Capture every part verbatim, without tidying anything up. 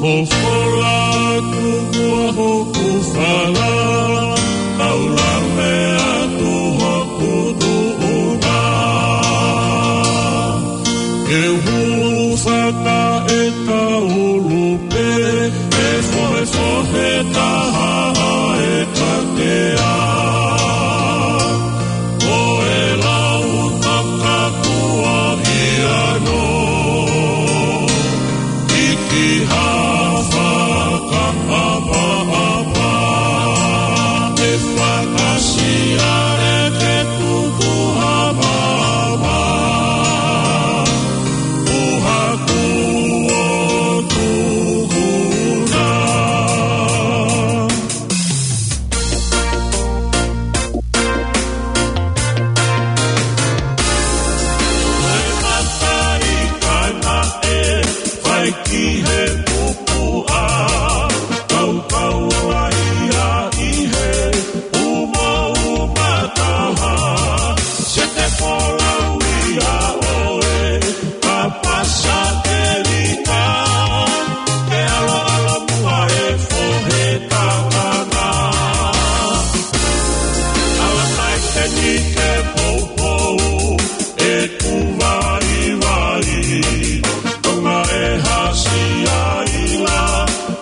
Ko fola tuku hoku fala, tau lave atu hoku tuʻunga. Ke hūfanga e kaulu pē, ʻe fohefohe taha e katea. Ko e lau takakua ia no, ʻi ki ha fakaʻapaʻapa, ʻe fakasia e ke tutu ha mama, ʻo haku ʻo tuku na. Ko e mata ʻi kaina ʻe fai ki he pupuʻa, kaukau ai ia ʻi he umauma taha, se te folau ia ʻoe, ka pasa ke lika, ke ʻaloʻalo muʻa e fohe tangata. Ala kai te ni ke poupou, e ku vaivai, tonga e hasi ai la,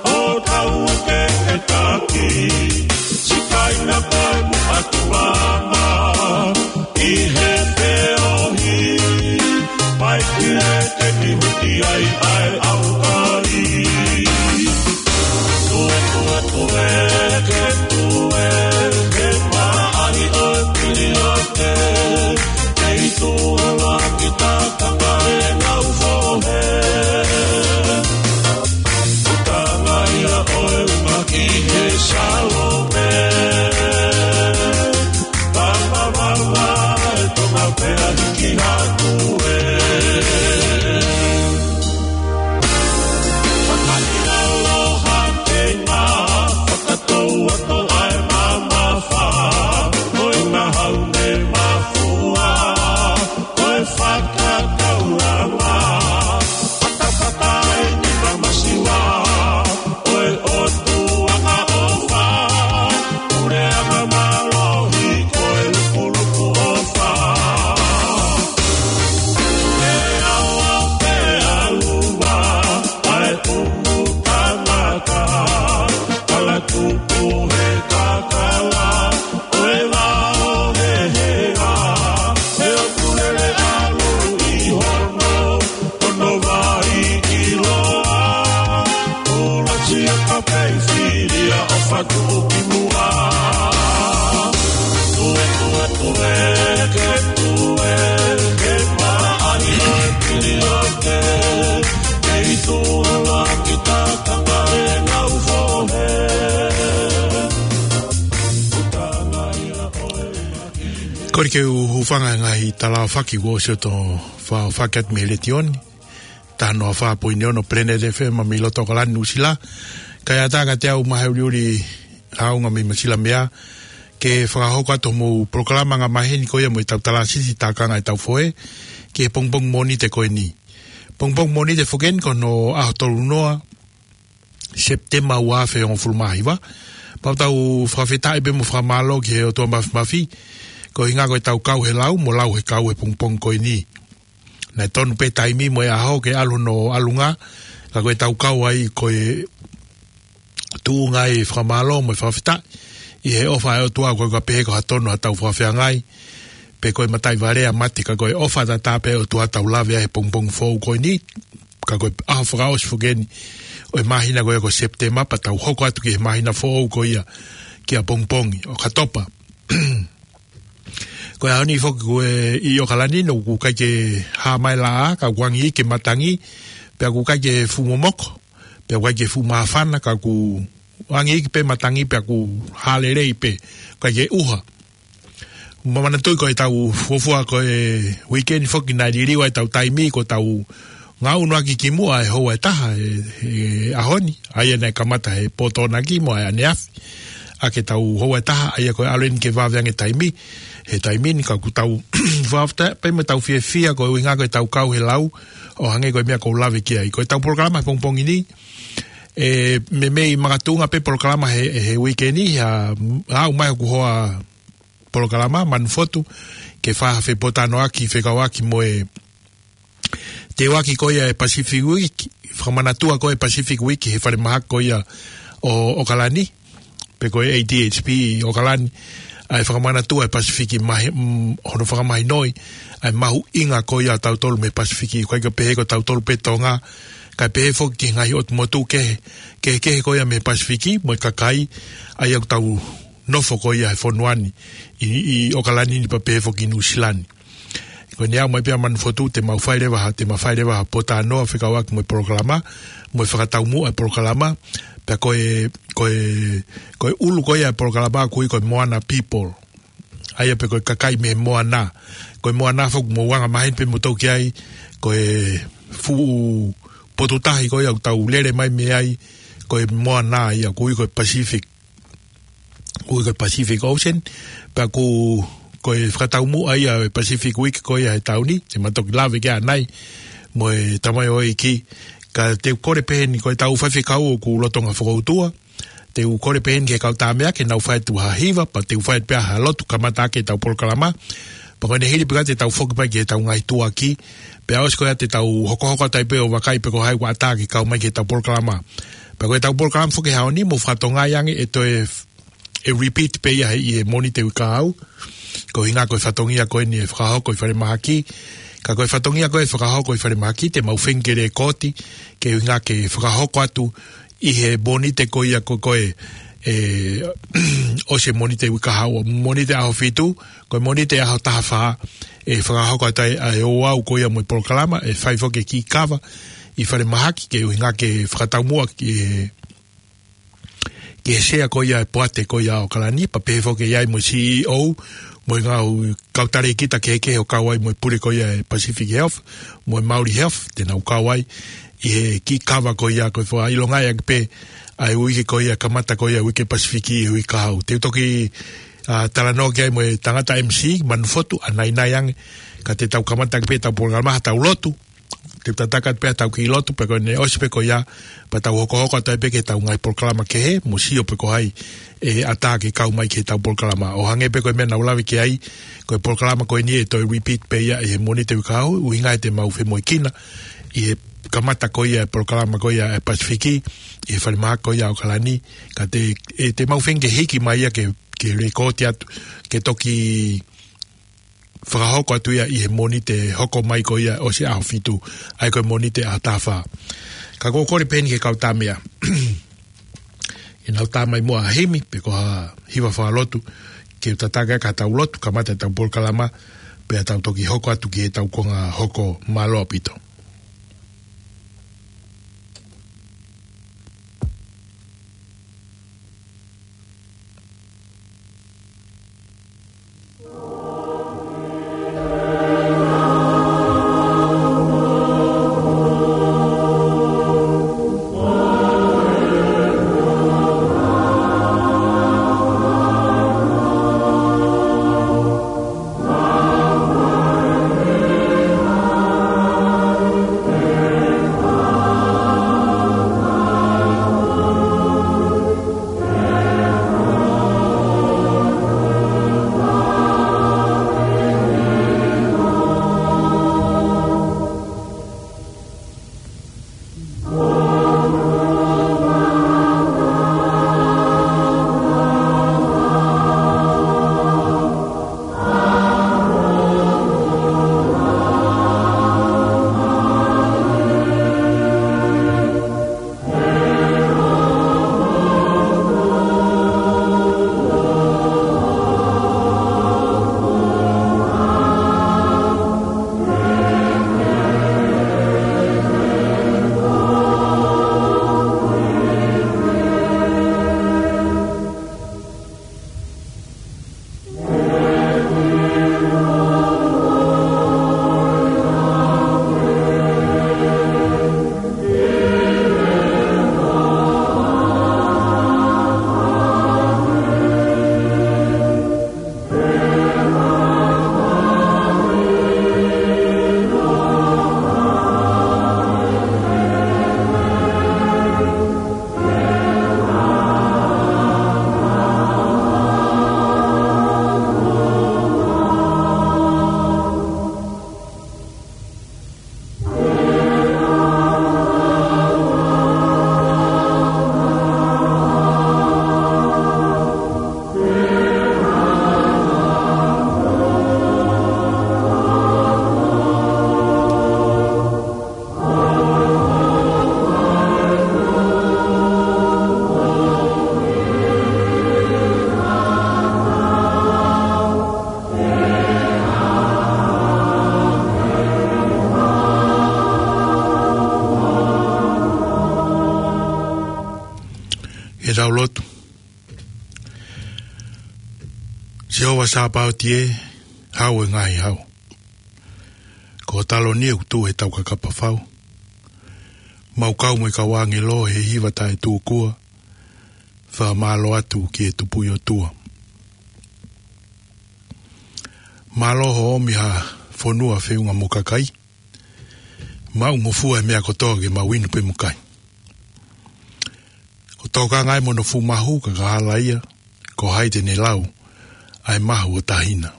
ʻo tau ke ke taki, sikaina koe muʻa tuʻanga, ʻi he feohi, mai ki he ke ni huti ai ʻa e ʻaukai. Tue, tue, tue, ke tue, ke maʻali ʻo e piliote, kei tuʻa la ki takanga e ngau fohe. Utanga ia ʻo e uma ki he Salome. Papa, papa, e tonga pea hiki hatu e. Fakaʻiloa ke ngā fakatou atu ai mamafa, ko e ngahau ne mafua, ko e fakakaulanga, fatafata e ni mamasiwa, ko e ʻOtua ʻofa, pule anga mālohi, ko e lukuluku ʻofa. E awa pe aluva, ʻa e tumu tangata, kala tupu he kakala, ʻo e vao he hea, he ʻoku lele ʻalu ʻi hono, hono vai ʻiloa, ʻula sia ka pei filia ʻo fatu ki muʻa. Tue, tue, tue, ke tue, ke maʻali ʻo e piliote, kei tuʻa la ki takanga e ngau fohe. Ko e ke u hūfanga he ngaahi tala fakakaukau kuo ʻosi ʻo toe fakakakato mei he letiō ni. Taha noa fā poini ono Planet F M mei loto ʻAokalani, Nuʻusila. Kae ʻatā kiate au Mahe ʻUliʻuli Haʻunga mei Masilamea, ke fakahoko atu homou polokalama anga maheni ko ia mo e tau talasisi takanga e tau fohe, ki he pongipongi Mōnite ko eni. Pongipongi Mōnite foki eni ko hono ʻaho tolu noa, Sepitema ua afe hongofulu mā hiva. Pea ʻoku tau fakafetaʻi pea mo fakamālō ki he ʻOtua Māfimafi, ko e ʻuhinga ko e tau kau he lau, mo lau he kau he pongipongi ko eni. Naʻe tonu pē taimi mo e ʻaho ke ʻalu hono ʻalunga, ka ko e tau kau ai ko e tuʻunga e fakamālō mo e fakafetaʻi, ʻi he ʻofa ʻa e ʻOtua, ʻoku ʻikai ko ha pehē ko ha tonu ha tau fakafeangai, pe ko e mataʻi vale ʻa mate, ka ko e ʻofa tatau pē ʻa e ʻOtua tau lave ai he pongipongi foʻou ko eni, ka ko e ʻaho fakaʻosi foki eni ʻo e māhina ko ia ko Sepitema, pea tau hoko atu ki he māhina foʻou ko ia ki he pongipongi ʻOkatopa. Ko e ʻaho ni foki ko e ʻi ʻAokalani, ʻoku ʻikai ke hā mai laʻā, ka ʻoku angi ke matangi, pea ʻoku ʻikai ke fuʻu momoko, pea ʻoku ʻikai ke fuʻu māfana, ka ʻoku angi pē matangi, pea ʻoku hā lelei pē, ʻikai ke ʻuha. Manatuʻi ko e tau fuofua ko e uike ni foki naʻe liliu ai e tau taimi ko e tau ngaʻunu ʻaki ki muʻa e houa ʻe taha he, he ʻaho ni, ʻa ia naʻe kamata he pō Tokonaki mo e ʻaneafi ʻaki e tau houa ʻe taha, ʻa ia ko e ʻalu eni ke vave ange taimi, he taimi ni ka ʻoku tau fakafetaʻi pea mo tau fiefia ko e ʻuhinga ko e tau kau he lau, ʻo hangē ko e meʻa ʻoku ou lave ki ai. Ko e tau polokalama he pongipongi ni, ʻE, meimei makatuʻunga pē polokalama he, he uike ni, ʻa, ʻa ʻomai hoku hoa polokalama, Manufotu, ke fai ha fepōtalanoaʻaki, fekauʻaki mo e teuaki ko ia e Pacific Week, fakamanatua ko e Pacific Week he falemahaki ko ia ʻo ʻOkalani, pe ko e A D H P ʻi ʻOkalani, ʻa e fakamanatua e Pasifiki mahi-, mm, hono fakamahinoʻi ʻa e mahuʻinga ko ia ʻo tautolu mei he Pasifiki, ʻikai ke pehē ko tautolu pē Tonga, kae pehē foki ki he ngaahi ʻotu motu kehe, kehekehe ko ia mei he Pasifiki, mo e kakai, ʻa ia ʻoku tau nofo ko ia he fonua ni, ʻi, ʻi ʻOkalani ni pea pehē foki Nuʻusila ni. Ko eni ʻa ʻomai pē ʻa Manufotu, te mau fai leva ha, te mau fai leva ha pōtalanoa fekauʻaki mo e polokalama, mo e fakataumuʻa e polokalama, pea ko e, ko e, ko e ʻulu ko ia e polokalama ʻoku ui ko e Moana People. ʻA ia pe ko e kakai mei he moana. Ko e moana foki mou anga maheni pē moutolu ki ai, ko e fuʻu potu tahi ko ia ʻoku tau lele mai mei ai, ko e moana ia ʻoku ui ko e Pacific. Ui ko e Pacific Ocean, pea ʻoku, ko e fakataumuʻa ia e Pacific Week ko ia he taʻu ni, te mau toki lave ki ai ʻanai, mo e tamaioʻeiki, ka te u kole pē heni ko e tau faifekau ʻoku lolotonga fokoutua, te u kole pē heni ki he kau tāmeʻa ke nau fai atu ha hiva, pea te u fai pē ha lotu kamata ʻaki e tau polokalama, pea ko ʻene hili pē ka te tau foki mai ki he tau ngaahi tuʻuaki, pea ʻosi ko ia te tau hokohoko atu ai pē ʻo vakai pe ko hai ʻoku ʻatā ke kau mai ki he tau polokalama. Pea ko e tau polokalama foki he ʻaho ni, mou fakatokangaʻi ange ʻe toe f-, ʻe repeat pē ia he, ʻi he Mōnite uike kahaʻu. Ko e ʻuhinga ko e fatongia ko eni ʻe fakahoko ʻi falemahaki. Ka ko e fatongia ko ē ʻe fakahoko ʻi falemahaki, te mau feinga ke lēkooti, ko e ʻuhinga ke fakahoko atu ʻi he Mōnite ko ia ko, ko e, ʻe, ʻosi e Mōnite uike kahaʻu, Mōnite ʻaho fitu, ko e Mōnite ʻaho taha fā, ʻe fakahoko atu ai ʻa e ouau ko ia mo e polokalama, ʻe fai foki e kiʻi kava ʻi falemahaki, ko e ʻuhinga ke fakataumuʻa ki he, ki he sea ko ia e poate ko ia ʻo ʻOkalani, pea pehē foki ʻe ʻi ai mo e C E O, mo e ngaahi kau talēkita kehekehe ʻo kau ai mo e pule ko ia e Pacific Health, mo e Maori Health, te nau kau ai ʻi he kiʻi kava ko ia ko e fakaʻilongaʻi ʻaki pē ʻa e uike ko ia kamata ko ia uike Pasifiki ʻi he uike kahaʻu. Te u toki, ʻa, talanoa ki ai mo e tangata M C, Manufotu, ʻanainai ange, ka te tau kamata ʻaki pē tau polokalama ha tau lotu, te u tataki atu pē ha tau kiʻi lotu, pea ko ʻene ʻosi pē ko ia, pea tau hokohoko atu ai pē ki he tau ngaahi polokalama kehe, mo sio pe ko hai ʻe ʻatā ke kau mai ki he tau polokalama. ʻO hangē pē ko e meʻa naʻa ku lave ki ai, ko e polokalama ko eni ʻe toe repeat pē ia ʻi he Mōnite uike kahaʻu, ʻuhinga ʻe te mau femoʻuekina ʻi he kamata ko ia e polokalama ko ia e Pasifiki, ʻi he falemahaki ko ia ʻo ʻOkalani, ka te, ʻe te mau feinga ke hiki mai ia ke, ke lēkooti atu, ke toki fakahoko atu ia ʻi he Mōnite hoko mai ko ia ʻosi ʻaho fitu, ʻa ia ko e Mōnite ʻaho taha fā. Ka ʻoku ou kole pē heni ki he kau tāmeʻa. ʻE nau tā mai muʻa ha himi, pe ko ha hiva fakalotu, ke u tataki ʻaki ha tau lotu, kamata e tau polokalama, pea tau toki hoko atu ki he tau konga hoko. Mālō ʻaupito. ʻE tau lotu. Sihova Sāpaoti ē, Hau ʻo e ngaahi hau. Ko ho taloni ʻoku tuʻu he taukakapa fau. Mau kau mo e kau ʻāngelo he hiva taʻetūkua. Fakamālō atu ki he Tupuʻi ʻOtua. Mālō hoʻo ʻomi ha fonua feʻunga mo e kakai. Mau ngofua e meʻa kotoa ke mau inu pē mo kai. Ko e tokanga ē mo hono fuʻu mahu ka ka hala ia, ko hai te ne lau ʻa e mahu ʻo tahina.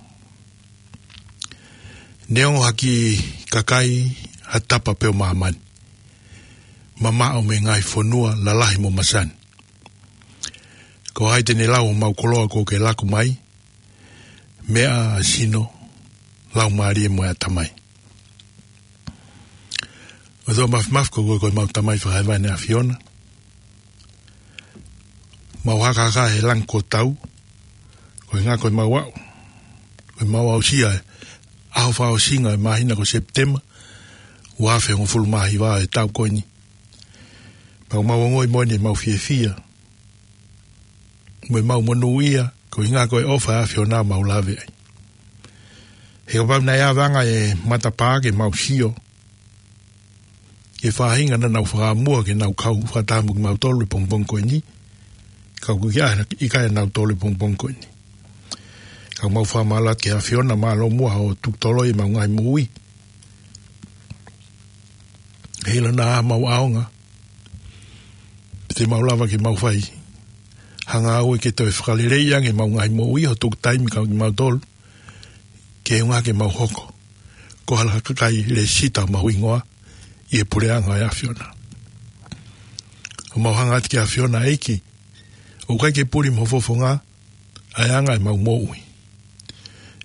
Neongo ha kiʻi kakai ha tapa pē ʻo māmani. Mamaʻo mei he ngaahi fonua lalahi mo masani. Ko hai te ne lau ʻo mau koloa ko ke laku mai, meʻa ʻa e sino, laumālie mo e ʻatamai. ʻOtua Māfimafi ko koe ko e mau Tamai fakahēvani ʻAfiona. Mau hakahaka he langi ko tau, ko e ngā ko e mau aʻu. Ko e mau aʻusia e ʻaho fakaʻosinga e māhina ko Sepitema, ua afe hongofulu mā hiva e taʻu ko eni. Pea ʻoku mau ongoʻi moʻoni e mau fiefia. Mo e mau monūʻia, ko e ngā ko e ʻofa ʻa e ʻAfiona mau lave ai. He kapau naʻe ʻave ange e matapā ke mau sio. Ke faʻahinga naʻa nau fakamua ke nau kau fakataha mo kimautolu he pongipongi ko eni. Ka ʻoku ʻikai, ʻikai ʻa nautolu he pongipongi ko eni. Ka mau fakamālō atu ki he ʻAfiona mālō muʻa hoʻo tuku toloi e mau ngaahi moʻui. He ʻilo naʻa mau ʻaonga. Pe te mau lava ke mau fai. Hanga au ke toe fakaleleiʻi ange mau ngaahi moʻui hoʻo tuku taimi kau kimautolu. Ke ʻuhinga ke mau hoko. Ko ha kakai lēsisita mau hingoa. ʻI he puleʻanga ʻo e ʻAfiona. ʻOku mau hanga atu ki he ʻAfiona ʻEiki. ʻOku ʻikai ke puli mo fofonga. ʻA e anga e mau moʻui.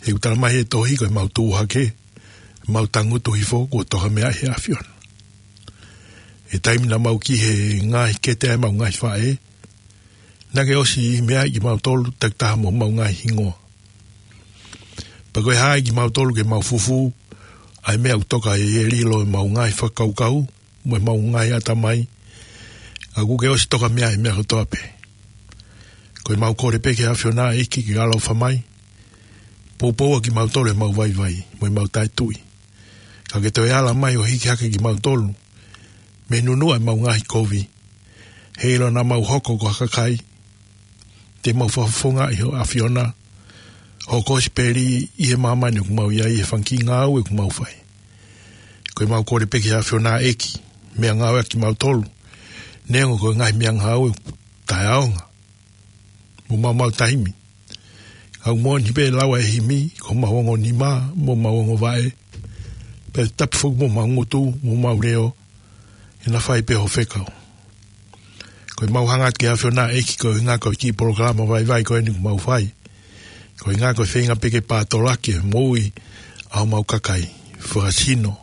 He ʻoku tala mai he tohi ko e mau tuʻu hake, mau tangutu hifo kuo toka meʻa he ʻAfiona. He taimi naʻa mau ki he ngaahi kete ʻa e mau ngaahi faʻē, naʻa ke ʻosi meʻa ʻi kimautolu takitaha mo mau ngaahi hingoa. Pea ko e hā ʻi kimautolu ke mau fufū, ʻa e meʻa ʻoku toka ʻe lilo e mau ngaahi fakakaukau, mo e mau ngaahi ʻatamai, ka ʻoku ke ʻosi toka meʻa he meʻa kotoa pē. Ko e mau kole pē ki he ʻAfiona ʻEiki ke ʻaloʻofa mai, poupou ʻa kimautolu he mau vaivai, mo e mau taʻetui. Ka ke toe ala mai ʻo hiki hake kimautolu, mei he nunuʻa e mau ngaahi kovi, he ʻilo naʻa mau hoko ko ha kakai, te mau fakafofongaʻi ho ʻAfiona, hoʻo kosipeli ʻi he māmani ʻoku mau ʻi ai he fanga kiʻi ngāue ʻoku mau fai. Ko e mau kole pē ki he ʻAfiona ʻEiki, meʻangāue ʻaki kimautolu, neongo ko e ngaahi meʻangāue taʻeʻaonga. Mo mau mau taimi. Ka ʻoku moʻoni pē lau ʻa e himi, ko mau ongo nima, mo mau ongo vaʻe. Pea tapu foki mo mau ngutu, mo mau leo, he naʻa fai pē ho fekau. Ko e mau hanga atu ki he ʻAfiona ʻEiki ko e ʻuhinga ko e kiʻi polokalama vaivai ko eni ʻoku mau fai. Ko e ʻuhinga ko e feinga pē ke pātolaki e moʻui ʻa homau kakai. Fakasino,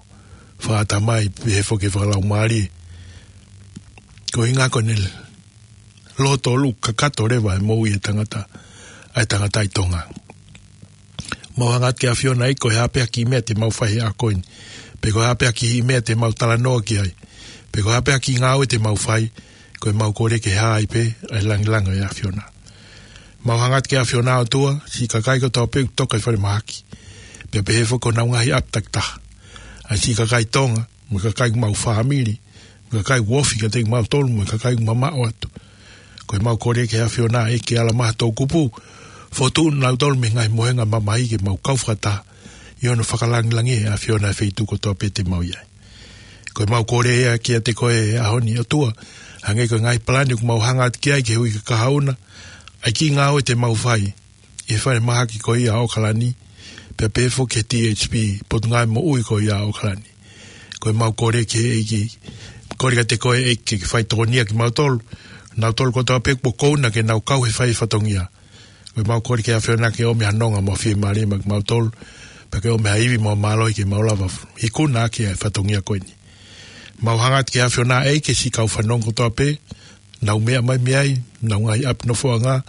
fakaʻatamai, pehē foki fakalaumālie. Ko e ʻuhinga ko ʻene loto ʻoku kakato leva e moʻui e tangata, ʻa e tangata ʻi Tonga. Mau hanga atu ki he ʻAfiona ʻEiki ko e hā pē ha kiʻi meʻa te mau fai he ʻaho ko eni. Pe ko e hā pē ha kiʻi meʻa te mau talanoa ki ai. Pe ko e hā pē ha kiʻi ngāue te mau fai, ko e mau kole ke hā ai pē, ʻa e langilangi ʻo e ʻAfiona. Mau hanga atu ki he ʻAfiona ʻOtua, siʻi kakai kotoa pē ʻoku toka ʻi falemahaki. Pea pehē foki ko honau ngaahi ʻapi takitaha. ʻA siʻi kakai Tonga, mo e kakai ʻoku mau fāmili, mo e kakai ʻoku ofi kiate kimautolu, mo e kakai ʻoku mamaʻo atu. Ko e mau kole ki he ʻAfiona ʻEiki ke ala mai ha toʻukupu, fokotuʻu nautolu mei he ngaahi mohenga mamahi ke mau kau fakataha, ʻi hono fakalangilangiʻi ʻe he ʻAfiona e feituʻu kotoa pē te mau ʻi ai. Ko e mau kole ia kiate koe he ʻaho ni ʻOtua, hangē ko e ngaahi palani ʻoku mau hanga atu ki ai ki he uike kahaʻu na, ʻa e kiʻi ngāue te mau fai, ʻi he falemahaki ko ia ʻo ʻAokalani, pea pehē foki ki he T H P, Potungāue Moʻui ko ia ʻo ʻAokalani. Ko e mau kole ki he ʻEiki, kole kiate koe ʻEiki ke fai tokonia kimautolu, nautolu kotoa pē kuo kouna ke nau kau he fai fatongia. Ko e mau kole ki he ʻAfiona ke ʻomi ha nonga mo e fiemālie maʻa kimautolu, pea ke ʻomi ha ivi mo e mālohi ke mau lava ikuna ʻaki e fatongia ko eni. Mau hanga atu ki he ʻAfiona ʻEiki siʻi kau fanongo kotoa pē, nau meʻa mai mei ai, nau ngaahi ʻapi nofoʻanga,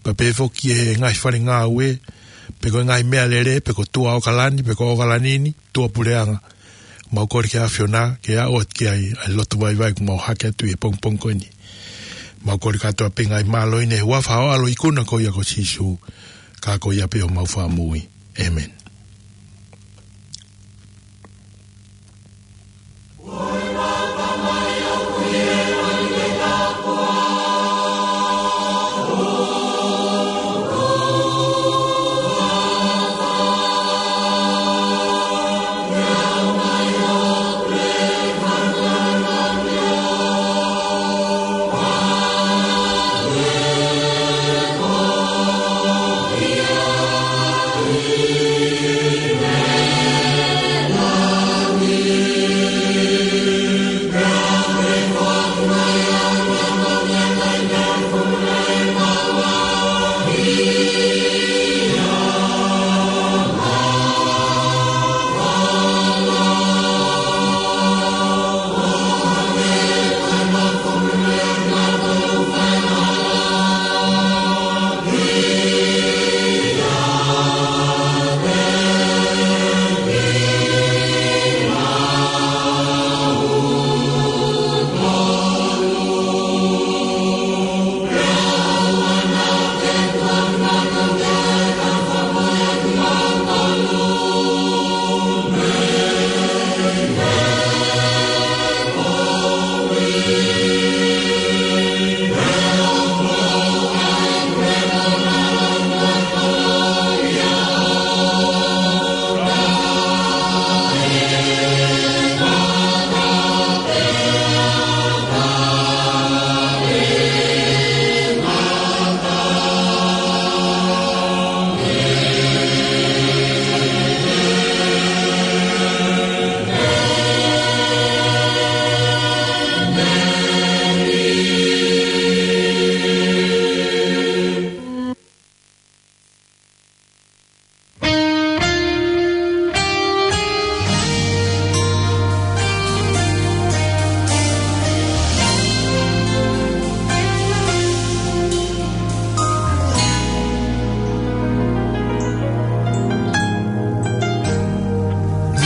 pea pehē foki he ngaahi fale ngāue, pe ko e ngaahi meʻalele, pe ko tuʻa ʻAokalani, pe ko ʻAokalani ni, tuʻa puleʻanga. Mau kole ki he ʻAfiona, ke aʻu atu ki ai, ʻa e lotu vaivai ʻoku mau hake atu ʻi he pongipongi ko eni. Mau kole kātoa pē ngaahi mālohi ni ʻi he huafa ho ʻAlo ikuna ko ia ko Sīsū, ka ko ia pē homau Fakamoʻui. ʻĒmeni.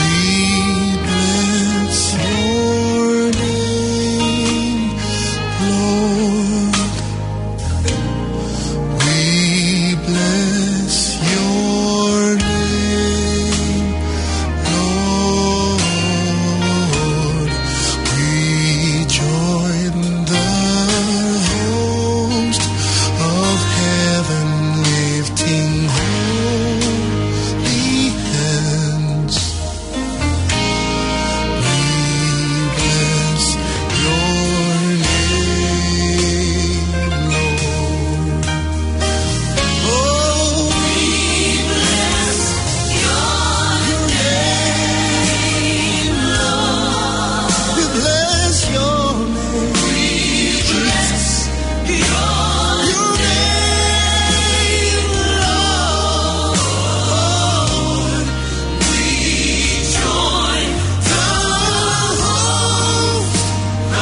We bless your name, Lord. We bless your name, Lord. We join the host of heaven, lifting holy hands. We bless your name, Lord. Oh, we bless your name, Lord. We bless your name. We bless your name, Lord. We join the host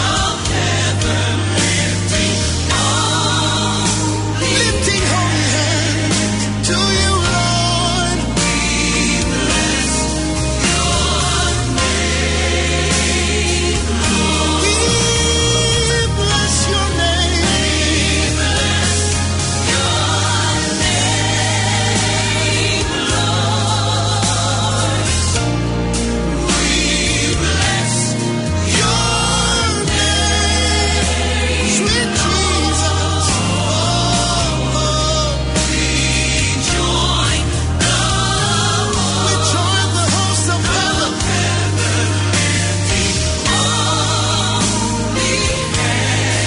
of heaven, lifting holy hands to you, Lord. We bless your name, Lord. We bless your name.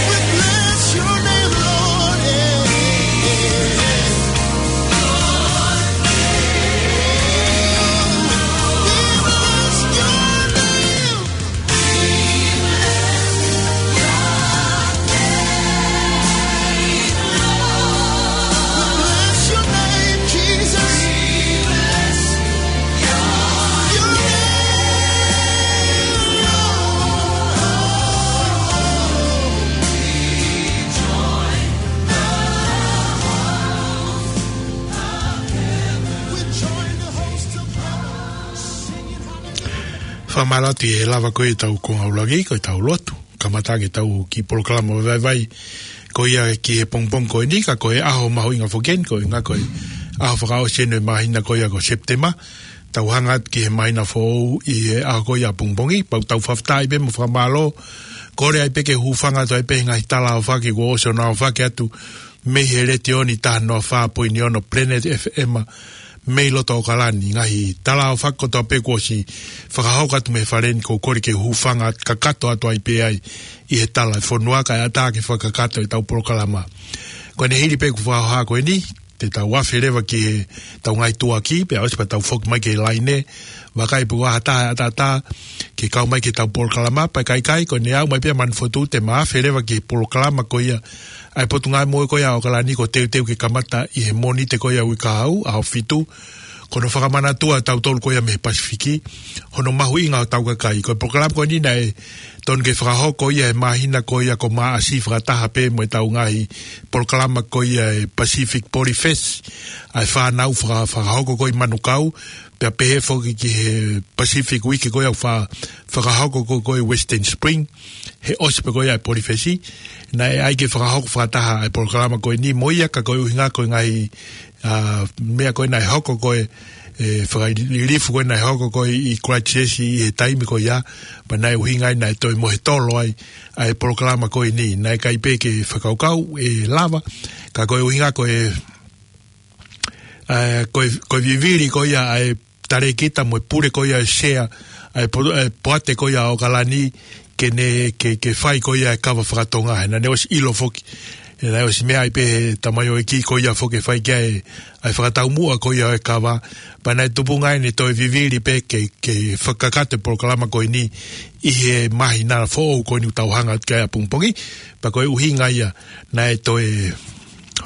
We bless your name, Lord. We bless your name. We bless your name, Jesus. Your name, Lord. Fakamālō atu ʻi he lava ko ē ʻetau konga ʻuluaki, ko ʻetau lotu. Kamata ʻaki ʻetau kiʻi polokalama vaivai. ko ia ki he pongipongi ko eni, ka ko e ʻaho mahuʻinga foki eni, ko e ʻuhinga ko e ʻaho fakaʻosi eni ʻo e māhina ko ia ko Sepitema. Tau hanga atu ki he māhina foʻou ʻi he ʻaho ko ia pongipongi, pea ʻoku tau fakafetaʻi pē mo fakamālō. Kole ai pē ke hūfanga atu ai pē he ngaahi tala ʻofa ke kuo ʻosi ʻonaofaki atu mei he letiō ni taha noa fā poini ono Planet F M, mei loto ʻAokalani, ngaahi tala ʻofa kotoa pē kuo ʻosi fakahoko atu mei he fale ni, ʻoku ou kole ke hūfanga kakato atu ai pē ai ʻi he tala ʻo e fonua kae ʻatā ke fakakakato ʻetau polokalama. Ko ʻene hili pē ʻeku fakahoha ko eni, te tau afe leva ki heʻetau ngaahi tuʻuaki, pea ʻosi pea tau foki mai ki he laine, vakai pe ʻoku ʻi ai ha taha ʻe ʻataʻatā ke kau mai ki heʻetau polokalama, pea ka ʻikai, ko ʻene aʻu mai pē ʻa Manufotu te ma afe leva ki he polokalama ko ia ʻa e Potungāue Moʻui ko ia ʻo ʻAokalani, kuo teuteu ke kamata ʻi he Mōnite ko ia uike kahaʻu, ʻaho fitu. Ko hono fakamanatu ʻa tautolu ko ia mei he Pasifiki, hono mahuʻinga ʻo hotau kakai. Ko e polokalama ko eni naʻe totonu ke fakahoko ia he māhina ko ia ko Maʻasi fakataha pē mo ʻetau ngaahi polokalama ko ia ʻa e Pacific Polyfest, ʻa e fānau faka-, fakahoko ko ia ʻi Manukau, pea pehē foki ki he Pacific Week ko ia ʻoku fa-, fakahoko ko ia ʻi Western Spring, he ʻosi pē ko ia ʻa e Polyfest. Naʻe ʻai ke fakahoko fakataha ʻa e polokalama ko eni mo ia, ka ko e ʻuhinga ko e ngaahi, ʻa, meʻa ko ē naʻe hoko ko ē, ʻa e fakalilifu ko ē naʻe hoko ko ē ʻi Christchurch ʻi he taimi ko ia, pea naʻe ʻuhinga ai naʻe toe mohe tolo ai ʻa e polokalama ko eni. Naʻe ʻikai pē ke fakakaukau ʻe lava, ka ko e ʻuhinga ko e, ʻa, ko e, ko e vivili ko ia ʻa e talēkita mo e pule ko ia ʻo e sea ʻa e po-, ʻa e poate ko ia ʻo ʻAokalani ke ne, ke, ke fai ko ia e kava fakatonga. He naʻa ne ʻosi ʻilo foki, he naʻe ʻosi meʻa ai pē he tamaioʻeiki ko ia foki ʻe fai ki ai ʻa e fakataumuʻa ko ia ʻo e kava. Pea naʻe tupunga ai ʻene toe vivili pē ke, ke fakakakato e polokalama ko eni ʻi he māhina foʻou ko eni ʻoku tau hanga atu ki ai ʻapongipongi. Pea ko e ʻuhinga ia naʻe toe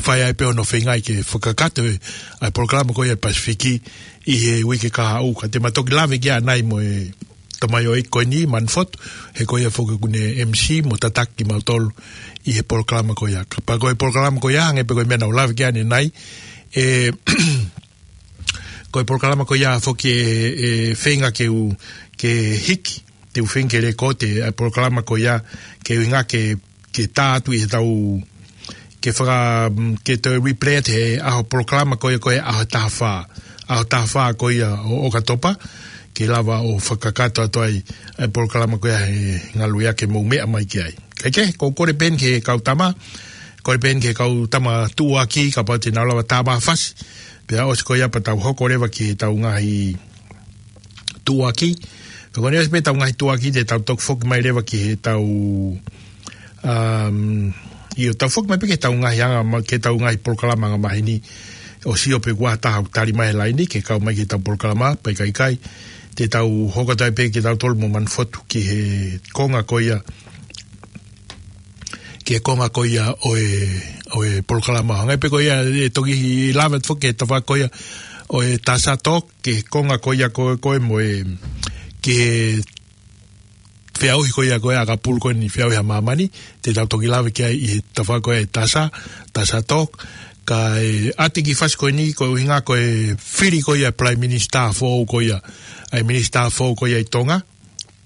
fai ai pē hono feingaʻi ke fakakakato e, ʻa e polokalama ko ia ʻa e Pasifiki ʻi he uike kahaʻu. Ka te ma toki lave ki ai ʻanai mo e tamaioʻeiki ko eni, Manufotu, he ko ia foki ʻoku ne M C mo tataki kimautolu ʻi he polokalama ko ia. Kapau ko e polokalama ko ia, hangē pē ko e meʻa naʻa ku lave ki ai ʻanenai, ʻe, ko e polokalama ko ia foki ʻe, ʻe feinga ke u, ke hiki, te u feinga ke lēkooti ʻa e polokalama ko ia, ke ʻuhinga ke ke tā atu ʻi heʻetau, ke faka-, mm, ke toe replay atu he ʻaho polokalama ko ia ko e ʻaho taha fā. ʻAho taha fā ko ia ʻo ʻOkatopa, ke lava ʻo fakakakato atu ai ʻa e polokalama ko ia he ngaluʻia ke mou meʻa mai ki ai. Kae kehe, ʻoku ou kole pē eni ki he kau tama, kole pē eni ki he kau tama tuʻuaki, kapau te nau lava tā mai ha fasi. Pea ʻosi ko ia pea tau hoko leva ki heʻetau ngaahi tuʻuaki. Ka ko ʻene ʻosi pē ʻetau ngaahi tuʻuaki te tau toki foki mai leva ki heʻetau, um, ʻio, tau foki mai pē ki heʻetau ngaahi anga ma-, ki heʻetau ngaahi polokalama anga maheni. ʻOsi ʻio pe ʻoku ʻi ai ha taha ʻoku tali mai he laini ke kau mai ki heʻetau polokalama, pea ʻikai, ʻikai. Te tau hoko atu ai pē kitautolu mo Manufotu ki he konga ko ia, ki he konga ko ia ʻo e, ʻo e polokalama. Hangē pē ko ia ʻe toki lave atu foki ki he tafaʻaki ko ia ʻo e Tasa Talk, ki he konga ko ia ko, ko ē mo e, ki he feʻauhi ko ia ko ē ʻa ʻAkapulu ko eni, feʻauhi ʻa māmani, te tau toki lave ki ai ʻi he tafaʻaki ko ia ʻo e Tasa, Tasa Talk. Kae ʻoatu e kiʻi fasi ko eni, ko e ʻuhinga ko e fili ko ia Prime Minister foʻou ko ia, ʻa e Minister foʻou ko ia ʻi Tonga.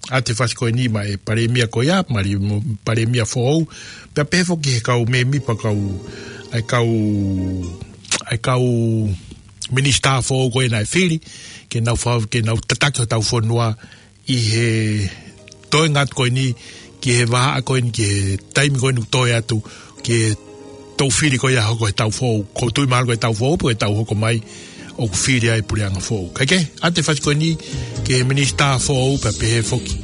ʻOatu e fasi ko eni maʻa e Palēmia ko ia, mali mo-, Palēmia foʻou. Pea pehē foki ki he kau mēmipa kau, ʻa e kau, ʻa e kau Minister foʻou ko ē naʻe fili, ke nau fa-, ke nau tataki hotau fonua ʻi he toenga atu ko eni, ki he vahaʻa ko eni, ki he taimi ko eni ʻoku toe atu, ki he toʻu fili ko ia hoko he taʻu foʻou. ʻOku ou tui mahalo ko e taʻu foʻou, pe ko e taʻu hoko mai, ʻoku fili ai e puleʻanga foʻou. Kae kehe, ʻoatu e fasi ko eni ki he Minister foʻou pea pehē foki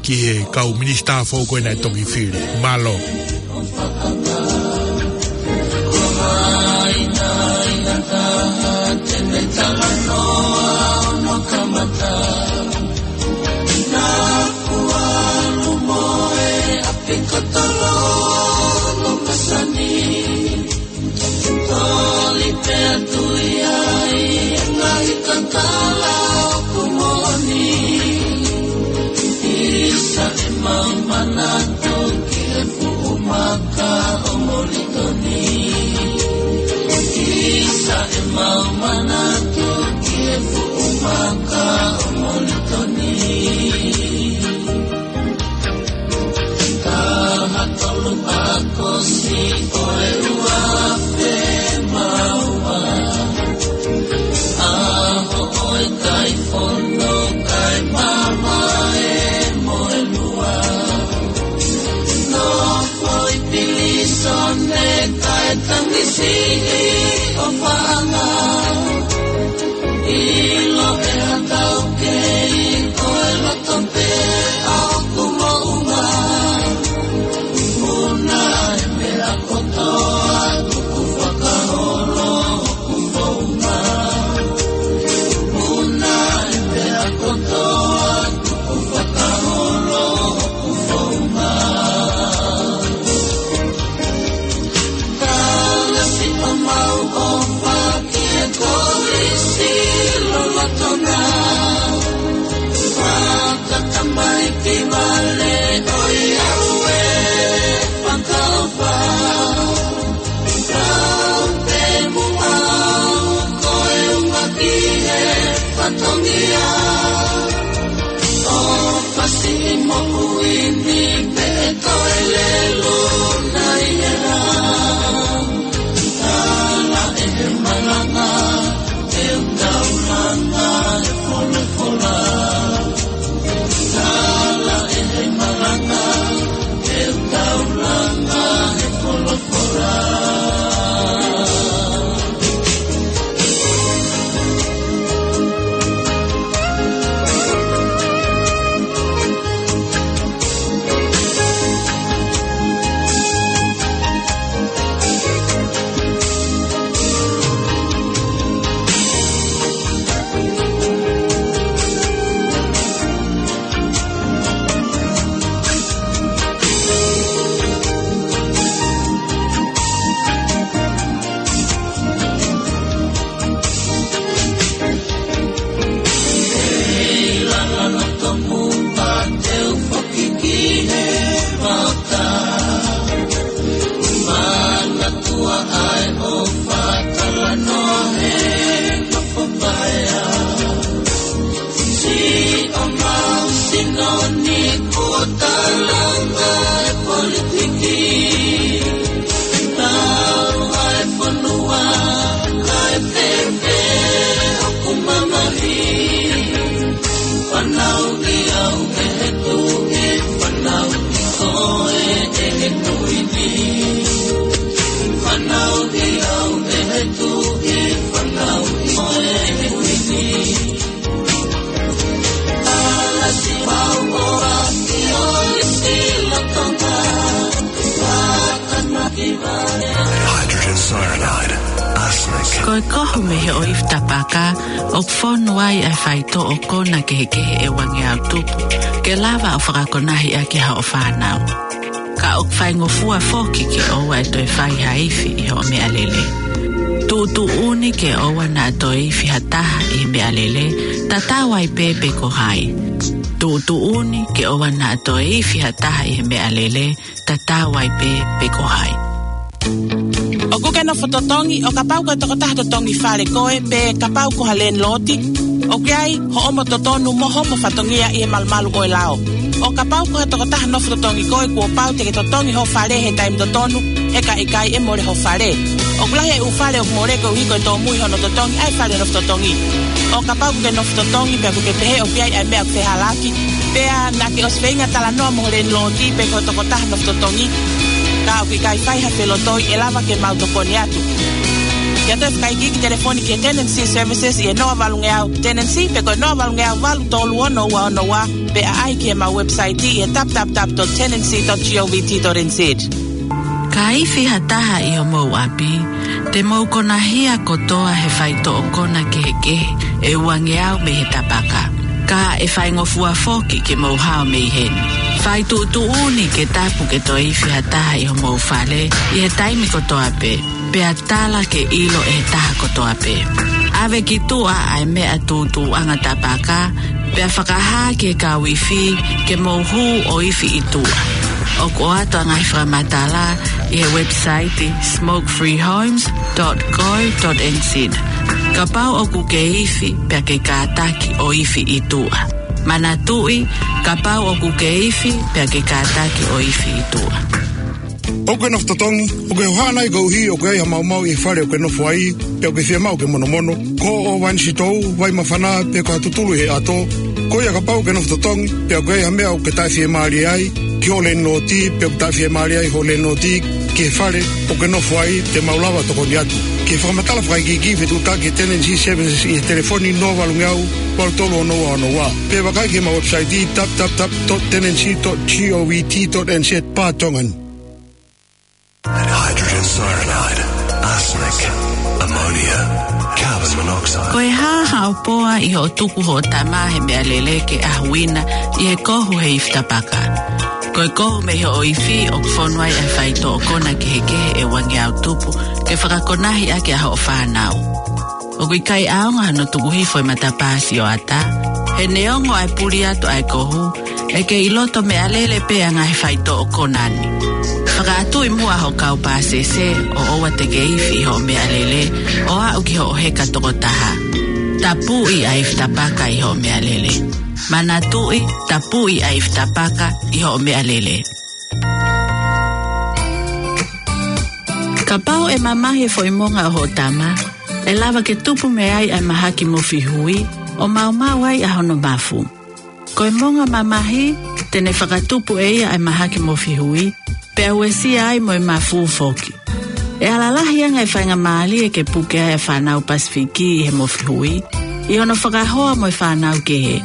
ki he kau Minister foʻou ko ē naʻe toki fili. Mālō. Ne kae tangisiʻi ʻo fanga. ʻIlo ʻe ha taukei ko e loto pē ʻa hoku moʻunga. Muna e meʻa kotoa tuku fakaholo hoku founga. Muna e meʻa kotoa tuku fakaholo hoku founga. Kalasi ʻo mau ʻofa ki he kolisi lolotonga. Fakatamaiki vale ʻo e au e fakaʻofa. Kau te muʻa ko e unga ki he fatongia. ʻO fasi moʻui ni pē ʻe toe lelu nai e rā. Tala ʻe he malanga, ʻe taulanga he folofola. Tala ʻe he malanga, ʻe taulanga he folofola. Fanauʻi au ʻe he Tuʻi, fanauʻi koe ʻe he Tuʻi ni. Fanauʻi au ʻe he Tuʻi, fanauʻi koe ʻe he Tuʻi ni. Kalasi mau ʻofa ki he kolisi lolotonga. Hydrogen cyanide, arsenic. Ko e kohu mei he ʻoifi tapaka, ʻoku fonu ai ʻa e faitoʻo kona kehekehe ʻe uangeau tupu, ke lava ʻo fakakonahi ʻaki haʻo fānau. Ka ʻoku faingofua foki ke ʻoua ʻe toe fai ha ifi ʻi hoʻo meʻalele. Tuʻutuʻuni ke ʻoua naʻa toe ifi ha taha ʻi he meʻalele, tatau ai pē pe ko hai. Tuʻutuʻuni ke ʻoua naʻa toe ifi ha taha ʻi he meʻalele, tatau ai pē pe ko hai. ʻOkú ke nofo totongi, ʻo kapau ko e tokotaha totongi fale koe, pe kapau ko ha landlord, ʻoku ʻi ai hoʻomo totonu mo hoʻomo fatongia ʻi he malumalu ʻo e lao. ʻO kapau ko ha tokotaha nofo totongi koe, kuo pau te ke totongi hoʻo fale he taimi totonu, he ka ʻikai ʻe mole hoʻo fale. ʻOku lahi e ʻū fale ʻoku mole koeʻuhi ko e tōmui hono totongi ʻa e fale nofo totongi. ʻO kapau ʻokú ke nofo totongi, pea ʻokú ke pehē ʻoku ʻi ai ʻa e meʻa ʻoku fehālaaki, pea naʻá ke ʻosi feinga talanoa mo ho landlord pe ko e tokotaha nofo totongi, ka ʻoku ʻikai fai ha felotoi, ʻe lava ke mau tokoni atu. Ke ʻoatu e fakaikiiki, telefoni ki he Tenancy Services ʻi he noa valungeau Tenancy, pe ko e noa valungeau valu tolu ono ua ono ua, pe ʻaʻahi ki heʻemau website ʻi he w w w dot tenancy dot govt dot n z. Ka ifi ha taha ʻi homou ʻapi, te mou konahia kotoa he faitoʻo kona kehekehe ʻe uangeau mei he tapaka. Ka ʻe faingofua foki ke mou hao mei heni. Fai tuʻutuʻuni ke tapu ke toe ifi ha taha ʻi homou fale ʻi he taimi kotoa pē, pea tala ke ʻilo ʻe he taha kotoa pē. ʻAve ki tuʻa ʻa e meʻa tūtuuʻanga tapaka, pea fakahā ki he kau ifi ke mou hū ʻo ifi ʻi tuʻa. ʻOku ʻoatu ʻa e ngaahi fakamatala ʻi he website smoke free homes dot co dot n z. Kapau ʻokú ke ifi, pea ke kātaki ʻo ifi ʻi tuʻa. Manatuʻi, kapau ʻokú ke ifi, pea ke kātaki ʻo ifi ʻi tuʻa. ʻOkú ke nofo totongi, ʻokú ke hohaʻa nai koeʻuhi ʻoku ʻi ai ha maumau ʻi he fale ʻokú ke nofo ai, pea ʻoku ke fiemaʻu ke monomono, ko hoʻo vai ni sitou, vai māfana, pe ko ha tutulu ʻi he ʻato? Ko ia, kapau ʻokú ke nofo totongi, pea ʻoku ʻi ai ha meʻa ʻokú ke taʻefiemālie ai ki hoʻo landlord, pe ʻoku taʻefiemālie ai hoʻo landlord ki he fale ʻoku ke nofo ai, te mau lava ʻo tokoni atu. Ke fakamatala fakaikiiki, fetuʻutaki e Tenancy Services ʻi he telefoni noa valu ngeau, valu tolu ono ua ono ua. Pe vakai ki heʻemau website, w w w dot tenancy dot govt dot n z, barra Tongan. Hydrogen cyanide, arsenic, ammonia, carbon monoxide. Ko e hā haʻo poa ʻi hoʻo tuku hoʻo tama he meʻalele ke ʻahuina ʻi he kohu he ifi tapaka? Ko e kohu mei hoʻo ifi ʻoku fonu ai ʻa e faitoʻo kona kehekehe ʻe uangeau tupu ke fakakonahi ʻaki ʻa hoʻo fānau. ʻOku ʻikai ʻaonga hano tuku hifo e matapā sioʻata. He neongo ʻa e puli atu ʻa e kohu, ʻe kei ʻi loto meʻalele pē ʻa e ngaahi faitoʻo kona ni. Fakaʻatuʻi muʻa hoʻo kau pāsese ʻo ʻoua te ke ifi ʻi hoʻo meʻalele ʻo aʻu ki hoʻo heka tokotaha. Tapuʻi ʻa e ifi tapaka ʻi hoʻo meʻalele. Manatuʻi, tapuʻi ʻa e ifi tapaka ʻi hoʻo meʻalele. Kapau ʻe mamahi e foʻi monga ʻo hoʻo tama, ʻe lava ke tupu mei ai ʻa e mahaki mofi hui, ʻo maumau ai ʻa hono mafu. Ko e monga mamahi, te ne fakatupu ʻe ia ʻa e mahaki mofi hui, pea uesia ai mo e mafu foki. ʻE ala lahi ange e faingamālie ke puke ai ʻa e fānau Pasifiki ʻi he mofi hui, ʻi hono fakahoa mo e fānau kehe.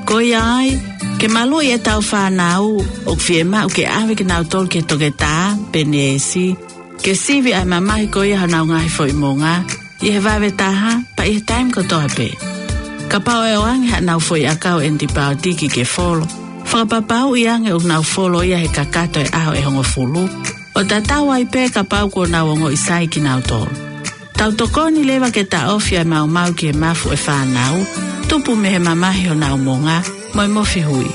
Ko ia ai, ke maluʻi ʻetau fānau, ʻoku fiemaʻu ke ʻave kinautolu ki he toketā pe neesi, ke sivi ʻa e mamahi ko ia honau ngaahi foʻi monga, ʻi he vave taha, pea ʻi he taimi kotoa pē. Kapau ʻe ʻoange haʻanau foʻi ʻakau ʻenipaotiki ke folo, fakapapauʻi ange ʻoku nau folo ia he kakato e ʻaho ʻe hongofulu, ʻo tatau ai pē kapau kuo nau ongoʻi sai kinautolu. Tau tokoni leva ke taʻofi ʻa e maumau ki he mafu ʻa e fānau, tupu mei he mamahi honau monga, mo e mofi hui.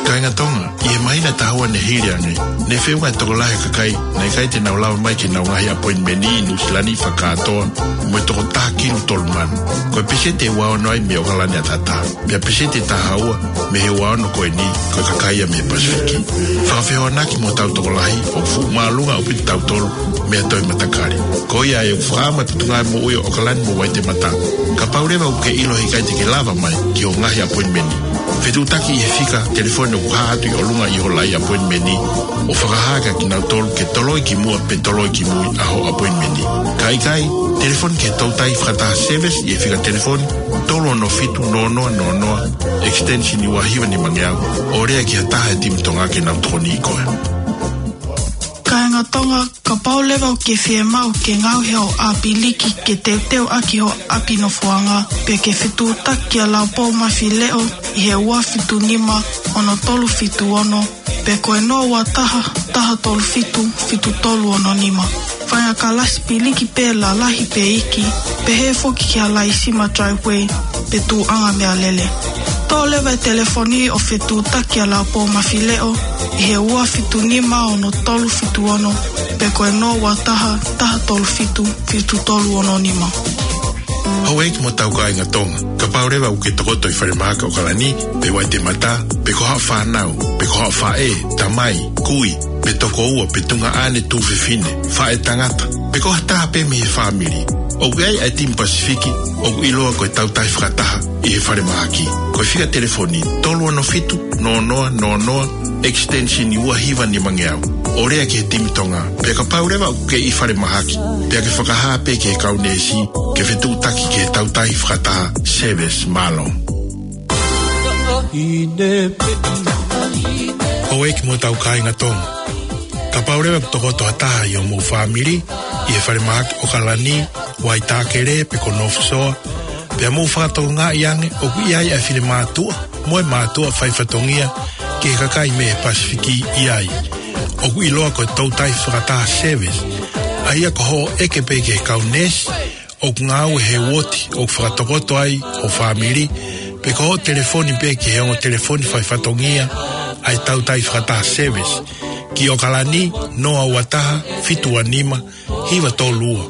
Kāinga Tonga, ʻi he māhina ʻe taha ua ne hili ange, ne feʻunga e tokolahi ʻo e kakai naʻe ʻikai te nau lava mai ki heʻenau ngaahi ʻapoinimeni ʻi Nuʻusila ni fakakātoa, mo e toko taha kilu tolu mano. Ko e peseti ʻe ua ono ai mei ʻAokalani ʻAtatā. Pea peseti ʻe taha ua mei he ua ono ko eni, ko e kakai ia mei he Pasifiki. Fakafehoanaki mo hotau tokolahi, ʻoku fuʻu māʻolunga ʻaupito kitautolu mei ha toe matakali. Ko ia ai ʻoku fakaʻamu ʻa e Potungāue Moʻui ʻo ʻAokalani mo Waitemata. Kapau leva ʻoku ke ʻilo he ʻikai te ke lava mai ki hoʻo ngaahi ʻapoinimeni, fetuʻutaki ʻi he fika telefoni ʻoku hā atu ʻi ʻolunga ʻi ho laʻi ʻapoinimeni, ʻo fakahā kia kinautolu ke toloi ki muʻa pe toloi ki mui ʻa hoʻo ʻapoinimeni. Ka ʻikai, telefoni ki he Toutai Fakataha Service ʻi he fika telefoni tolu ono fitu noa noa noa noa, extension ua hiva nima ngeau, ʻo lea ki ha taha he timi Tonga ke nau tokoniʻi koe. Kāinga Tonga, kapau leva ʻoku ke fiemaʻu ke ngaohi hoʻo ʻapi liki ke teuteu ʻaki hoʻo ʻapi nofoʻanga, pea ke fetuʻutaki kia Laupou Mafileʻo ʻi he ua fitu nima ono tolu fitu ono, pe ko e noa ua taha, taha tolu fitu, fitu tolu ono nima. Fai ha kalasi piliki pē lalahi pe iiki, pehē foki ki ha laisima driveway pe tuʻuʻanga meʻalele. Toʻo leva e telefoni ʻo fetuʻutaki kia Laupou Mafileʻo ʻi he ua fitu nima ono tolu fitu ono, pe ko e noa ua taha, taha tolu fitu, fitu tolu ono nima. Houʻeiki mo hotau kāinga Tonga, kapau leva ʻoku ke tokoto ʻi falemahaki ʻAokalani, pe Waitemata, pe ko haʻo fānau, pe ko haʻo faʻē, tamai, kui, pe tokoua, pe tuongaʻane tuofefine, faʻē tangata, pe ko ha taha pē mei he fāmili, ʻoku ʻi ai ʻa e timi Pasifiki ʻoku ʻiloa ko e Toutai Fakataha ʻi he falemahaki. Ko e fika telefoni tolu ono fitu noa noa noa noa, extension ua hiva nima ngeau, ʻo lea ki he timi Tonga. Pea kapau leva ʻoku ke ʻi falemahaki, pea ke fakahā pē ki he kau neesi ke fetuʻutaki ki he Toutai Fakataha Service. Mālō. Houʻeiki mo hotau kāinga Tonga, kapau leva ʻoku tokoto ha taha ʻi homou fāmili ʻi he falemahaki ʻAokalani, Waitākele pe ko North Shore, pea mou fakatokangaʻi ange ʻoku ʻi ai ʻa e finemātuʻa mo e mātuʻa faifatongia ki he kakai mei he Pasifiki ʻi ai, ʻoku ʻiloa ko e Toutai Fakataha Service, ʻa ia ko hoʻo ʻeke pē ki he kau neesi ʻoku ngāue he uooti ʻoku fakatokoto ai ho fāmili, pe ko hoʻo telefoni pē ki he ongo telefoni faifatongia ʻa e Toutai Fakataha Service, ki ʻAokalani, noa ua taha, fitu ua nima, hiva tolu ua,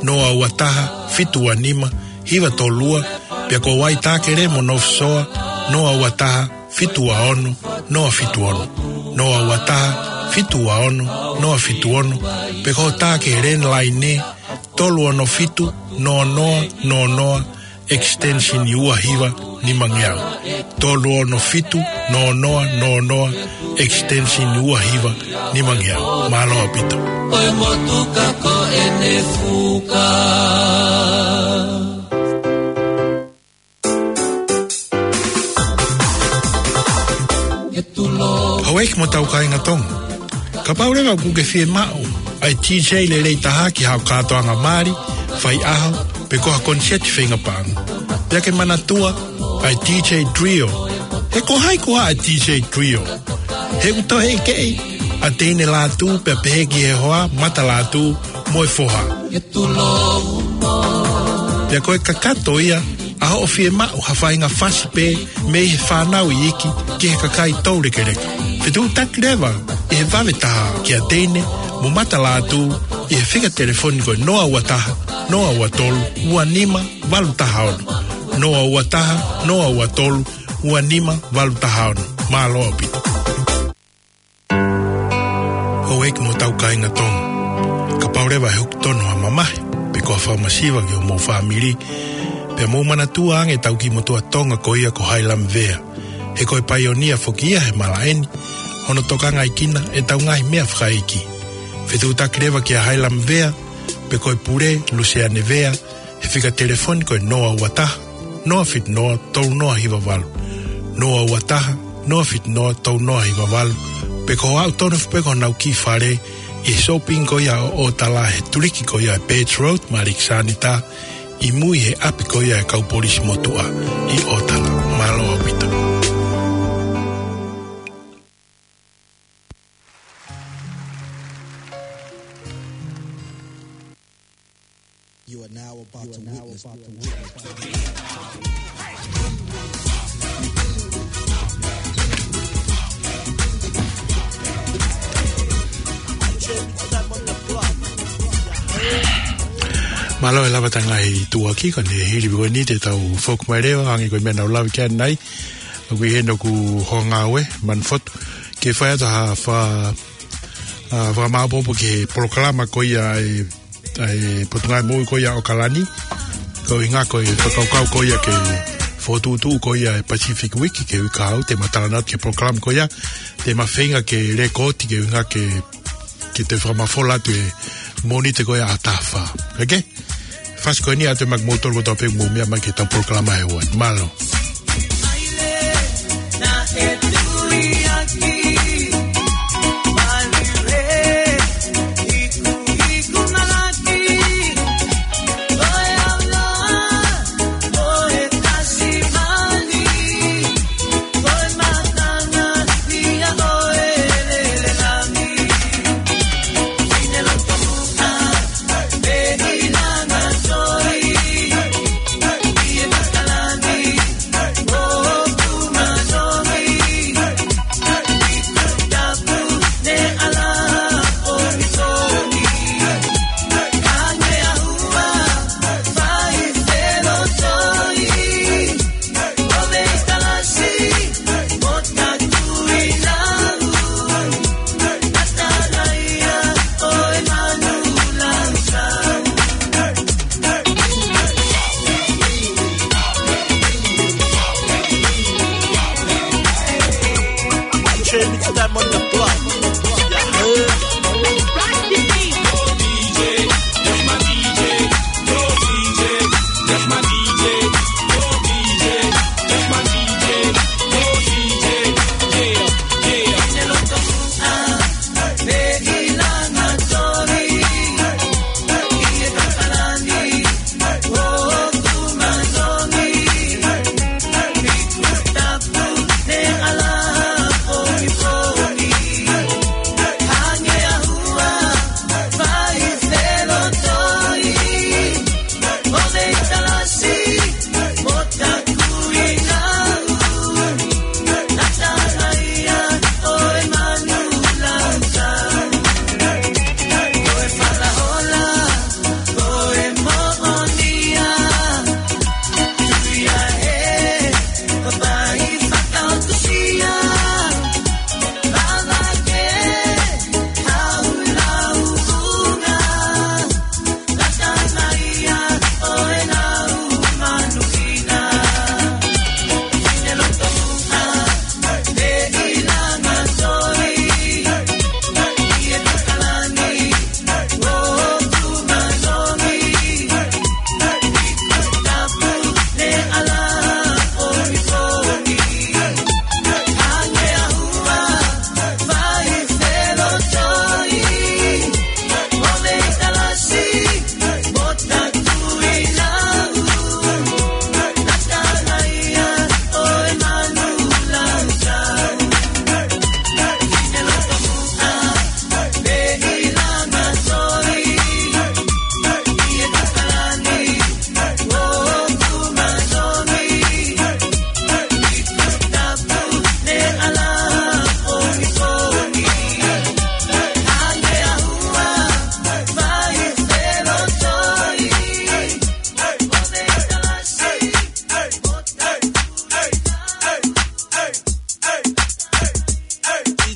noa ua taha, fitu ua nima, hiva tolu ua, pea ko Waitākele mo North Shore, noa ua taha, fitu ua ono, noa fitu ono, noa ua taha, fitu ua ono, noa fitu ono, pe ko hotau landline, tolu ono fitu, noa noa, noa noa, extension ua hiva nima ngeau. Tolu ono fitu, noa noa noa noa, extension ua hiva nima ngeau. Mālō ʻaupito. ʻO e motuka ko ʻene fuka. Houʻeiki mo hotau kāinga Tonga. Kapau leva ʻoku ke fiemaʻu ʻa e DJ lelei taha ki haʻo kātoanga mali, faiʻaho, pe ko ha koniseti feinga paʻanga, pea ke manatua ʻa e DJ Trio. He ko hai koā ʻa e DJ Trio? He ʻoku toe ʻekeʻi ʻa Teine Lātū pea pehē ki he hoa Mata Lātū mo e foha. Pea ko e kakato ia ʻa hoʻo fiemaʻu ha faʻahinga fasi pē mei he fānau iiki ki he kakai toulekeleka. Fetuʻutaki leva ʻi he vave taha kia Teine mo Mata Lātū ʻi he fika telefoni ko e noa ua taha, noa ua tolu, ua nima, valu taha ono. Noa ua taha, noa ua tolu, ua nima, valu taha ono. Mālō ʻaupito. Houʻeiki mo hotau kāinga Tonga. Kapau leva ʻe hoko tonu ha mamahi, pe ko ha fakamasiva ki homou fāmili, pea mou manatua ange ʻetau kiʻi motuʻa Tonga ko ia ko Hailami Vea. He ko e paionia foki ia he malaʻe ni, hono tokangaʻi kinautolu ʻe heʻetau ngaahi meʻa fakaʻeiki. Fetuʻutaki leva kia Hailami Vea, pe ko e pule, Luseane Vea, he fika telefoni ko e noa ua taha, noa fitu noa, tolu noa hiva valu. Noa ua taha, noa fitu noa, tolu noa hiva valu. Pe ko e aʻu tonu foki pē ki honau kiʻi fale ʻi he shopping ko ia ʻo ʻOtala he tuliki ko ia ʻa e Birch Road, Malikisānita, ʻi mui he ʻapi ko ia ʻa e kau polisi motuʻa ʻi ʻOtala. Mālō ʻaupito. You are now about to witness. Mālō e lava ʻetau ngaahi tuʻuaki, ko eni hili pē ko eni te tau foki mai leva, hangē ko e meʻa naʻa ku lave ki ai ʻanenai. ʻOku ʻi heni hoku houngāue, Manu Fotu, ke fai atu ha fa-, ʻa, fakamāʻopoʻopo ki he polokalama ko ia ʻa e, ʻa e Potungāue Moʻui ko ia ʻo ʻAokalani. Ko e ʻuhinga ko e fakakaukau ko ia ke fokotuʻutuʻu ko ia e Pacific Week, ki he uike kahaʻu, te ma talanoa atu ki he polokalama ko ia, te ma feinga ke lēkooti ki he ʻuhinga ke, ke toe fakamafola atu e Mōnite ko ia ʻaho taha fā. ʻOkei? Fasi ko eni atu e maʻa kimoutolu kotoa pē ʻoku mou meʻa mai ki heʻetau polokalama he ʻaho ni. Mālō.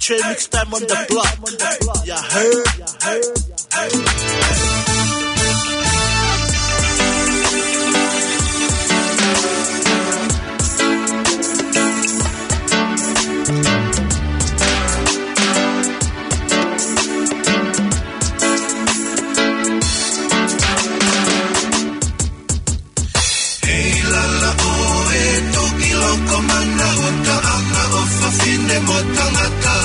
Trey Mix Time on the block. Yeah, heard. Hei lala ʻo e toki loko mana ʻo taʻanga ʻo fafine mo tangata.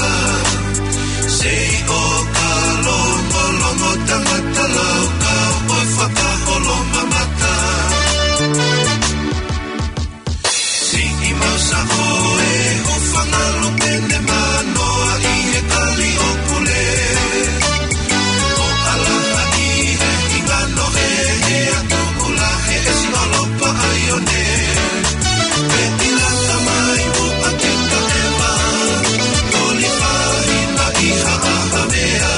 Sei ʻo ka longolongo tangata lau ka ʻo fakaholonga mata. Siʻi mau sa ʻo e hūfanga lopene manoa ʻi he kali ʻo Pule. ʻO ʻalaha ʻi he hingano he he atu kula he ʻesi ʻolopa ʻaione. Pe ʻi lata mai muʻa ke taʻeva. Toli fahina ʻi ha ʻaha mea.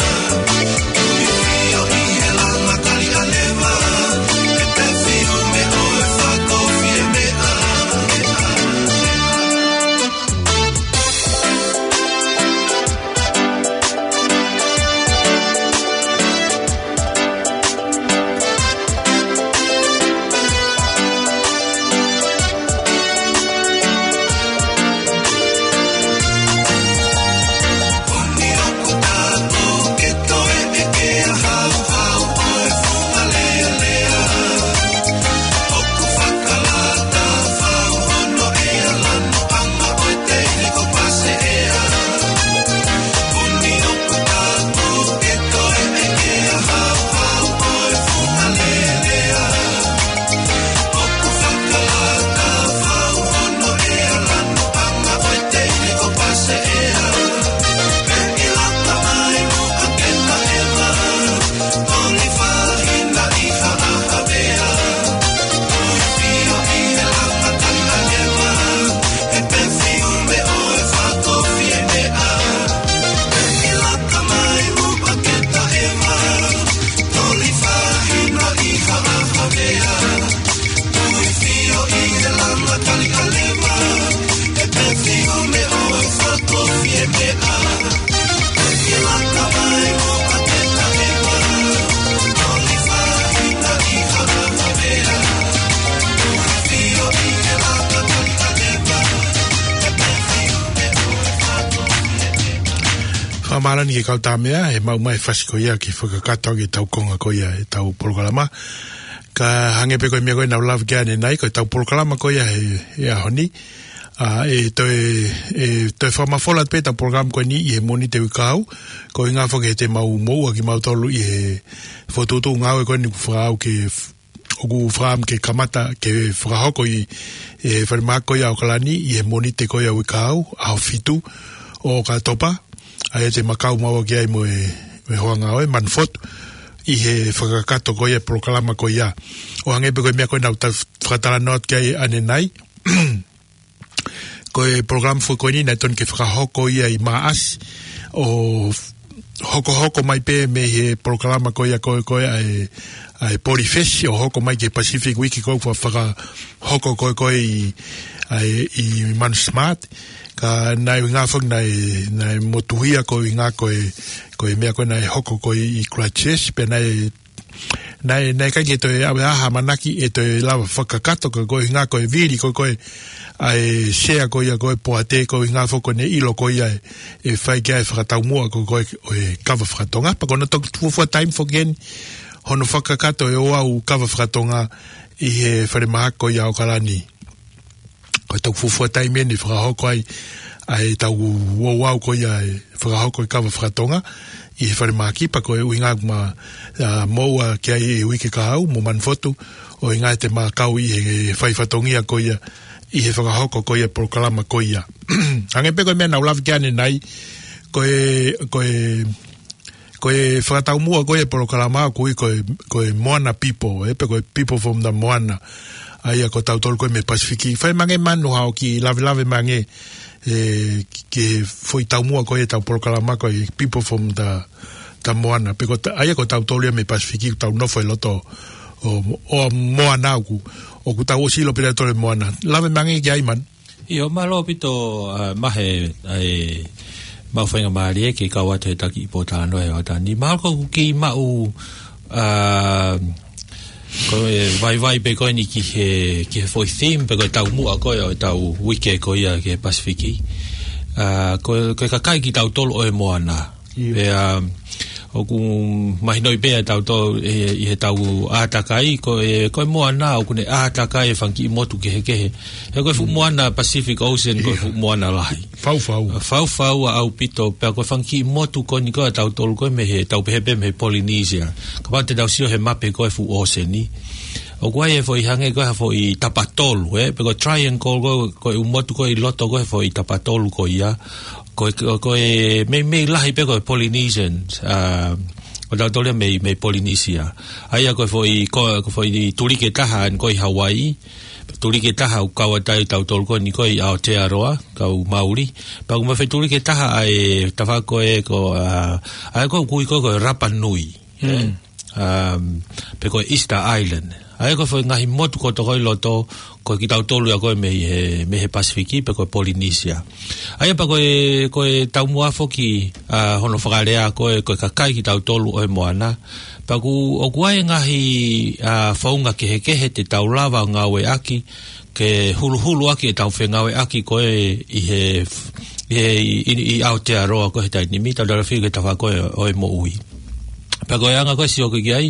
Fakamālō ʻi he kau tāmea, he maʻu mai fasi ko ia ke fakakakato ʻaki ʻetau konga ko ia ʻetau polokalama. Ka hangē pē ko e meʻa ko ē naʻa ku lave ki ai ʻanenai, ko ʻetau polokalama ko ia he, he ʻaho ni. ʻA, ʻe toe, ʻe toe fakamafola pē ʻetau polokalama ko eni ʻi he Mōnite uike kahaʻu. Ko e ʻuhinga foki he te mau moʻua kimautolu ʻi he fokotuʻutuʻu ngāue ko eni kuo fakaʻau ke f-, ʻoku fakaʻamu ke kamata ke fakahoko ʻi, ʻi he falemahaki ko ia ʻAokalani, ʻi he Mōnite ko ia uike kahaʻu, ʻaho fitu ʻo ʻOkatopa. ʻA ia te ma kau maua ki ai mo e, mo e hoa ngāue, Manu Fotu, ʻi he fakakakato ko ia e polokalama ko ia. ʻO hangē pē ko e meʻa ko ē naʻa ku ta-, fakatalanoa atu ki ai ʻanenai. Ko e polokalama foki ko eni naʻe totonu ke fakahoko ia ʻi Maʻasi, ʻo hokohoko mai pē mei he polokalama ko ia ko ē, ko ē ʻa e, ʻa e Polifesi, ʻo hoko mai ki he Pacific Week ko ē ʻoku fakahoko ko ē, ko ē ʻi, ʻa e, ʻi Manu Smart. Ka naʻe ʻuhinga foki naʻe, naʻe motuhia ko e ʻuhinga ko e, ko e meʻa ko ē naʻe hoko ko ē ʻi Christchurch, pea naʻe Naʻe, naʻe ʻikai ke toe ʻave ha ʻamanaki ʻe toe lava fakakakato ka ko e ʻuhinga ko e vili ko ē, ko ē ʻa e sea ko ia ko ē poate ko e ʻuhinga foki ko ʻene ʻilo ko ia ʻe, ʻe fai ki ai e fakataumuʻa ko ē, ko ē ʻo e kava fakatonga. Pea ko hono toki fuofua taimi foki eni hono fakakakato e ouau kava fakatonga ʻi he falemahaki ko ia ʻAokalani. Ko e toki fuofua taimi eni ʻe fakahoko ai ʻa ʻetau ouau ko ia e fakahoko e kava fakatonga ʻi he falemahaki pea ko e ʻuhinga ʻoku ma, ʻa, moʻua ki ai e uike kahaʻu mo Manu Fotu, ʻo ʻuhinga te ma kau ʻi he fai fatongia ko ia ʻi he fakahoko ko ia e polokalama ko ia. Hangē pē ko e meʻa naʻa ku lave ki ai ʻanenai, ko e, ko e Ko e fakataumuʻa ko e polokalama ʻoku ui ko e, ko e Moana People, ʻe, pe ko e People from the Moana. ʻA ia ko tautolu ko ē mei Pasifiki. Fai mai ange Manu haʻo kiʻi lavelave mai ange, ʻe, ki he foʻi taumuʻa ko e ʻetau polokalama ko e People from the, the Moana. Pe ko ta-, ʻa ia ko tautolu ia mei Pasifiki, ʻoku tau nofo ʻi loto ʻo, ʻo moana ʻoku, ʻoku tau ʻosi ʻilo pē ʻe tautolu e moana. Lave mai ange ki ai Manu. ʻIo, mālō ʻaupito, ʻa, Mahe, ʻa e, Mau faingamālie ke kau atu he taki i pōtalanoa he hoʻatā ni. Mahalo ʻoku ke maʻu, ā, ko e vaivai pē ko eni ki he, ki he foʻi theme pe ko e taumuʻa ko ē ʻo e tau uike ko ia ki he Pasifiki. Ā, ko, ko e kakai kitautolu ʻo e moana. ʻIo. Pea, ʻoku mahinoʻi pē ʻa tautolu ʻi, ʻi he tau ʻātakai, ko e, ko e moana ʻoku ne ʻātakai e fanga kiʻi motu kehekehe. He ko e fuʻu moana Pacific Ocean, ko e fuʻu moana lahi. Faufau. Faufau ʻaupito, pea ko e fanga kiʻi motu ko eni ko ē ʻa tautolu ko ē mei he, tau pehē pē mei he Polynesia. Kapau te tau sio he mape ko ē fuʻu ʻōseni. ʻOku ʻi ai e foʻi hangē ko e ha foʻi tapatolu, ē? Pe ko e triangle ko, ko e ʻū motu ko ē ʻi loto ko ē he foʻi tapatolu ko ia. Ko e, ko e, ko e meimei lahi pē ko e Polynesians, ā, ko tautolu ia mei, mei Polynesia. ʻA ia ko e foʻi, ko, ko e foʻi tuliki ʻe taha ʻa eni ko ē ʻi Hawaii, tuliki ʻe taha ʻoku kau atu ai tautolu ko eni ko ē ʻi Aotearoa, kau Mauli. Pea ʻoku mafai tuliki ʻe taha ʻa e tafaʻaki ko ē ko, ā, ʻa ia ko ē ʻoku ui ko ē ko e Rapa Nui. ʻE? Um, pe ko e Easter Island. ʻA ia ko e foʻi ngaahi motu kotoa ko ē ʻi loto, ko kitautolu ia ko ē mei he, mei he Pasifiki, pe ko e Polynesia. ʻA ia pea ko e, ko e taumuʻa foki, ā, hono fakalea ko ē, ko e kakai kitautolu ʻo e moana. Pea ʻoku, ʻoku ʻi ai e ngaahi, ā, founga kehekehe te tau lava ʻo ngāueʻaki, ke huluhulu ʻaki e tau fengāueʻaki ko ē ʻi he, ʻi he, ʻi, ʻi, ʻi Aotearoa ko ē he taimi ni, tau talafia ki he tafaʻaki ko ē ʻo e moʻui. Pea ko e anga ko ē ʻo e sio ko ē ki ai,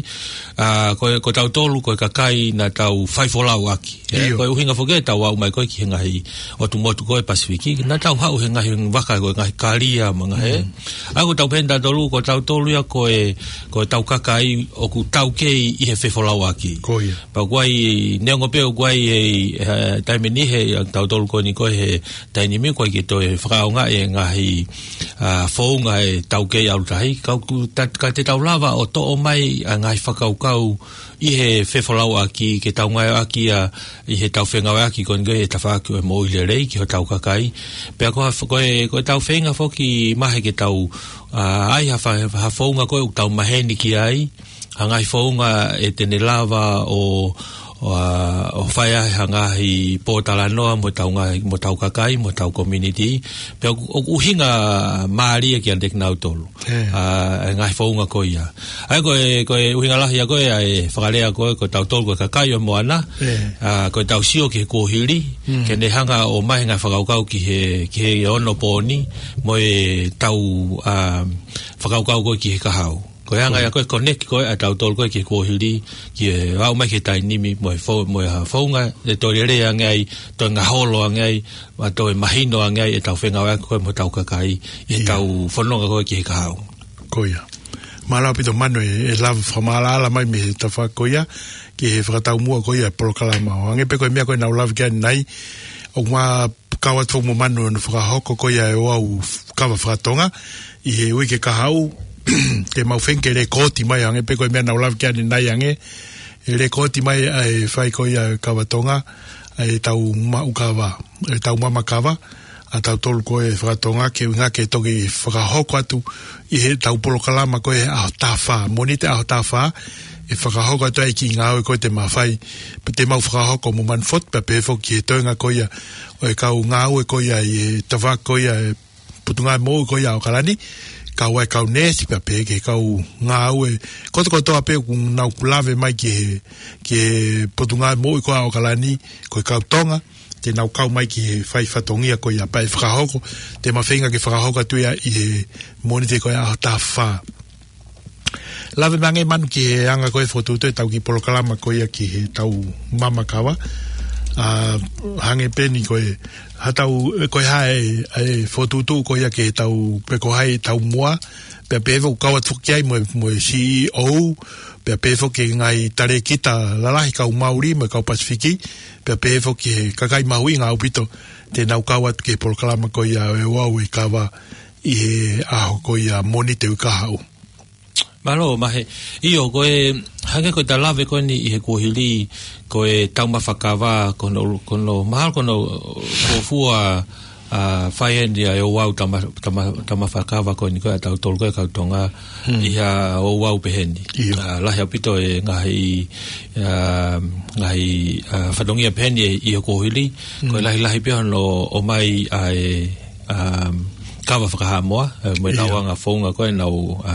ā, ko e, ko tautolu, ko e kakai naʻa tau faifolau ʻaki. ʻIo. Ko e ʻuhinga foki ʻetau aʻu mai ko ē ki he ngaahi ʻotu motu ko ē Pasifiki, naʻa tau haʻu he ngaahi vaka ko e ngaahi kalia mo e ngaahi, ē? Mm. ʻA ia ko ʻetau pehē ʻe tautolu, ko tautolu ia ko e, ko ʻetau kakai ʻoku taukei ʻi he fefolauʻaki. Ko ia. Pea ʻoku ʻi ai, neongo pē ʻoku ʻi ai e, e, taimi ni he, ʻa tautolu ko eni ko ē he taimi ni ʻoku ʻikai ke toe fakaʻaongaʻi e ngaahi, ā, founga ʻe taukei ʻalu tahi, ka ʻoku ta-, ka te tau lava ʻo toʻo mai ʻa e ngaahi fakakaukau ʻi he fefolauʻaki, ke tau ngāueʻaki ia ʻi he tau fengāueʻaki ko eni ko ē he tafaʻaki ʻo e moʻui lelei ki hotau kakai. Pea ko ha f-, ko e, ko ʻetau feinga foki mahalo ke tau, ā, ʻai ha fa-, ha founga ko ē ʻoku tau maheni ki ai, ha ngaahi founga ʻe te ne lava ʻo, ʻo, ā, ʻo fai ai ha ngaahi pōtalanoa mo ʻetau ngaahi, mo ʻetau kakai, mo ʻetau community. Pea ʻoku, ʻoku ʻuhinga mālie kiate kinautolu. ʻE. Ā, e ngaahi founga ko ia. ʻA ia ko e, ko e ʻuhinga lahi ia ko ē ʻa e fakalea ko ē, ko tautolu ko e kakai ʻo e moana. ʻE. Ā, ko ʻetau sio ki he kuohili, Mm. ke ne hanga ʻo ʻomai e ngaahi fakakaukau ki he, ki he onopōni, mo e tau, ā, fakakaukau ko ē ki he kahaʻu. Ko e anga ia ko ē connect ko ē ʻa tautolu ko ē ki he kuohili, ki he aʻu mai ki he taimi ni mo e fo-, mo e ha founga, ʻe toe lelei ange ai, toe ngaholo ange ai, ʻa toe mahino ange ai ʻetau fengāueʻaki ko ē mo hotau kakai, ʻi heʻetau fononga ko ē ki he kahaʻu. Ko ia. Mālō ʻaupito Manu e, e lava fakamaʻalaʻala mai mei he tafaʻaki ko ia, ki he fakataumuʻa ko ia e polokalama. ʻO hangē pē ko e meʻa ko ē naʻa ku lave ki ai ʻanenai, ʻoku ma kau atu mo Manu ʻo ne fakahoko ko ia e ouau kava fakatonga, ʻi he uike kahaʻu, te mau feinga ke lekooti mai, hangē pē ko e meʻa naʻa ku lave ki ai ʻanenai ange, ʻe lekooti mai ʻa e fai ko ia e kava Tonga, ʻa ʻetau maʻu kava, ʻetau mama kava, ʻa tautolu ko ē fakatonga ke ʻuhinga ke toki fakahoko atu ʻi heʻetau polokalama ko ē ʻaho taha fā, Mōnite ʻaho taha fā, ʻe fakahoko atu ai e kiʻi ngāue ko ē te ma fai, pea te mau fakahoko mo Manu Foti, pea pehē foki ki he toenga ko ia ʻo e kau ngāue ko ia ʻi he tafaʻaki ko ia e Potungāue Moʻui ko ia ʻo ʻAokalani, kau ai e kau neesi pea pehē ki he kau ngāue kotokotoa pē ʻoku nau lave mai ki he, ki he Potungāue Moʻui ko ia ʻo ʻAokalani, ko e kau Tonga, te nau kau mai ki he fai fatongia ko ia pea ʻe fakahoko, te ma feinga ke fakahoko atu ia ʻi he Mōnite ko ia ʻaho taha fā. Lave mai ange Manu ki he anga ko ē fokotuʻutuʻu ʻetau kiʻi polokalama ko ia ki heʻetau mama kava. Ā, hangē pē eni ko e, haʻatau, ko e hā e, e fokotuʻutuʻu ko ia ki heʻetau, pe ko hai ʻetau moa, pea pehē foki kau atu foki ai mo e, mo e C E O, pea pehē foki ki he ngaahi talēkita lalahi kau Mauli mo e kau Pasifiki, pea pehē foki ki he kakai mahuʻinga ʻaupito, te nau kau atu ki he polokalama ko ia e ouau e kava ʻi he ʻaho ko ia Mōnite uike kahaʻu. Mālō, Mahe. ʻIo, ko e, hangē ko ʻeta lave ko eni ʻi he kuohili, ko ʻetau mama kava, ko hono, ko hono, mahalo ko hono fuofua, ā, fai eni ʻa e ouau tama-, tama-, tama fakava ko eni ko ē ʻa tautolu ko ē kau Tonga, Hmm. ʻi ha ouau pehē ni. ʻIo. Ā, lahi ʻaupito e ngaahi, ā, ngaahi, ā, fatongia pehē ni ʻi he kuohili, ko e Hmm. lahilahi pē hono ʻomai ʻa e, ā, kava fakahaʻamoa, ē, mo e Ia. tauʻanga founga ko ē ʻenau, ʻa,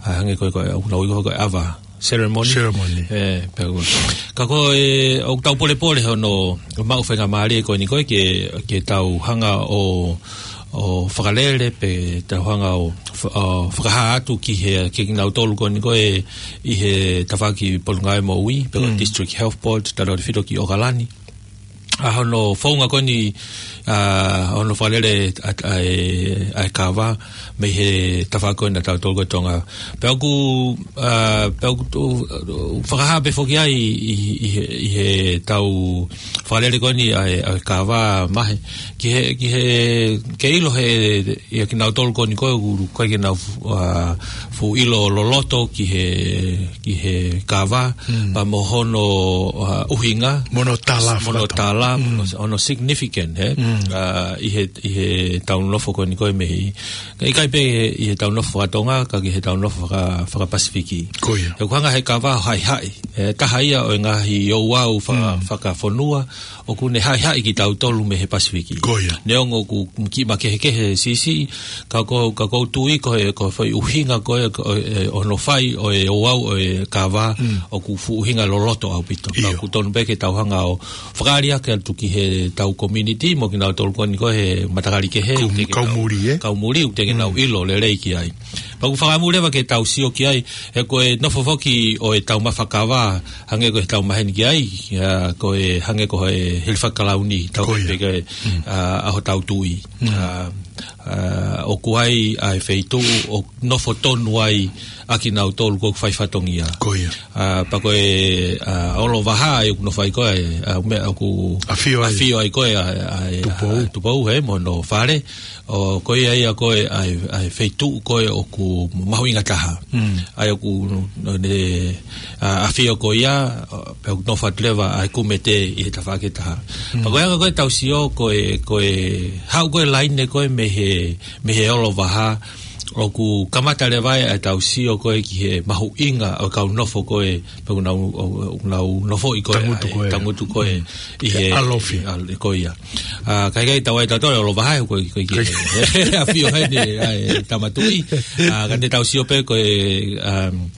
ʻa, hangē ko ē, ko ʻenau ʻi ko ē ʻava ceremony. Ceremony. Ē, pea ko, ka ko e, ʻoku tau polepole hono maʻu faingamālie ko eni ko ē ke, ke tau hanga ʻo, ʻo fakalele pe tau hanga ʻo fa-, ʻo fakahā atu ki he, ki kinautolu ko eni ko ē ʻi he tafaʻaki Potungāue Moʻui, pe ko Mm. District Health Board, tautefito ki ʻOkalani. ʻA hono founga ko eni, ʻa, hono fakalele ʻa, ʻa e, ʻa e kava, mei he tafaʻaki ko ena ʻatautolu ko ē Tonga. Pea ʻoku, ʻa, pea ʻoku tu-, fakahā pē foki ai ʻi, ʻi, ʻi he, ʻi he tau fakalele ko eni ʻa e, ʻa e kava Mahe. Ki he, ki he, ke ʻilo he, ʻia kinautolu ko eni ko ē, ʻoku ʻikai ke nau fu-, ʻa, fuʻu ʻilo loloto ki he, ki he kava, Mm. pea mo hono, ʻa, ʻuhinga. Mo hono tala Mo hono fakataha. tala, Mm. mo hono significant, ē? Mm. ʻA, ʻi he, ʻi he tau nofo ko eni ko ē mei. ʻIkai pē ʻi he tau nofo fakatonga, ka ki he tau nofo faka-, fakapasifiki. Ko ia. ʻOku hanga he kava ʻo haʻihaʻi. ʻE, taha ia ʻo e ngaahi ouau faka-, Mm. fakafonua, ʻoku ne haʻihaʻi kitautolu mei he Pasifiki. Ko ia. Neongo ʻoku kiʻi makehekehe siʻisiʻi, ka ko, ka ʻoku ou tui ko e, ko e foʻi ʻuhinga ko ē, ko e, ʻo hono fai, ʻo e ouau, ʻo e kava, Mm. ʻoku fuʻu ʻuhinga loloto ʻaupito. Ka ʻIo. ʻoku tonu pē ke tau hanga ʻo fakaali ake atu ki he tau community, mo kinautolu ko eni ko ē he matakali kehe, Kau, ʻoku teʻeki ke kau nau, muli, ē? kau muli, ʻoku teʻeki ke nau Mm. ʻilo lelei ki ai. Pea ʻoku fakamuli leva ke tau sio ki ai, he ko e nofo foki ʻo e taumafa kava, hangē ko e tau maheni ki ai, ʻa, ko e hangē ko e hili fakakalauni, tau Ko ia. pē ko e, Mm. ʻa, ʻa hotau tuʻi. Mm. ʻA, ʻa, ʻoku ʻi ai ʻa e feituʻu ʻoku nofo tonu ai ʻa kinautolu ʻoku fai fatongia. Ko ia. ʻA, pea ko e, ʻa, Olovaha ʻoku nofo ai ko ē, ʻa, meʻa ʻoku ʻAfio ai. ʻafio ai ko ē, ʻa, ʻa, ʻa, Tupou. ʻa, Tupou, ē, mo hono fale. ʻO ko ia ia ko ē ʻa e, ʻa e feituʻu ko ē ʻoku mahuʻinga taha. Mm. ʻA ia ʻoku ne, ʻa, ʻafio ko ia, ʻo, pea ʻoku nofo atu leva ʻa e kumete ʻi he tafaʻaki ʻe taha. Mm. Pea ko e anga ko ē ʻetau sio ko ē, ko e haʻu ko ē laine ko ē mei he, mei he Olovaha, ʻoku kamata leva ai ʻetau sio ko ē ki he mahuʻinga ʻo e kau nofo ko ē, pea ʻoku nau, ʻo, ʻo, ʻoku nau nofoʻi ko ē, Tangutu ʻa e, ko ē. tangutu ko ē, Mm. ʻi he, ʻAlofi. ʻa, ko ia. ʻA, ka ʻikai tau ai tautolu Olovaha, ko e, ko e, ko e, ʻafio heni, ʻa e, Tama Tuʻi. ʻA, ka ne tau sio pē ko e, um,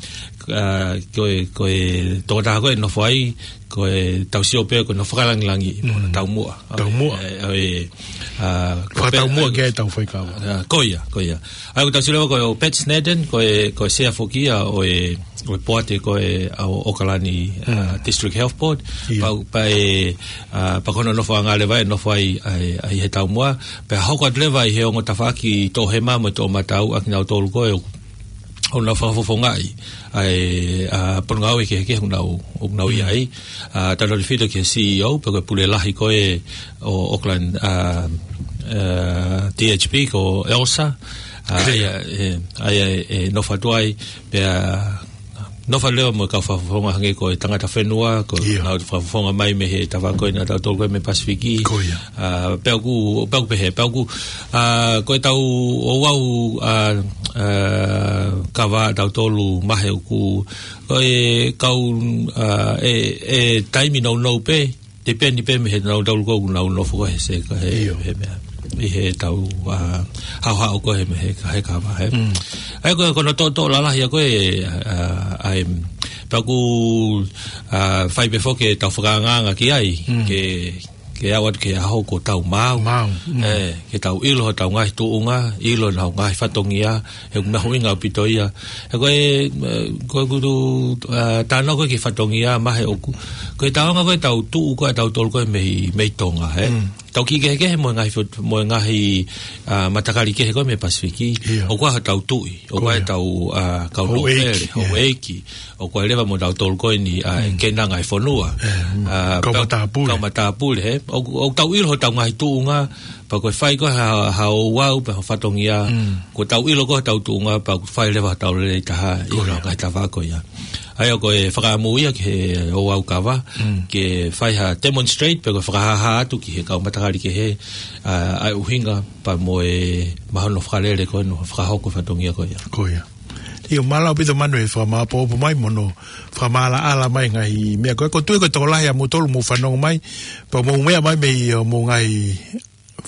ʻa, ko e, ko e tokotaha ko ē nofo ai, ko ʻetau sio pē ko hono fakalangilangi, Mm. taumuʻa. Taumuʻa. ʻE, ʻe, ʻa, Fakataumuʻa ko e, ki ai ʻetau faikava. ʻA, ko ia, ko ia. ʻA ia ʻoku tau sio leva ko e ʻo Pat Snedden, ko e, ko e sea foki ia ʻo e, ʻo e poate ko ē ʻa ʻOkalani, ʻa, Mm. District Health Board. Ia. Pea, pea ʻe, ʻa, pea ko hono nofoʻanga leva ʻe nofo ai, ʻa e, ʻa e he taumuʻa. Pea hoko atu leva ʻi he ongo tafaʻaki Toʻohema mo e Toʻomataʻu ʻa kinautolu ko ē ʻoku ʻoku nau fakafofongaʻi ʻa e, ʻa, Potungāue kehekehe ʻoku nau, ʻoku nau ʻi Mm. ai. ʻA, tautefito ki he C E O, pea ko e pule lahi ko ē ʻo Auckland, ʻa, ʻa, D H B ko Elsa. ʻA, ʻA ia. ʻA ia, ʻe, ʻa ia ʻe, ʻe nofo atu ai, pea nofo leva mo e kau fakafofonga hangē ko e Tangata Fenua, ko Ia. nau fakafofonga mai mei he tafaʻaki ko ena ʻatautolu ko ē mei Pasifiki. Ko ia. ʻA, pea ʻoku, pea ʻoku pehē, pea ʻoku, ʻa, ko ʻetau ouau, ʻa, ʻa, kava ʻatautolu Mahe ʻoku, ko e kau, ʻa, ʻe, ʻe taimi nounou pē, depend pē mei he nautolu ko ē ʻoku nau nofo ko ē he se, ko e he, ʻIo. he meʻa. ʻI he tau, ʻa, haʻohaʻo ko ē he meʻa he, he kava, ē. Mm. ʻA ia ko e, ko hono toʻotoʻo lalahi ia ko ē, ʻa, ʻa, ʻa, pea ʻoku, ʻa, fai pē foki ʻetau fakaangaanga ki ai, Mm. ke ke aʻu atu ki he ʻaho kuo tau maau. Maau, mm. ʻE, ke tau ʻilo hotau ngaahi tuʻunga, ʻilo ʻenau ngaahi fatongia, he ʻoku mahuʻinga ʻaupito ia. He ko e, ʻe, ko e kutu, ʻa, talanoa ko ē ki he fatongia Mahe ʻoku, ko e taonga ko ē ʻetau tuʻu ko ē ʻatautolu ko ē mei, mei Tonga, ē. Mm. Tau kiʻi kehekehe mo e ngaahi fot-, mo e ngaahi, ʻa, matakali kehe ko ē mei Pasifiki. ʻIo. ʻOku ʻi ai hotau tuʻi, ʻoku ʻi ai Ko ia. hotau, ʻa, kau Houʻeiki, nōpele, ʻio. houʻeiki. ʻOku ʻi ai leva mo tautolu ko eni, ʻa, Mm. kena ngaahi fonua. ʻE, mm. ʻA, Kau pea-, matāpule. kau matāpule, ē. ʻOku, ʻoku tau ʻilo hotau ngaahi tuʻunga, pea ko e fai ko ē ha, ha ouau, pe ha fatongia. Mm. Kuo tau ʻilo ko ē hotau tuʻunga, pea ʻoku fai leva hotau lelei taha, ʻi Ko ia. he ngaahi tafaʻaki ko ia. ʻA ia ko e fakaʻamu ia ki he ouau kava, Mm. ke fai ha demonstrate, pe ko e fakahāhā atu ki he kau matakali kehe, ʻa, ʻa e ʻuhinga, pea mo e mahino fakalele ko ē hono fakahoko e fatongia ko ia. Ko ia. ʻIo, mālō ʻaupito Manu e fakamāʻopoʻopo mai mo hono fakamaʻalaʻala mai ngaahi meʻa ko ē. ʻOku ou tui ko e tokolahi ʻa moutolu mou fanongo mai, pea mou meʻa mai mei hoʻomou ngaahi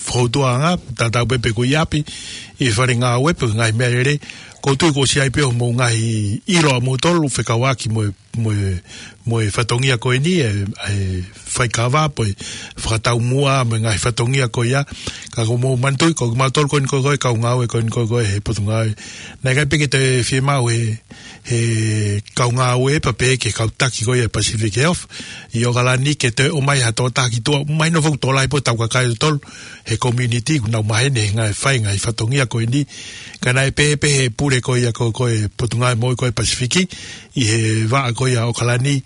fokoutuʻanga, tatau pē pe ko e ʻi ʻapi, ʻi he fale ngāue pe ngaahi meʻalele, ʻoku ou tui kuo ʻosi ʻi ai pē hoʻomou ngaahi ʻilo ʻamoutolu fekauʻaki mo e, mo e, mo e fatongia ko eni, ʻe, ʻe faikava pe fakataumuʻa mo e ngaahi fatongia ko ia. Ka ʻoku mou manatuʻi, ko kimautolu ko eni ko ē, ko e kau ngāue ko eni ko ē, ko ē he Potungāue. Naʻe ʻikai pē ke toe fiemaʻu he, he kau ngāue pea pehē ki he kau taki ko ia Pacific Health ʻi ʻOkalani ke toe ʻomai ha tokotaha ki tuʻa. Mahino foki ʻoku tokolahi pē ʻetau kakai ʻo tautolu he community ʻoku nau maheni he ngaahi fai, ngaahi fatongia ko eni. Ka naʻe pehē pē he pule ko ia ko, ko e Potungāue Moʻui ko ē Pasifiki ʻi he vaʻa ko ia ʻOkalani,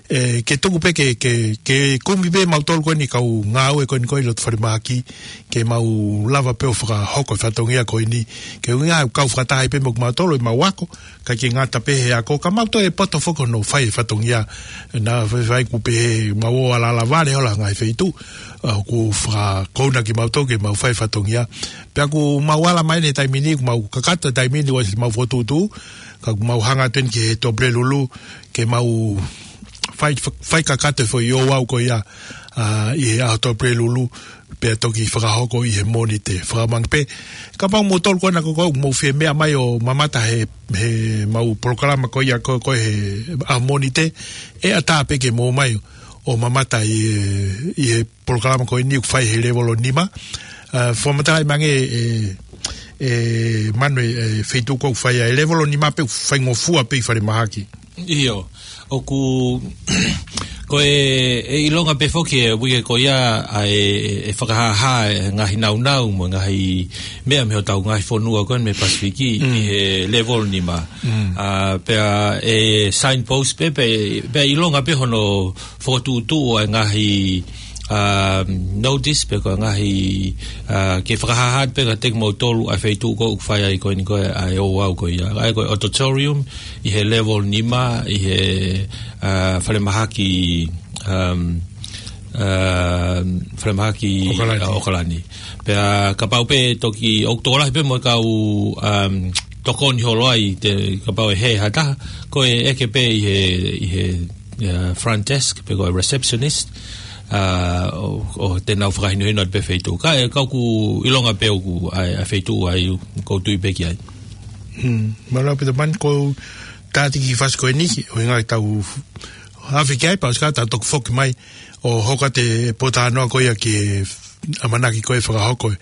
ʻe, ke tuku pē ke, ke, ke kumi pē mautolu ko eni kau ngāue ko eni ko ē ʻi loto falemahaki, ke mau lava pē ʻo fakahoko e fatongia ko eni. Ke ʻuhinga ʻoku kau fakataha ai pē mo kimautolu ʻemau ako, ʻikai ke ngata pē he ako, ka mau toe poto foki hono fai e fatongia. Naʻa faifai ʻoku pehē mau ō alala vale hola ngaahi feituʻu, ʻa, ʻoku fakakouna kimautolu ke mau fai e fatongia. Pea ʻoku mau ala mai eni he taimi ni, ʻoku mau kakato he taimi ni ʻosi mau fokotuʻutuʻu, ka ʻoku mau hanga atu eni ki he Tuʻapulelulu, ke mau fai, fai kakato e foʻi ouau ko ia, ʻa, ʻi he ʻaho Tuʻapulelulu, pea toki fakahoko ʻi he Mōnite. Fakamangi pē, kapau ʻoku mou tolu ko ena ko ē ʻoku mou fie meʻa mai ʻo mamata he, he mau polokalama ko ia ko, ko ē he ʻaho Mōnite, ʻe ʻatā pē ke mou ō mai ʻo mamata ʻi he, ʻi he polokalama ko eni ʻoku fai he levolo nima. ʻA, fakamatalaʻi mai ange ʻe, ʻe Manu e, e feituʻu ko ē ʻoku fai ai e levolo nima pe ʻoku faingofua pē ʻi falemahaki. ʻIo, ʻoku, ko e, ʻe ʻilonga pē foki e uike ko ia ʻa e, e fakahāhā e ngaahi nāunau mo e ngaahi meʻa mei hotau ngaahi fonua ko eni mei Pasifiki ʻi he levolo nima. ʻA, pea ʻe signpost pē, pea, pea ʻilonga pē hono fokotuʻutuʻu ʻa e ngaahi, ʻa, notice pe ko e ngaahi, ʻa, ke fakahāhā pē kiate kimoutolu ʻa e feituʻu ko ē ʻoku fai ai ko eni ko ē ʻa e ouau ko ia. ʻA ia ko e auditorium ʻi he levolo nima ʻi he, ʻa, falemahaki, um, ʻa, falemahaki ʻOkalani. ʻA, ʻOkalani. Pea kapau pē toki ʻoku tokolahi pē mo e kau, um, tokoni holo ai te, kapau ʻe hē ha taha, ko e ʻeke pē ʻi he, ʻi he, ʻa, front desk, pe ko e receptionist, ʻa, ʻo, ʻo te nau fakahinohino atu pē feituʻu. Ka ʻe, ka ʻoku ʻilonga pē ʻoku ʻa e, ʻa e feituʻu ai ʻoku ou tui pē ki ai. Hmm. Mālō ʻaupito Manu, ʻoku ou tātiki fasi ko eni, ʻuhinga ʻetau afe ki ai, pea ʻosi ka tau toki foki mai ʻo hoko atu e pōtalanoa ko ia ki he ʻamanaki ko ē fakahoko e,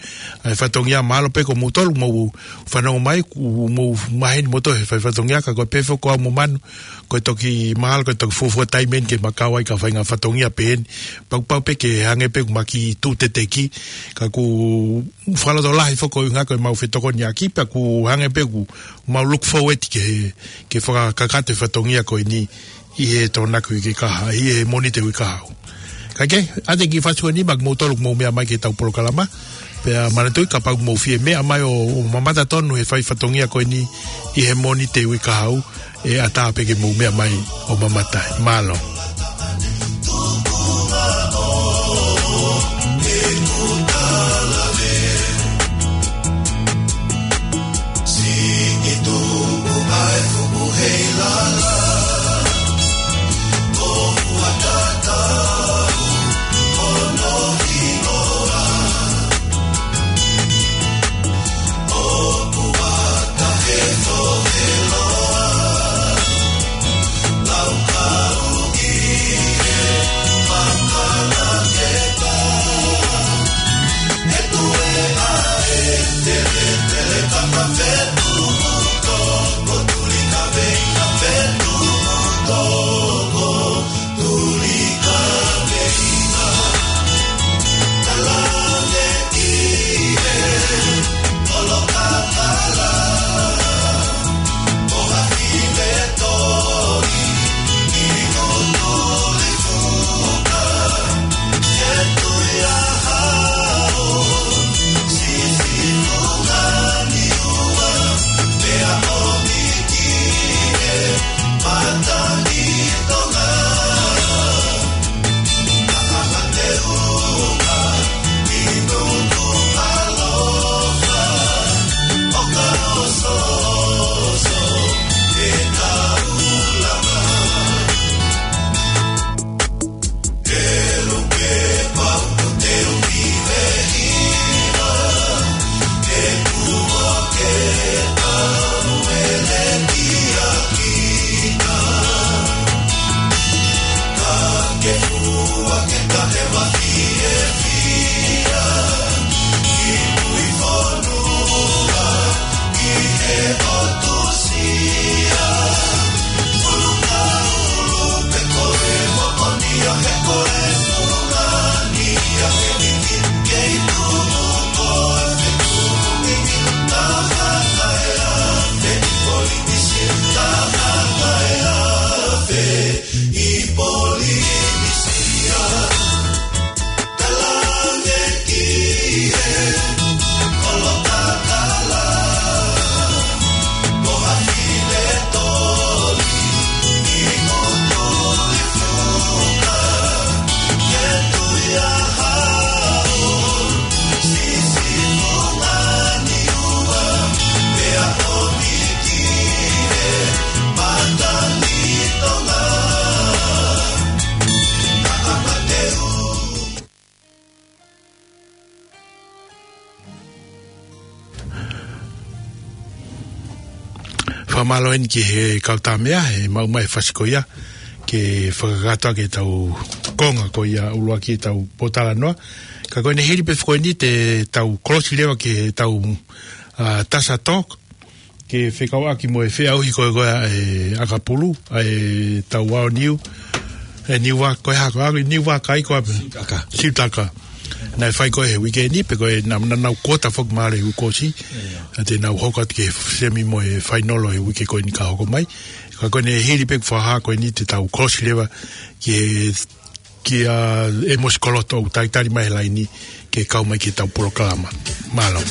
ʻa e fatongia. Mālō pē ko moutolu mou fanongo mai, ʻoku mou maheni moutolu he fai fatongia, ka ko e pehē foki ko au mo Manu, ko e toki mahalo, ko e toki fuofua taimi eni ke ma kau ai ki ha faʻahinga fatongia pehē ni. Pea ʻoku pau pē ke hangē pē ʻoku ma kiʻi tuʻu teteki, ka ʻoku fakalotolahi foki ʻuhinga ko ʻemau fetokoniʻaki, pea ʻoku hangē pē ʻoku mau look forward ki he, ke fakakakato e fatongia ko eni ʻi he Tokonaki uike kahaʻu, ʻi he Mōnite uike kahaʻu. Ka ke, ʻa e kiʻi fasi ko eni, ma kiʻi mou tolu kiʻi mou meʻa mai ki heʻetau polokalama. Pea manatuʻi kapau ʻoku mou fie meʻa mai ʻo, ʻo mamata tonu he fai fatongia ko eni ʻi he Mōnite uike kahaʻu, ʻe ʻatā pē ke mou meʻa mai ʻo mamata ai. Mālō. Fakamālō eni ki he kau tāmeʻa, he maʻu mai e fasi ko ia, ke fakakakato ʻaki ʻetau konga ko ia ʻuluaki ʻetau pōtalanoa. Ka ko ʻene hili pē foki eni te tau kolosi leva ki heʻetau, ā, Tasa Talk, ke fekauʻaki mo e feʻauhi ko ē ko ē ʻa e ʻakapulu, ʻa ʻetau ʻaoniu, ʻe Niua, ko e hā ko ē, Niua kai ko ē. Siutaka. Siutaka. Naʻe fai ko ē he uike ni, pea ko e na-, na-, nau kuota foki mālie ʻi he kuo ʻosi. ʻIo. ʻA te nau hoko atu ki he semi mo e fainolo he uike ko eni ka hoko mai. Ka ko ʻene hili pē fakahā ko eni te tau kolosi leva ki he, kia ʻEmosi Koloto ʻoku talitali mai he laini ke kau mai ki heʻetau polokalama. Mālō.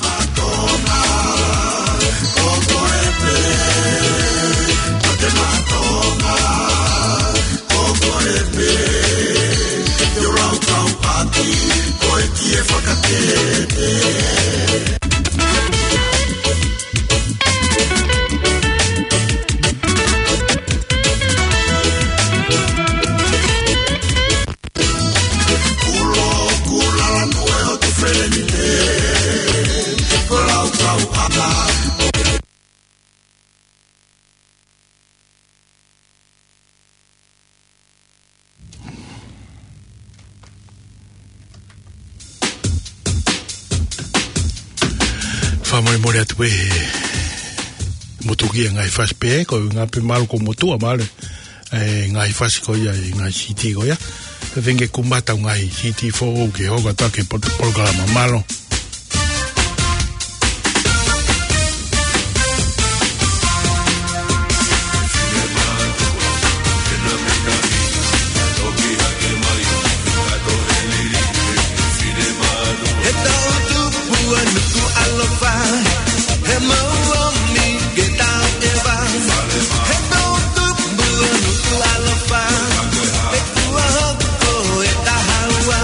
Fakamolemole atu pē he motuki ʻa e ngaahi fasi pē, ko e ngaahi pē mālō ko motuʻa mālō. ʻE ngaahi fasi ko ia, ʻe ngaahi CD ko ia. Pea feinga ke kumata ngaahi CD foʻou ke hoko atu ki he pot-, polokalama. Mālō. He tau tupu ʻa Nukuʻalofa, he mau ʻomi ke tau ʻeva. He tau tupu ʻa Nukuʻalofa, he kuo hoko e taha ua.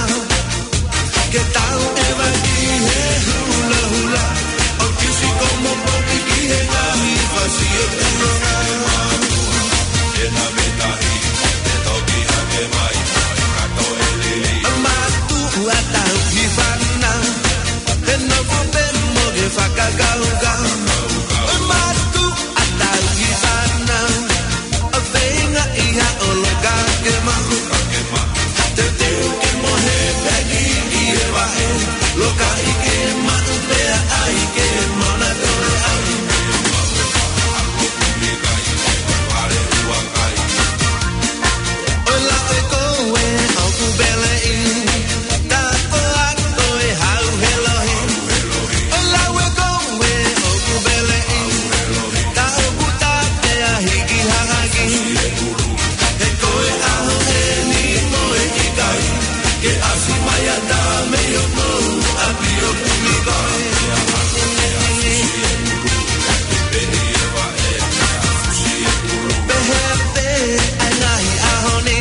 Ke tau ʻeva ki he hulahula, ʻo kisi ko mo poki ki he ngaahi fasi ʻo tuʻunga. Mātuʻa tauhi fānau, he nofo pē mo ke fakakaukau. Mātuʻa tauhi fānau, ʻo feinga ʻi ha ʻoloka ke maʻu. Teuteu ke mohe pē ki he vaʻe, loka ʻi ke maʻu pea ʻai ke mana tole ai. ʻOi la ʻoe koe ʻoku peleʻi, ta ko a koe hau he lohi. ʻOi la ʻoe koe ʻoku peleʻi, ta ʻoku ta pea hiki haʻaki. He ko e ʻaho eni mo e ʻikai ke ʻasi mai ʻa ta mei hoʻomou ʻapi ʻo kumi koe. Pehē pē ʻa e ngaahi ʻaho ni,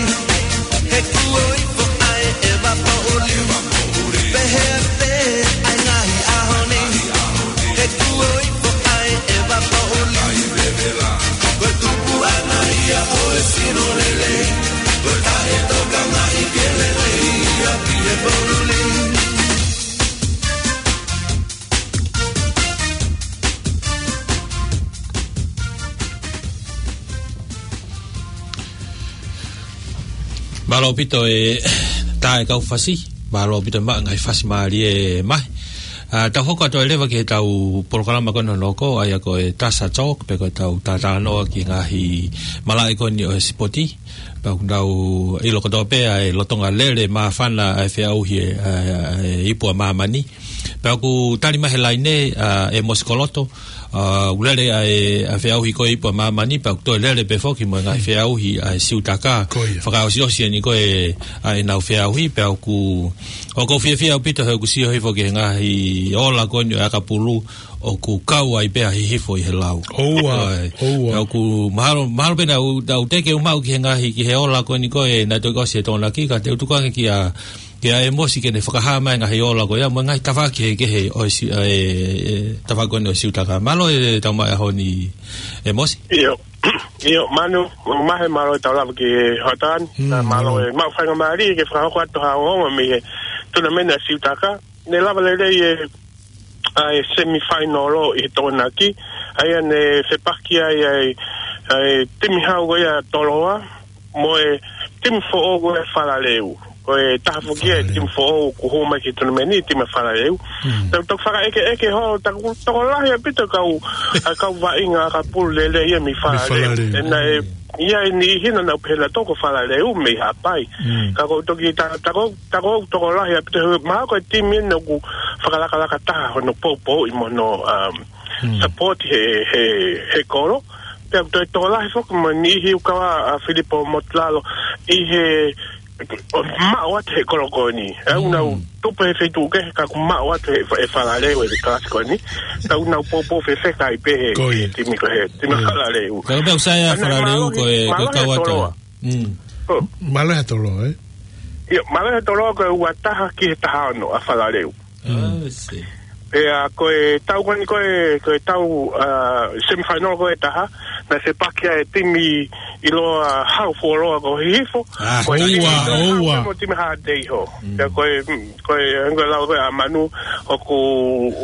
he kuo ifo ʻa e ʻeva poʻuli. Pehē pē ʻa e ngaahi ʻaho ni, he kuo ifo ʻa e ʻeva poʻuli. Ko e tupuʻanga ia ʻo e sino lelei, ko e taʻetokangaʻi ke lelei ʻa pē he poʻuli. Mālō ʻaupito e tā e kau fasi. Mālō ʻaupito e maʻu e ngaahi fasi mālie mai. ʻA, tau hoko atu ai leva ki heʻetau polokalama ko eni hono hoko, ʻa ia ko e Tasa Talk, pe ko ʻetau talanoa ki he ngaahi malaʻe ko eni ʻo e sipoti. Pea ʻoku tau ʻilo kotoa pē ʻa e lolotonga lele māfana ʻa e feʻauhi ʻa e, ʻa e, ʻa e ipu ʻa māmani. Pea ʻoku tali mai he laine, ʻa, ʻEmosi Koloto, ʻa, ʻoku lele ʻa e, ʻa e feʻauhi ko e ipu ʻa māmani, pea ʻoku toe lele pē foki mo e ngaahi feʻauhi ʻa e Siutaka. Ko ia. Fakaʻosiʻosi eni ko e, ʻa ʻenau feʻauhi, pea ʻoku, ʻoku ou fiefia ʻaupito he ʻoku sio hifo ki he ngaahi ola ko eni ʻo e ʻakapulu, ʻoku kau ai pē ʻa Hihifo ʻi he lau. ʻOua, ʻoua. Pea ʻoku mahalo, mahalo pē naʻa ku, naʻa ku teʻeki ke u maʻu ki he ngaahi, ki he ola ko eni ko ē naʻe toki ʻosi e Tokonaki, ka te u tuku ange kia, kia ʻEmosi ke ne fakahā mai e ngaahi ola ko ia, mo e ngaahi tafaʻaki kehekehe ʻo e Si-, ʻa e, e, tafaʻaki ko eni ʻo e Siutaka. Mālō e tau mai ʻaho ni ʻEmosi. ʻIo, ʻio, Manu, mo Mahe, mālō e tau lava ki he hoʻatā ni. Mm, na mālō, mālō e maʻu faingamālie ke fakahoko atu ha ongoongo mei he tunameni ʻa e Siutaka. Ne lava lelei e ʻa e semifinal ʻi he Tokonaki, ʻa ia ne fepaki ai ʻa e, ʻa e timi hau ko ia Toloa, mo e timi foʻou ko e Falaleu. Ko e taha foki ia e Falaleu. Timi foʻou kuo hū mai ki he tonameni, timi Falaleu. Mm. Tau toki fakaʻekeʻeke holo, taku tokolahi ʻaupito kau, ʻa kau vaʻinga ʻakapulu lelei ia mei Mei Falaleu. Falaleu. ʻE naʻe, ia e niʻihi naʻa nau pehē nautolu ko Falaleu mei Haʻapai. Mm. Ka ko u toki ta-, taku, taku tokolahi ʻaupito he mahalo ko e timi eni ʻoku fakalakalaka taha hono poupouʻi mo hono, um, Mm. support he, he, he kolo. Pea ko e tokolahi foki mo e niʻihi ʻoku kau ʻa Filipo Motulalo ʻi he ʻo maʻu atu he kolo ko eni. ʻE ʻoku nau Mm. tupu he feituʻu kehe ka ʻoku maʻu atu he, he Falaleu he kalasi ko eni. Ka ʻoku nau poupou fefeka ai pē he, Ko ia. he timi ko ē, timi Mm. Falaleu. Ka pea ʻoku sai ʻa Ana Falaleu mālohi, ko e, ko e mālohi kau ʻa ʻa Toloa. Toloa. Mm. Oh. Mālohi ʻa Toloa, ē? ʻIo, mālohi ʻa Toloa ko e ua taha ki he taha ono ʻa Falaleu. Mm. I see. Pea ko e tau ko eni ko e, ko e tau, uh, semifinal ko e taha, naʻe fepaki ai e timi ʻiloa hau fuoloa ko Hihifo. Ah, Ko e ʻoua, timi ʻiloa hau ʻoua. Mo timi Haʻateiho. Mm. Pea ko e, mm, ko e, ko e lau ko ē ʻa Manu, ʻoku,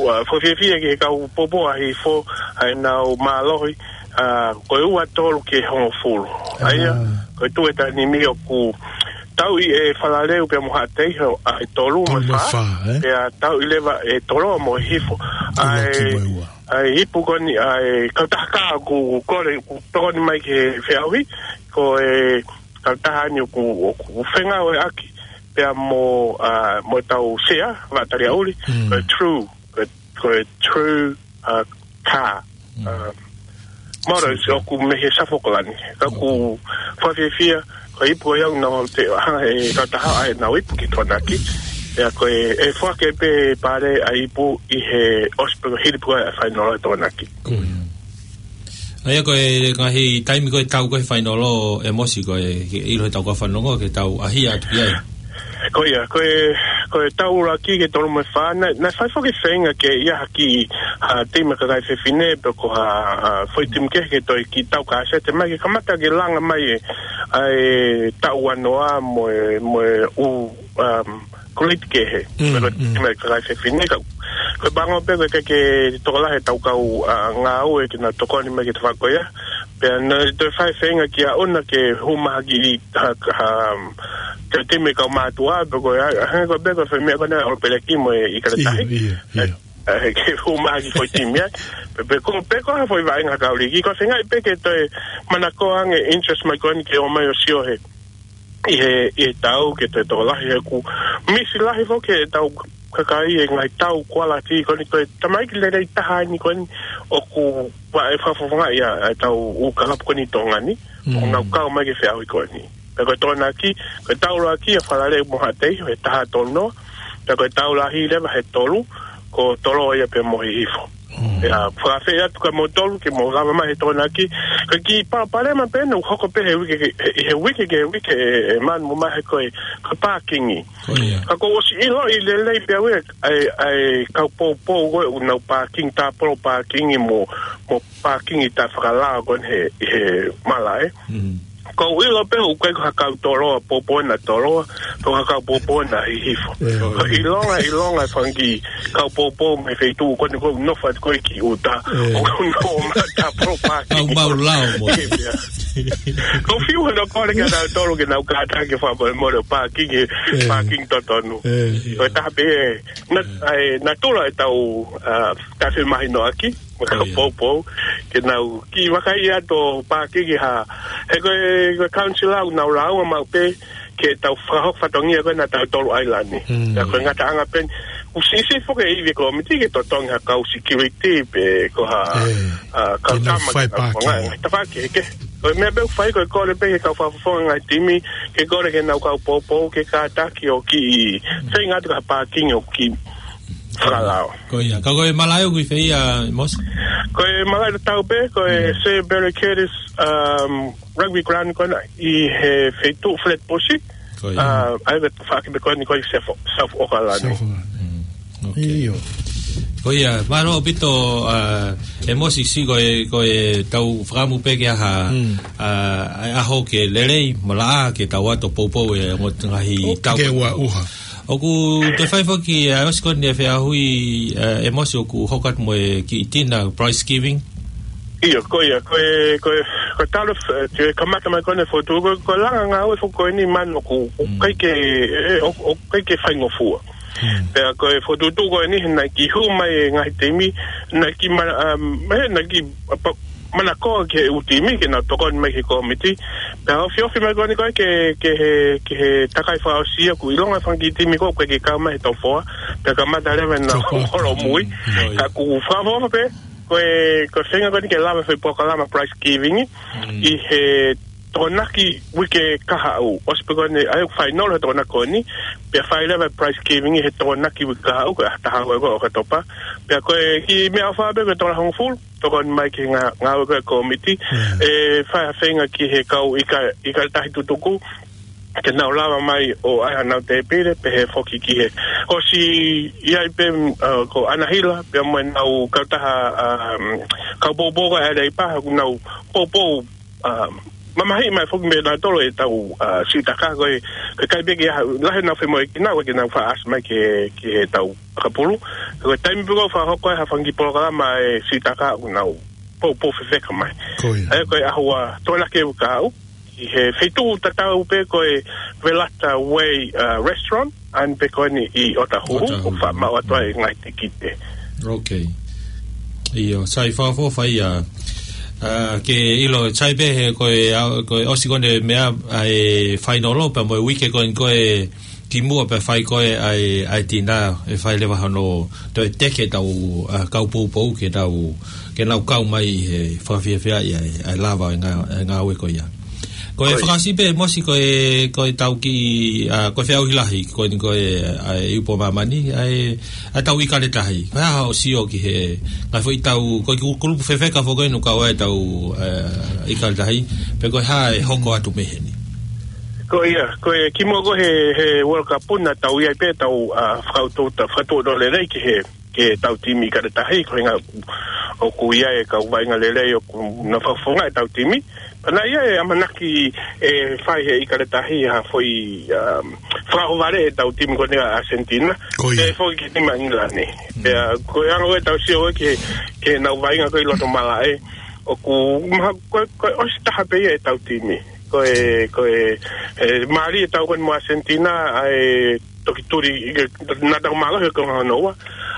uh, fakafiefia ki he kau poupou ʻa Hihifo, ʻa ʻenau mālohi, uh, ko e ua tolu ki he hongofulu. ʻA ia, Ah. ko e tuʻu ʻe taha nimi ʻoku tauʻi ʻe Falaleu pea mo Haʻateiho ʻa e tolu mo e Tolu mo e fā. fā, ē? Pea tauʻi leva ʻe Toloa mo Hihifo. Tolu ʻa e, ki mo e ua. ʻA e ipu ko eni, ʻa e kautaha kā ʻoku kole, ʻoku tokoni mai ki he feʻauhi, ko e kautaha eni ʻoku, ʻoku fengāueʻaki pea mo, ʻa, mo ʻetau sea, Vaʻa Taliaʻuli, Mm. ko e True, ko e, ko e True, ʻa, kā. Mm. ʻA, Moro, True. ʻOku mei he South Auckland. Ka ʻoku fakafiefia, ko e ipu ʻoku nau te hanga ʻe he kautaha ʻa ʻenau ipu ki Tokonaki. Pea ko e, ʻe foaki pē pale ʻa e ipu ʻi he ʻosi pē ko e hili pē ko ē ʻa e fainolo ʻa Tokonaki. Ko ia. ʻA ia ko e ngaahi taimi ko e tau ko ē he fainolo ʻEmosi ko e, ke ʻilo he tau ko ē fanongo ke tau ʻaʻahi atu ki ai. Ko ia, ko e, ko e tau ʻuluaki ki he tolu mo e fā, naʻe, naʻe fai foki feinga ke ʻi ai ha kiʻi, ha timi kakai fefine, pe ko ha, ha foʻi timi kehe ke toe kiʻi tau kasete mai, ke kamata ke langa mai e, ʻa e tau ua noa mo e, mo e ʻū, um, koliti kehe. Mm, Pe ko e mm. timi kakai fefine, ka, ko e pango pē ko e ke, ke tokolahi ʻetau kau, ʻa, ngāue ke nau tokoni mai ki he tafaʻaki ko ia. Pea naʻe toe fai feinga ki ʻaʻona ke hū mai ha kiʻi, ha, ha, ke timi kau mātuʻa, pe ko e, ʻa, he ko e pē ko e fai meʻa ko ena ʻo peleki mo e ʻIkale Tahi. ʻIo, ʻio, ʻio. ʻA, he ke hū mai ha kiʻi foʻi timi ai. Pe, pe ko, pe ko ha foʻi vaʻinga kau liki. Ko e feinga pē ke toe manako ange interest mai ko eni ke ō mai ʻo sio he ʻi he, ʻi he tau ke toe tokolahi he ʻoku misi lahi foki ʻetau kakai e ngaahi tau quality ko eni ko e tamaiki lelei taha eni ko eni ʻoku ʻa e fakafofongaʻi ʻa, ʻa ʻetau ʻū kalapu ko eni Tonga ni. Mm. ʻOku nau kau mai ki he feʻauhi ko eni. Pea ko e Tokonaki, ko e tau ʻuluaki ʻa Falaleu mo Haʻateiho he taha tolu noa. Pea ko e tau lahi leva he tolu, ko Toloa ia pea mo Hihifo. Mm. Pea fakaafeʻi atu kia moutolu ke mou lava mai he Tokonaki. Ko e kiʻi palopalema pē naʻe hoko pē he uike ke, he, he uike ke uike ʻe, ʻe Manu mo Mahe ko e, ko e pākingi. Ko ia. Ka kuo u ʻosi ʻiloʻi lelei pē au ʻa e, ʻa e, ʻa e kau poupou ko ē ʻoku nau pākingi, tāpolo pākingi mo, mo pākingi taʻefakalao ko eni he, he malaʻe. Mm. Ko u ʻilo pē ʻoku ʻikai ko ha kau Toloa, poupou ʻena Toloa, pe ko ha kau poupou ʻena Hihifo. ʻE. Ko e ʻilonga, ʻilonga e fanga kiʻi kau poupou mei he feituʻu ko eni ʻoku nau nofo atu ko ē ki ʻuta. ʻE. ʻOku nau ō mai ʻo tāpolo pākingi. Kau mau lao mo. Ko u fiu hono kole kia nautolu ke nau kātaki fakamolemole ʻo pākingi, ʻE. pākingi totonu. ʻE. Ko e taha pē ē, na-, ʻa e natula ʻetau, ʻa, taʻefemahinoʻaki, mo e kau Ko ia. poupou, ke nau kiʻi vakai atu ʻo pākingi ha, he ko e, ko e council ʻoku nau lāunga maʻu pē, ke tau fakahoko fatongia ko ena ʻa tautolu ʻailani. Mm. Ka ko e ngataʻanga pē eni, ʻoku siʻisiʻi foki e ivi e kōmiti ke totongi ha kau security pe ko ha, ʻE, ʻa, kau ke nau tama fai ke nau pākingi. fanga, tafaʻaki kehekehe. Ko e meʻa pē ʻoku fai ko e kole pē ki he kau fakafofonga ngaahi timi, ke kole ki heʻenau kau poupou, ke kātaki ʻo kiʻi, feinga atu ki ha pākingi ʻoku kiʻi fakalao. Ko ia, ka ko e malaʻe ʻoku ʻi fē ia, ʻEmosi? Ko e malaʻe tatau pē, ko e Mm. Sir Barry Curtis, um, Rugby Ground ko ena ʻi he feituʻu Flatbush. Ko ia. Uh, ʻa ia ko e tafaʻaki pē ko eni ko e South, South Auckland. South Auckland. Mm. Ok. ʻIo. Ko ia, mālō ʻaupito, uh, ʻEmosi, ko e, ko e tau fakaʻamu pē ke ʻi ai ha, Mm. uh, ʻa e ʻaho ke lelei, malaʻe ke tau ō atu ʻo poupou e ongo ngaahi ʻO tau. ke ua uha. ʻOku toe fai foki, ʻa, ʻosi ko eni e feʻauhi, ʻa, ʻe Mosi ʻoku hoko atu mo e kiʻi dinner prize giving. ʻIo, ko ia, ko e, ko e, ko e talu, ʻe, ke kamata mai ko eni fokotuʻu, ko e, ko e langa ngāue foki ko eni manu ʻoku, ʻoku Mm. ʻikai ke, ʻe, ʻoku, ʻoku ʻikai ke faingofua. Mm. Pea ko e fokotuʻu ko eni, naʻe kiʻi hū mai e ngaahi timi, naʻe kiʻi ma-, um, ʻe, naʻe kiʻi, ʻa, pa-, manakoa ki he ʻū timi, ke nau tokoni mai ki he kōmiti. Pea ofiofi mai ko eni ko e ke, ke he, ke he takai fakaʻosi ia ʻoku ʻilonga e fanga kiʻi timi ko ē ʻoku ʻikai ke kau mai he top four. Pea kamata leva ʻenau Top four. holomui. Mm. Ka ʻoku fakaʻofoʻofa pē, ko e, ko e feinga ko eni ke lava e foʻi polokalama prize giving, Mm. ʻi he Tokonaki uike kahaʻu. ʻOsi pē ko eni, ʻa e final he Tokonaki ko eni, pea fai leva e prize giving he Tokonaki uike kahaʻu, ko e ʻaho taha ua ko ē ʻo ʻOkatopa. Pea ko e kiʻi meʻaʻofa pē ko e tola hongofulu, tokoni mai ki he ngā-, ngāue ko ē kōmiti, Mm. ʻe fai ha feinga ki he kau ʻika-, ʻIkale Tahi tutuku, ke nau lava mai ʻo ʻai hanau tēpile, pehē foki ki he ʻosi ʻi ai pē, ʻa, ko ʻAnahila, pea mo ʻenau kautaha, ʻa, kau poupou ko ē ʻa e Leipa, ʻoku nau poupou, ʻa, mamahiʻi mai foki mei nautolu ʻetau, ʻa, siʻi taka ko ē, ko e ʻikai pē ke ʻi ai ha lahi ʻenau femoʻuekina, ʻoku ʻikai ke nau faʻa ʻasi mai ki he, ki heʻetau ʻakapulu. Ko e taimi pē ko ē ʻoku fakahoko ai ha fanga kiʻi polokalama ʻa e siʻi taka ʻoku nau poupou fefeka mai. Ko ia. ʻA ia ko e ʻaho ua Tokonaki uike kahaʻu, ʻi he feituʻu tatau pē ko e Velata Way, ʻa, Restaurant, ʻa eni pē ko eni ʻi ʻOtahuhu, ʻOtahuhu. ʻOku faʻa maʻu atu ai e ngaahi tikite. Ok. ʻIo, sai fakaʻofoʻofa ia. ʻA, ke ʻilo, sai pē he ko e, ʻa, ko e ʻosi ko eni e meʻa, ʻa e final pea mo e uike ko eni ko ē kimuʻa pea fai ko ē ʻa e, ʻa e dinner, ʻe fai leva hono toe teke ʻetau, ʻa, kau poupou ke nau, ke nau kau mai he fakafiefia ia ʻa e, ʻa e lava e ngā-, e ngāue ko ia. Ko e Ko e fakaʻosi pē Mosi ko e, ko ʻetau kiʻi, ʻa, ko e feʻauhi lahi, ko eni ko e, ʻa e Ipu ʻa Māmani, ʻa e, ʻa ʻetau ʻIkale Tahi. Ko e hā hoʻo sio ki he, ngaahi foʻi tau, ko e ku-, kulupu fefeka foki ʻoku kau ai ʻetau, ʻa, ʻIkale Tahi, pe ko e hā ʻe hoko atu mei heni. Ko ia, ko e kimuʻa ko ē he, he World Cup naʻa tau ʻi ai pē ʻetau, ʻa, fakatuʻuta, fakatuʻuta lelei ki he, ki heʻetau timi ʻIkale Tahi, ko e ʻuhinga ʻoku ʻi ai e kau vaʻinga lelei ʻoku nau fakafofongaʻi ʻetau timi. Pea naʻe ʻi ai e ʻamanaki ʻe fai ʻe he ʻIkale Tahi ha foʻi, um, fakaʻohovale ʻetau timi ko eni ʻa ʻAsentina. Ko ia. ʻE foki ki he timi ʻa ʻIngilani. Mm. Pea ko e anga ʻo ʻetau sio ki he, ki heʻenau vaʻinga ko ē ʻi loto malaʻe, ʻoku maha ko e, ko e ʻosi taha pē ia ʻetau timi. Ko e, ko e, ʻe, mālie ʻetau ko eni mo ʻAsentina, ʻa e toki tuli, ʻi he, naʻa tau mālohi ko e hono ua.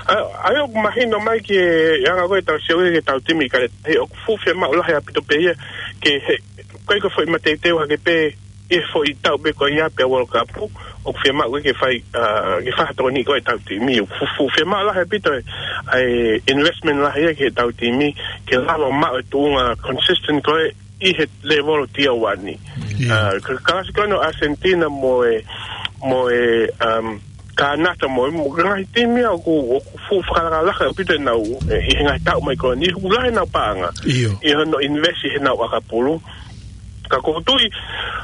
ʻA, ʻa ia ʻoku mahino mai ki he anga ko ē ʻetau sio ki heʻetau timi ʻIkale Tahi, ʻoku fuʻu fiemaʻu lahi ʻaupito pē ia, ke he, ʻikai ko e foʻi mateuteu hake pē, ʻi he foʻi taʻu pē ko ia pea World Cup, ʻoku fiemaʻu ke fai, ʻa, ke fai ha tokoni ko ē ʻetau timi. ʻOku fuʻu, fuʻu fiemaʻu lahi ʻaupito e, ʻa e investment lahi ia ki heʻetau timi, ke lava maʻu e tuʻunga consistent ko ē, ʻi he level tier one. Ia. ʻA, ka, kalasi ko eni ʻo ʻAsentina mo e, mo e, um, Kānata mo e, mo e ngaahi timi ia ʻoku, ʻoku fuʻu fakalakalaka ʻaupito ʻenau, ʻe, ʻi he ngaahi taʻu mai ko eni, ʻoku lahi ʻenau paʻanga. ʻIo. ʻI hono invest ʻi heʻenau ʻakapulu. Ka ʻoku ou tui,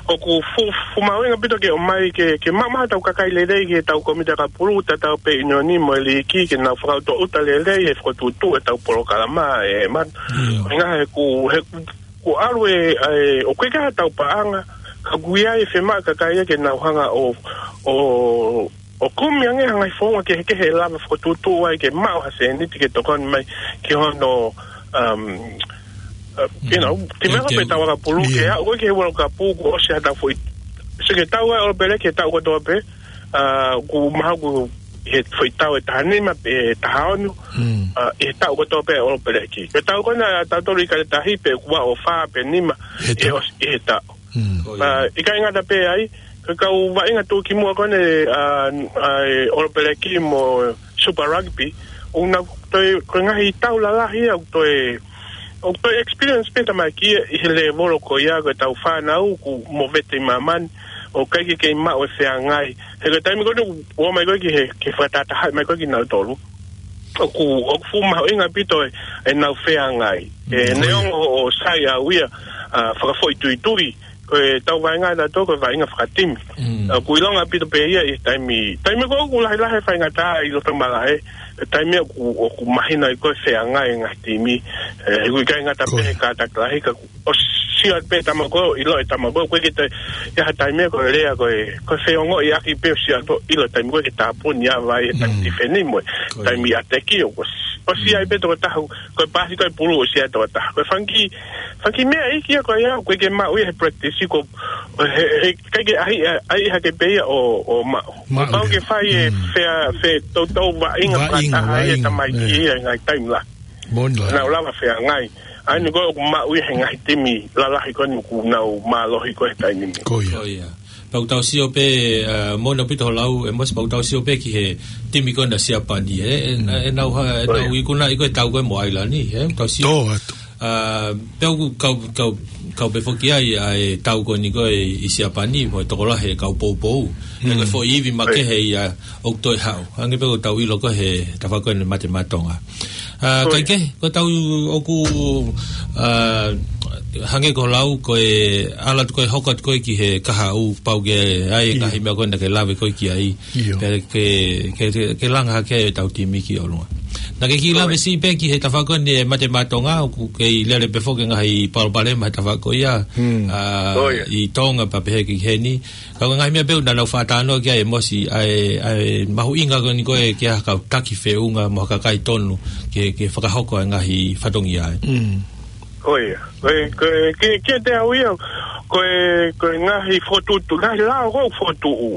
ʻoku fuʻu, fuʻu mahuʻinga ʻaupito ke ʻomai ke, ke maʻu mai haʻatau kakai lelei ki heʻetau kōmiti ʻakapulu, tatau pē ʻiunioni mo e liiki, ke nau fakautuutu lelei, ʻe fakatuʻutuʻu ʻetau polokalama, ʻe ma-, ʻIo. ʻuhinga he ʻoku, he ʻoku ʻalu e, ʻa e, ʻoku ʻikai ke ʻi ai haʻatau paʻanga, ka ʻoku ʻi ai e fiemaʻu ʻa e kakai ia ke nau hanga ʻo, ʻo, ʻo kumi ange ha ngaahi founga kehekehe ʻe lava fakatuʻutuʻu ai ke maʻu ha sēniti ke tokoni mai ki hono, um, uh, you know, Mm. develop Ke, ke, ʻetau ʻakapulu, ke ʻIo. aʻu ko ē ki he World Cup kuo ʻosi haʻatau foʻi. So ke tau ai ʻOlopeleki he taʻu kotoa pē, ʻa, ʻoku mahalo ʻoku ʻi he foʻi tau ʻe taha nima pe taha ono, Mm. ʻa, ʻi he taʻu kotoa pē ʻOlopeleki. Ko e tau ko ena ʻa tautolu ʻIkale Tahi pe ʻoku ʻi ai ʻo fā pe nima He ʻi he taʻu. ʻosi, ʻi he taʻu. Mm. ʻA, ʻikai ngata pē ai, ko e kau vaʻinga tuʻukimuʻa ko eni, ʻa, ʻa e ʻOlopeleki mo Super Rugby, ʻoku nau toe, ko e ngaahi tau lalahi ia, ʻoku toe, ʻoku toe experience pē tamaiki ʻi he lēvolo ko ia, ko ʻetau fānau, ʻoku movete ʻi māmani, ʻoku ʻikai ke kei maʻu e feangai. He ko e taimi ko eni ʻoku ō mai ko ē ki he, ke fakatahatahaʻi mai ko ē kinautolu. ʻOku, ʻoku fuʻu mahuʻinga ʻaupito e, ʻenau feangai. ʻE, Mm, neongo ʻoku sai au ia, ʻa, fakafoʻituitui, ko ʻetau vaʻinga ʻatautolu ko e vaʻinga fakatimi. Mm. ʻOku ʻilonga ʻaupito pē ia ʻi he taimi, taimi ko ē ʻoku lahilahi e faingataʻa ʻi loto malaʻe, ʻi he taimi ʻoku, ʻoku mahino ai ko e feangai e ngaahi timi, ʻe, ʻoku ʻikai ngata pē ʻIo. he kātaki lahi ka ʻoku ʻosi sio atu pē tama ko ē, ʻilo e tama ko ē, ʻoku ʻikai ke toe ʻi ai ha taimi ia ko e lea ko ē, ko e feongoʻiʻaki pē ʻo sio atu ʻilo e taimi ko ē ke tāpuni ʻa e vai e taimi tifeni mo e taimi ʻa e teki ʻo, ʻo sio ai pē tokotaha, ko e pasi ko e pulu ʻo sio ai tokotaha. Ko e fanga kiʻi, fanga kiʻi meʻa ʻi he ʻaho ko ia, ʻoku ʻikai ke maʻu ia he practice ko, he, he, ʻikai ke ʻai, ʻai hake pē ia ʻo, ʻo maʻu. Maʻu pau ia. Ke fai e fea, fe, toutou vaʻinga fakataha ia tamaiki ia ngaahi taimi lahi. Moʻoni lahi. Nau lava feangai. ʻA eni ko ē ʻoku maʻu ia he ngaahi timi lalahi ko eni ʻoku nau mālohi ko ē he taimi ni. Ko ia. Ko ia. Pau tau sio pē, ʻa, moʻoni ʻaupito hoʻo lau, ʻEmosi, pau tau sio pē ki he timi ko ena Siapani, ē, ʻe, ʻe nau ha-, ʻe nau ikunaʻi ko ē tau ko ē mo ʻAilani, ē, tau sio. Tō atu. ʻA, pea ʻoku kau, kau, kau pē foki ai, ʻa e tau ko eni ko ē ʻi Siapani, mo e tokolahi e kau poupou. ʻE ko e foʻi ivi makehe ia ʻoku toe haʻu. Hangē pē ko ʻetau ʻilo ko ē he tafaʻaki ko eni Mate Maʻa Tonga. ʻA, kaikehe, ko ʻetau ʻoku, ʻa, hangē ko hoʻo lau, ko e ʻalu atu ko ē hoko atu ko ē ki he kahaʻu pau ke ʻai e ngaahi meʻa ko ena ke lave ko ē ki ai. Pea ke, ke, ke, ke langa hake ʻetau timi ki ʻolunga. Naʻa ke kiʻi lave siʻi pē ki he tafaʻaki ko eni e Mate Maʻa Tonga, ʻoku kei lele pē foki e ngaahi palopalema he tafaʻaki ko ia, ʻa, ʻi Tonga pea pehē ki heni. Ka ko e ngaahi meʻa pē ʻoku nau fakatalanoa ki ai ʻEmosi, ʻa e, ʻa e mahuʻinga ko eni ko ē ke ʻi ai ha kau taki feʻunga mo ha kakai tonu ke, ke fakahoko e ngaahi fatongia ē. Ko ia. Ko e, ko e, ke, ke te au ia, ko e, ko e ngaahi fokotuʻutuʻu, ngaahi lao ko ē fokotuʻu.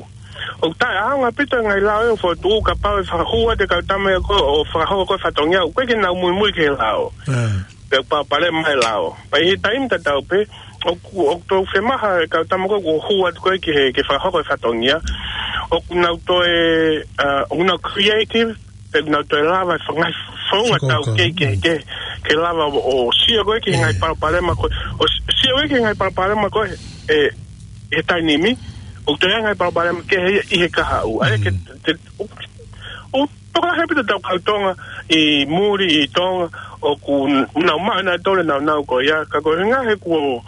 ʻOku taʻeʻaonga ʻaupito e ngaahi lao ʻoku fokotuʻu, kapau ʻe fakahū atu e kau tama ia ko ē ʻo fakahoko ko ē fatongia, ʻoku ʻikai ke nau muimui ki he lao. Pea palopalema e lao. Pea ʻi he taimi tatau pē, ʻoku, ʻoku toe fiemaʻu e kau tama ko ē ʻoku hū atu ko ē ki he, ke fakahoko e fatongia. ʻOku nau toe, ʻa, ʻoku nau creative, pea ʻoku nau toe lava e fanga-, founga tau ke, ke, ke, ke lava ʻo, ʻo sio ko ē ki he ngaahi palopalema ko ē, ʻo s-, sio ko ē ki he ngaahi palopalema ko ē, ʻe, he taimi ni, ʻoku toe ʻi ai e ngaahi palopalema kehe ia ʻi he kahaʻu. ʻA ia ke, te, ʻo, ʻo, tokolahi ʻaupito ʻetau kau Tonga ʻi muli ʻi Tonga, ʻoku n-, nau maʻu ʻenautolu e nāunau ko ia, ka ko e ngaahi kuo,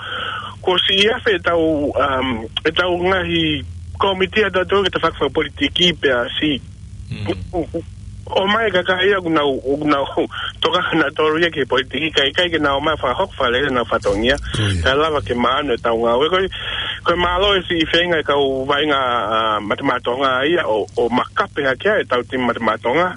kuo siʻi afe ʻetau, um, ʻetau ngaahi kōmiti ʻatautolu ke tau fakafakapolitiki pea siʻi ʻomai e kakai ia ʻoku nau, ʻoku nau tokanga ʻenautolu ia ki he politiki, kae ʻikai ke nau ō mai ʻo fakahoko fakalelei ʻenau fatongia. Ko ia. Kae lava ke maʻanu ʻetau ngāue. Ko e, ko e mālō e siʻi feinga e kau vaʻinga, ʻa, Mate Maʻa Tonga ia ʻo, ʻo makape hake ai ʻetau timi Mate Maʻa Tonga.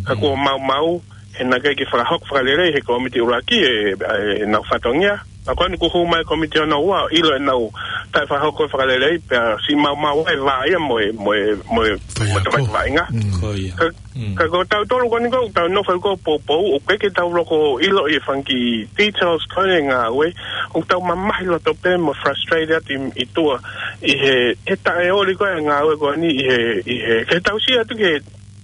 Ka kuo maumau, he naʻe ʻikai ke fakahoko fakalelei he kōmiti ʻuluaki e, e, ʻenau fatongia. Pea ko eni kuo hū mai e kōmiti hono ua, ʻilo ʻenau taʻefakahoko fakalelei, pea siʻi maumau ai e vā ia mo e, mo e, mo e, mo e tamaiki vaʻinga. Ko ia. Ka, ka ko tautolu ko eni ko ē, tau nofo ko ē ʻo poupou, ʻoku ʻikai ke tau loko ʻilo ʻi he fanga kiʻi details ko ē e ngāue, ʻoku tau mamahi loto pē mo frustrated atu ʻi, ʻi tuʻa, ʻi he, he taʻeoli ko ē e ngāue ko eni, ʻi he, ʻi he, ke tau sio atu ki he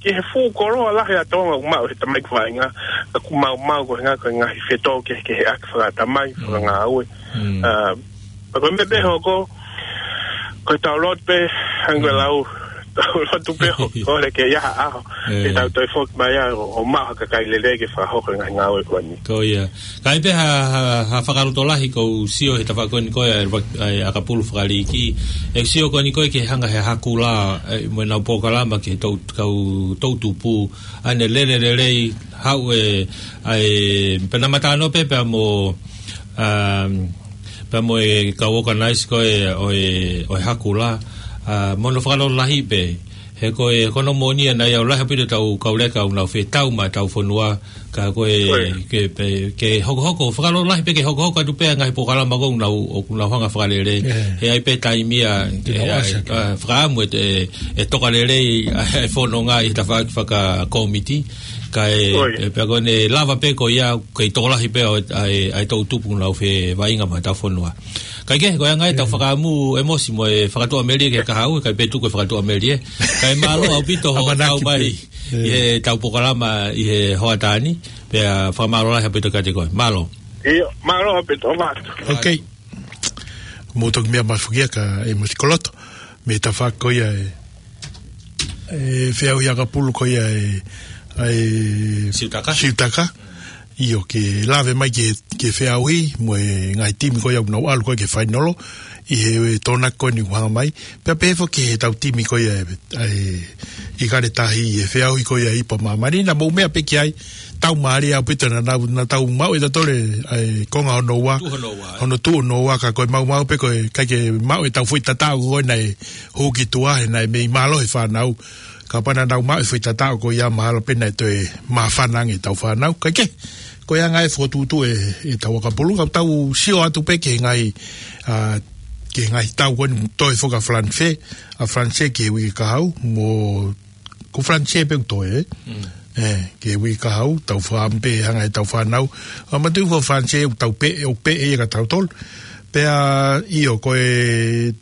ki he fuʻu koloa lahi ʻa Tonga ʻoku maʻu he tamaiki vaʻinga, ka kuo maumau ko e ngaahi, ko e ngaahi fetōkehekeheʻaki fakatamai, fakangāue. ʻA, pea ko e meʻa pē hoko, ko ʻetau lotu pē, hangē ko e lau, tau lotu pē ʻoku ʻikai ke ʻi ai ha ʻaho, ke tau toe foki mai ai ʻo, ʻo maʻu ha kakai lelei ke fakahoko e ngaahi ngāue ko eni. Ko ia. Ka ʻi ai pē ha, ha, ha fakalotolahi ʻoku ou sio he tafaʻaki ko eni ko ē ʻa e, ʻa e ʻakapulu fakaliiki. ʻE sio ko eni ko ē ke hanga he Hakula, ʻe, mo ʻenau polokalama ki he tou-, kau toʻutupu. ʻA ʻene lele lelei, haʻu e, ʻa e, pea naʻa ma talanoa pē pea mo, um, pea mo e kau organize ko ē ʻo e, ʻo e Hakula. ʻA, mo hono fakalotolahi pē. He ko e, ko hono moʻoni ia naʻe ʻi ai e lahi ʻaupito ʻetau kau leka ʻoku nau fetau maʻa ʻetau fonua, ka ko e, ke, pe, ke hokohoko, fakalotolahi pē ke hokohoko atu pē e ngaahi polokalama ʻoku nau, ʻoku nau hanga fakalele. He ʻi ai pē taimi ia, ke, ʻa, fakaʻamu e, e, e toka lelei, ʻa, e fononga ʻi he tafaʻaki fakakōmiti, ka e, e, pea ko ʻene lava pē ko ia, kei tokolahi pē ʻa e, ʻa e, ʻa e toʻutupu ʻoku nau fevaʻinga maʻa ʻetau fonua. Kaikehe, ko e anga ia ʻetau fakaʻamu ʻEmosi mo e fakatuʻamelie ki he kahaʻu, kae pē tuku e fakatuʻamelie. Kae mālō ʻaupito hoʻo tau mai ʻi heʻetau polokalama ʻi he hoʻatā ni, pea fakamālō lahi ʻaupito kiate koe. Mālō. ʻIo, mālō ʻaupito, ʻo mālō. Ok. Mou toki meʻa mai foki ia ka ʻEmosi Koloto, mei he tafaʻaki ko ia e, e feʻauhi ʻakapulu ko ia e, e Siutaka. Siutaka. ʻIo, ke lave mai ki he, ki he feʻauhi, mo e ngaahi timi ko ia ʻoku nau ʻalu ko ē ki he fainolo, ʻi he tokonaki ko eni ʻoku hanga mai. Pea pehē foki ki he tau timi ko ia ʻe, ʻe, ʻIkale Tahi ʻi he feʻauhi ko ia ʻa e ipu ʻa māmani, naʻa mou meʻa pē ki ai, tau mālie ʻaupito naʻa nau, naʻa tau maʻu ʻe tautolu ʻa e konga hono ua. Tuʻu hono ua, ē? Hono tuʻu hono ua, ka ko e maumau pē ko e ʻikai ke maʻu ʻe tau foʻi tataʻo ko ē naʻe hū ki tuʻa he naʻe mei mālohi e fānau. Kapau naʻa nau maʻu e foʻi tataʻo ko ia mahalo pē naʻe toe māfana ange ʻetau fānau. Kae kehe, ko e anga e fokotuʻutuʻu ʻe, ʻe tau ʻakapulu, ka tau sio atu pē ki he ngaahi, ʻa, ki he ngaahi tau ko eni toe foki ʻa Falanise, ʻa Falanise ki he uike kahaʻu, mo ko Falanise pē ʻoku toe, ē? Mm. ʻE, ki he uike kahaʻu, tau fakaʻamu pē hanga ʻe tau fānau. ʻA, manatuʻi ko Falanise ʻoku tau pē, ʻoku pē ʻe ia kia tautolu. Pea, ʻio, ko e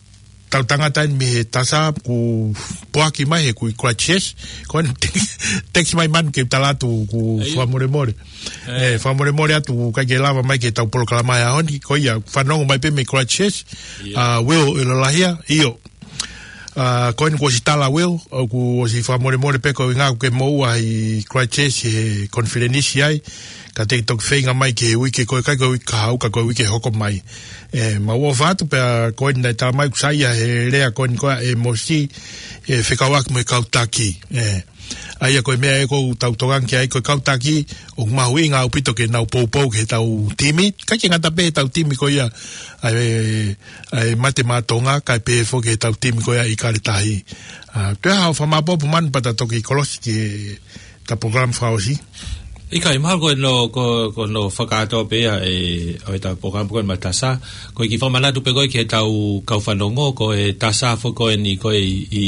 tau tangata eni mei he tasa, kuo poaki mai he kui Christchurch, ko eni text mai Manu ke u tala atu kuo fakamolemole. ʻE, fakamolemole atu ʻikai ke lava mai ki he tau polokalama he ʻaho ni, ko ia, fanongo mai pē mei Christchurch, ʻa, Will ʻIlolahia, ʻio. ʻA, ko eni kuo ʻosi tala Will, ʻoku ʻosi fakamolemole pē ko e ʻuhinga ʻoku ke moʻua ʻi Christchurch he konifelenisi ai, ka te ke toki feinga mai ki he uike ko ē ʻikai ko e uike kahaʻu ka ko e uike hoko mai. ʻE, mau ʻofa atu pea ko eni naʻe tala mai ʻoku saiʻia he lea ko eni ko ē ʻa ʻĒmosi, ʻe fekauʻaki mo e kau taki. ʻE, ʻa ia ko e meʻa ē ʻoku tau tokanga ki ai ko e kau taki, ʻoku mahuʻinga ʻaupito ke nau poupou ki he tau timi, ʻikai ke ngata pē he tau timi ko ia, ʻa e, ʻa e Mate Maʻa Tonga, kae pehē foki he tau timi ko ia ʻIkale Tahi. ʻA, toe haʻo fakamāʻopoʻopo Manu pea ta toki kolosi ki he ta polokalama fakaʻosi. ʻIkai, mahalo ko hono, ko, ko hono fakakātoa pē ia ʻe, ʻo e ta polokalama ko eni maʻa Tasa. Ko e kiʻi fakamanatu pē ko ē ki he tau kau fanongo, ko e Tasa foki ko eni ko ē ʻi, ʻi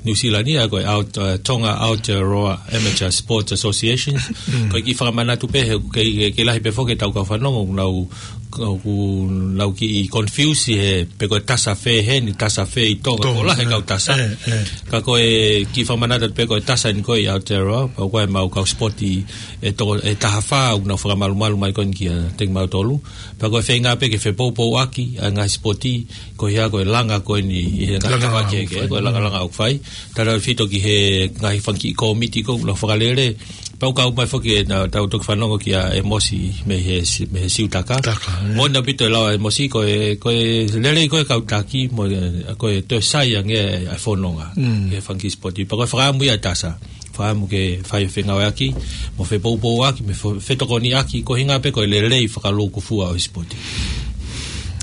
New Zealand ia, ko e Aot-, ʻa, Tonga Aotearoa Amateur Sports Association. Mm. Ko e kiʻi fakamanatu pē he, ke, ke, ke lahi pē foki e tau kau fanongo, nau ʻoku nau kiʻi confuse he, pe ko e Tasa fē heni, Tasa fē ʻi Tonga, Tonga, ko e lahi e kau Tasa. ʻE, ʻe. Ka ko e kiʻi fakamanatu pē ko e Tasa eni ko ē ʻi Aotearoa, pea ko e mau kau sipoti ʻe toko, ʻe taha fā, ʻoku nau fakamalumalu mai ko eni kiate kimautolu. Pea ko e feinga pē ke fepoupouaki ʻa e ngaahi sipoti, ko ia ko e langa ko eni, ʻi he ngaahi langa kava langa ke, ʻoku ke, fai. Ko e langa langa ʻoku fai. Tautautefito ki he ngaahi fanga kiʻi kōmiti ko ē, ʻoku nau fakalele, pea ʻoku kau mai foki ʻe naʻa tau toki fanongo kia ʻĒmosi mei he si-, mei he Siutaka. Taka, ē. Moʻoni ʻaupito e lau ʻa ʻĒmosi, ko e, ko e lelei ko ē kau taki, mo e, ko e toe sai ange ʻa e fononga. Mm. Ki he fanga kiʻi sipoti. Pea ko e fakaʻamu ia ʻa Tasa. Fakaʻamu ke fai fengāueʻaki, mo fepoupouaki, mo fe-, fetokoniʻaki, ko e ʻuhinga pē ko e lelei fakalūkufua ʻo e sipoti.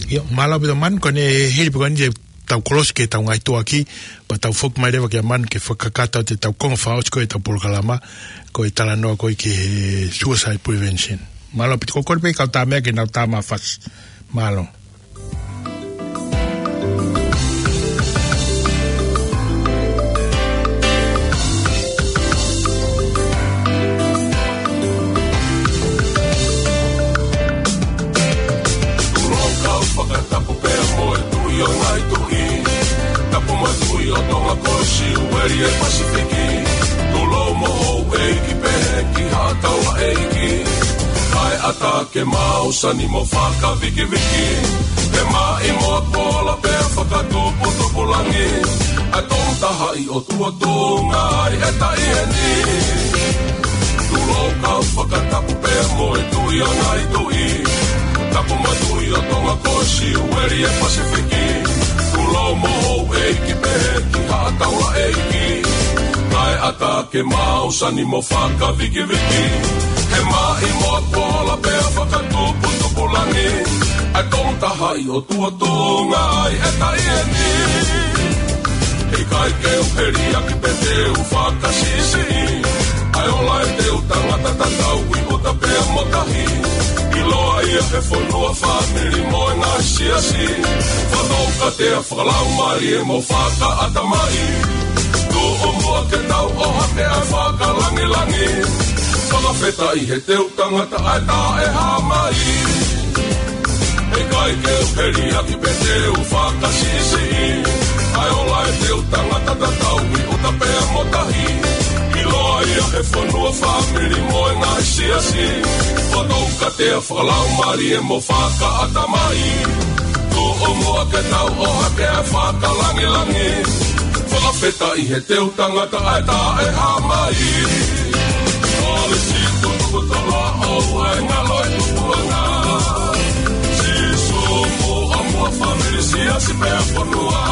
ʻIo, mālō ʻaupito Manu, ko eni hili pē ko eni te tau kolosi ki he tau ngaahi tuʻuaki, pea tau foki mai leva kia Manu ke fakakakato atu e tau konga fakaʻosi ko ē ʻetau polokalama, ko e talanoa ko ē ki he suicide prevention. Mālō ʻaupito, ko e kole pē kau tā meʻa ke nau tā mafasi. Mālō. Tulou kau fakatapu pea mo e Tuʻi ʻo e ngaahi tuʻi. Tapu mo e Tuʻi ʻo Tonga ko e Siueli ʻo e Pasifiki. Tulou mo houʻeiki pehē ki haʻa taulaʻeiki. Kae ʻatā ke mau sani mo fakavikiviki. Ke maʻimoa kola pea fakatuputupu langi. ʻA e Tongatahaʻi ʻOtua Tuʻunga ai e taʻi eni. Tulou kau fakatapu pea mo e Tuʻi ʻo e ngaahi tuʻi. Tapu mo e Tuʻi ʻo Tonga ko e Siueli ʻo e Pasifiki. Tulou mo houʻeiki pehē ki haʻa taulaʻeiki. Kae ʻatā ke mau sani mo fakavikiviki. Ke maʻimoa kola pea fakatuputupu langi. ʻA e Tongatahaʻi ʻOtua Tuʻunga ai e taʻi eni. ʻIkai ke u heliaki pe te u fakasiʻisiʻi. ʻA e ola ʻetau tangata tatau ʻi ʻuta pea mo tahi. ʻIloa ia he fonua, fāmili mo e ngaahi siasi. Fakatoukatea fakalaumālie mo fakaʻatamai. Tuʻu muʻa ke tau ʻohake ʻa e fakalāngilangi. Fakafetaʻi he teu tangata ʻa e taʻehāmai. ʻIkai ke u heliaki pe te u fakasiʻisiʻi. ʻA e ola ʻetau tangata tatau ʻi ʻuta pea mo tahi. ʻIloa ia he fonua, fāmili mo e ngaahi siasi. Fakatoukatea fakalaumālie mo fakaʻatamai. Tuʻu muʻa ke tau ʻohake ʻa e fakalāngilangi. Fakafetaʻi he teu tangata ʻa e taʻehāmai. Kolisi Tutuku Tala ʻo ʻOua ʻe ngalo e tupuʻanga. Sīsū mo ʻomai fāmili, siasi pea fonua.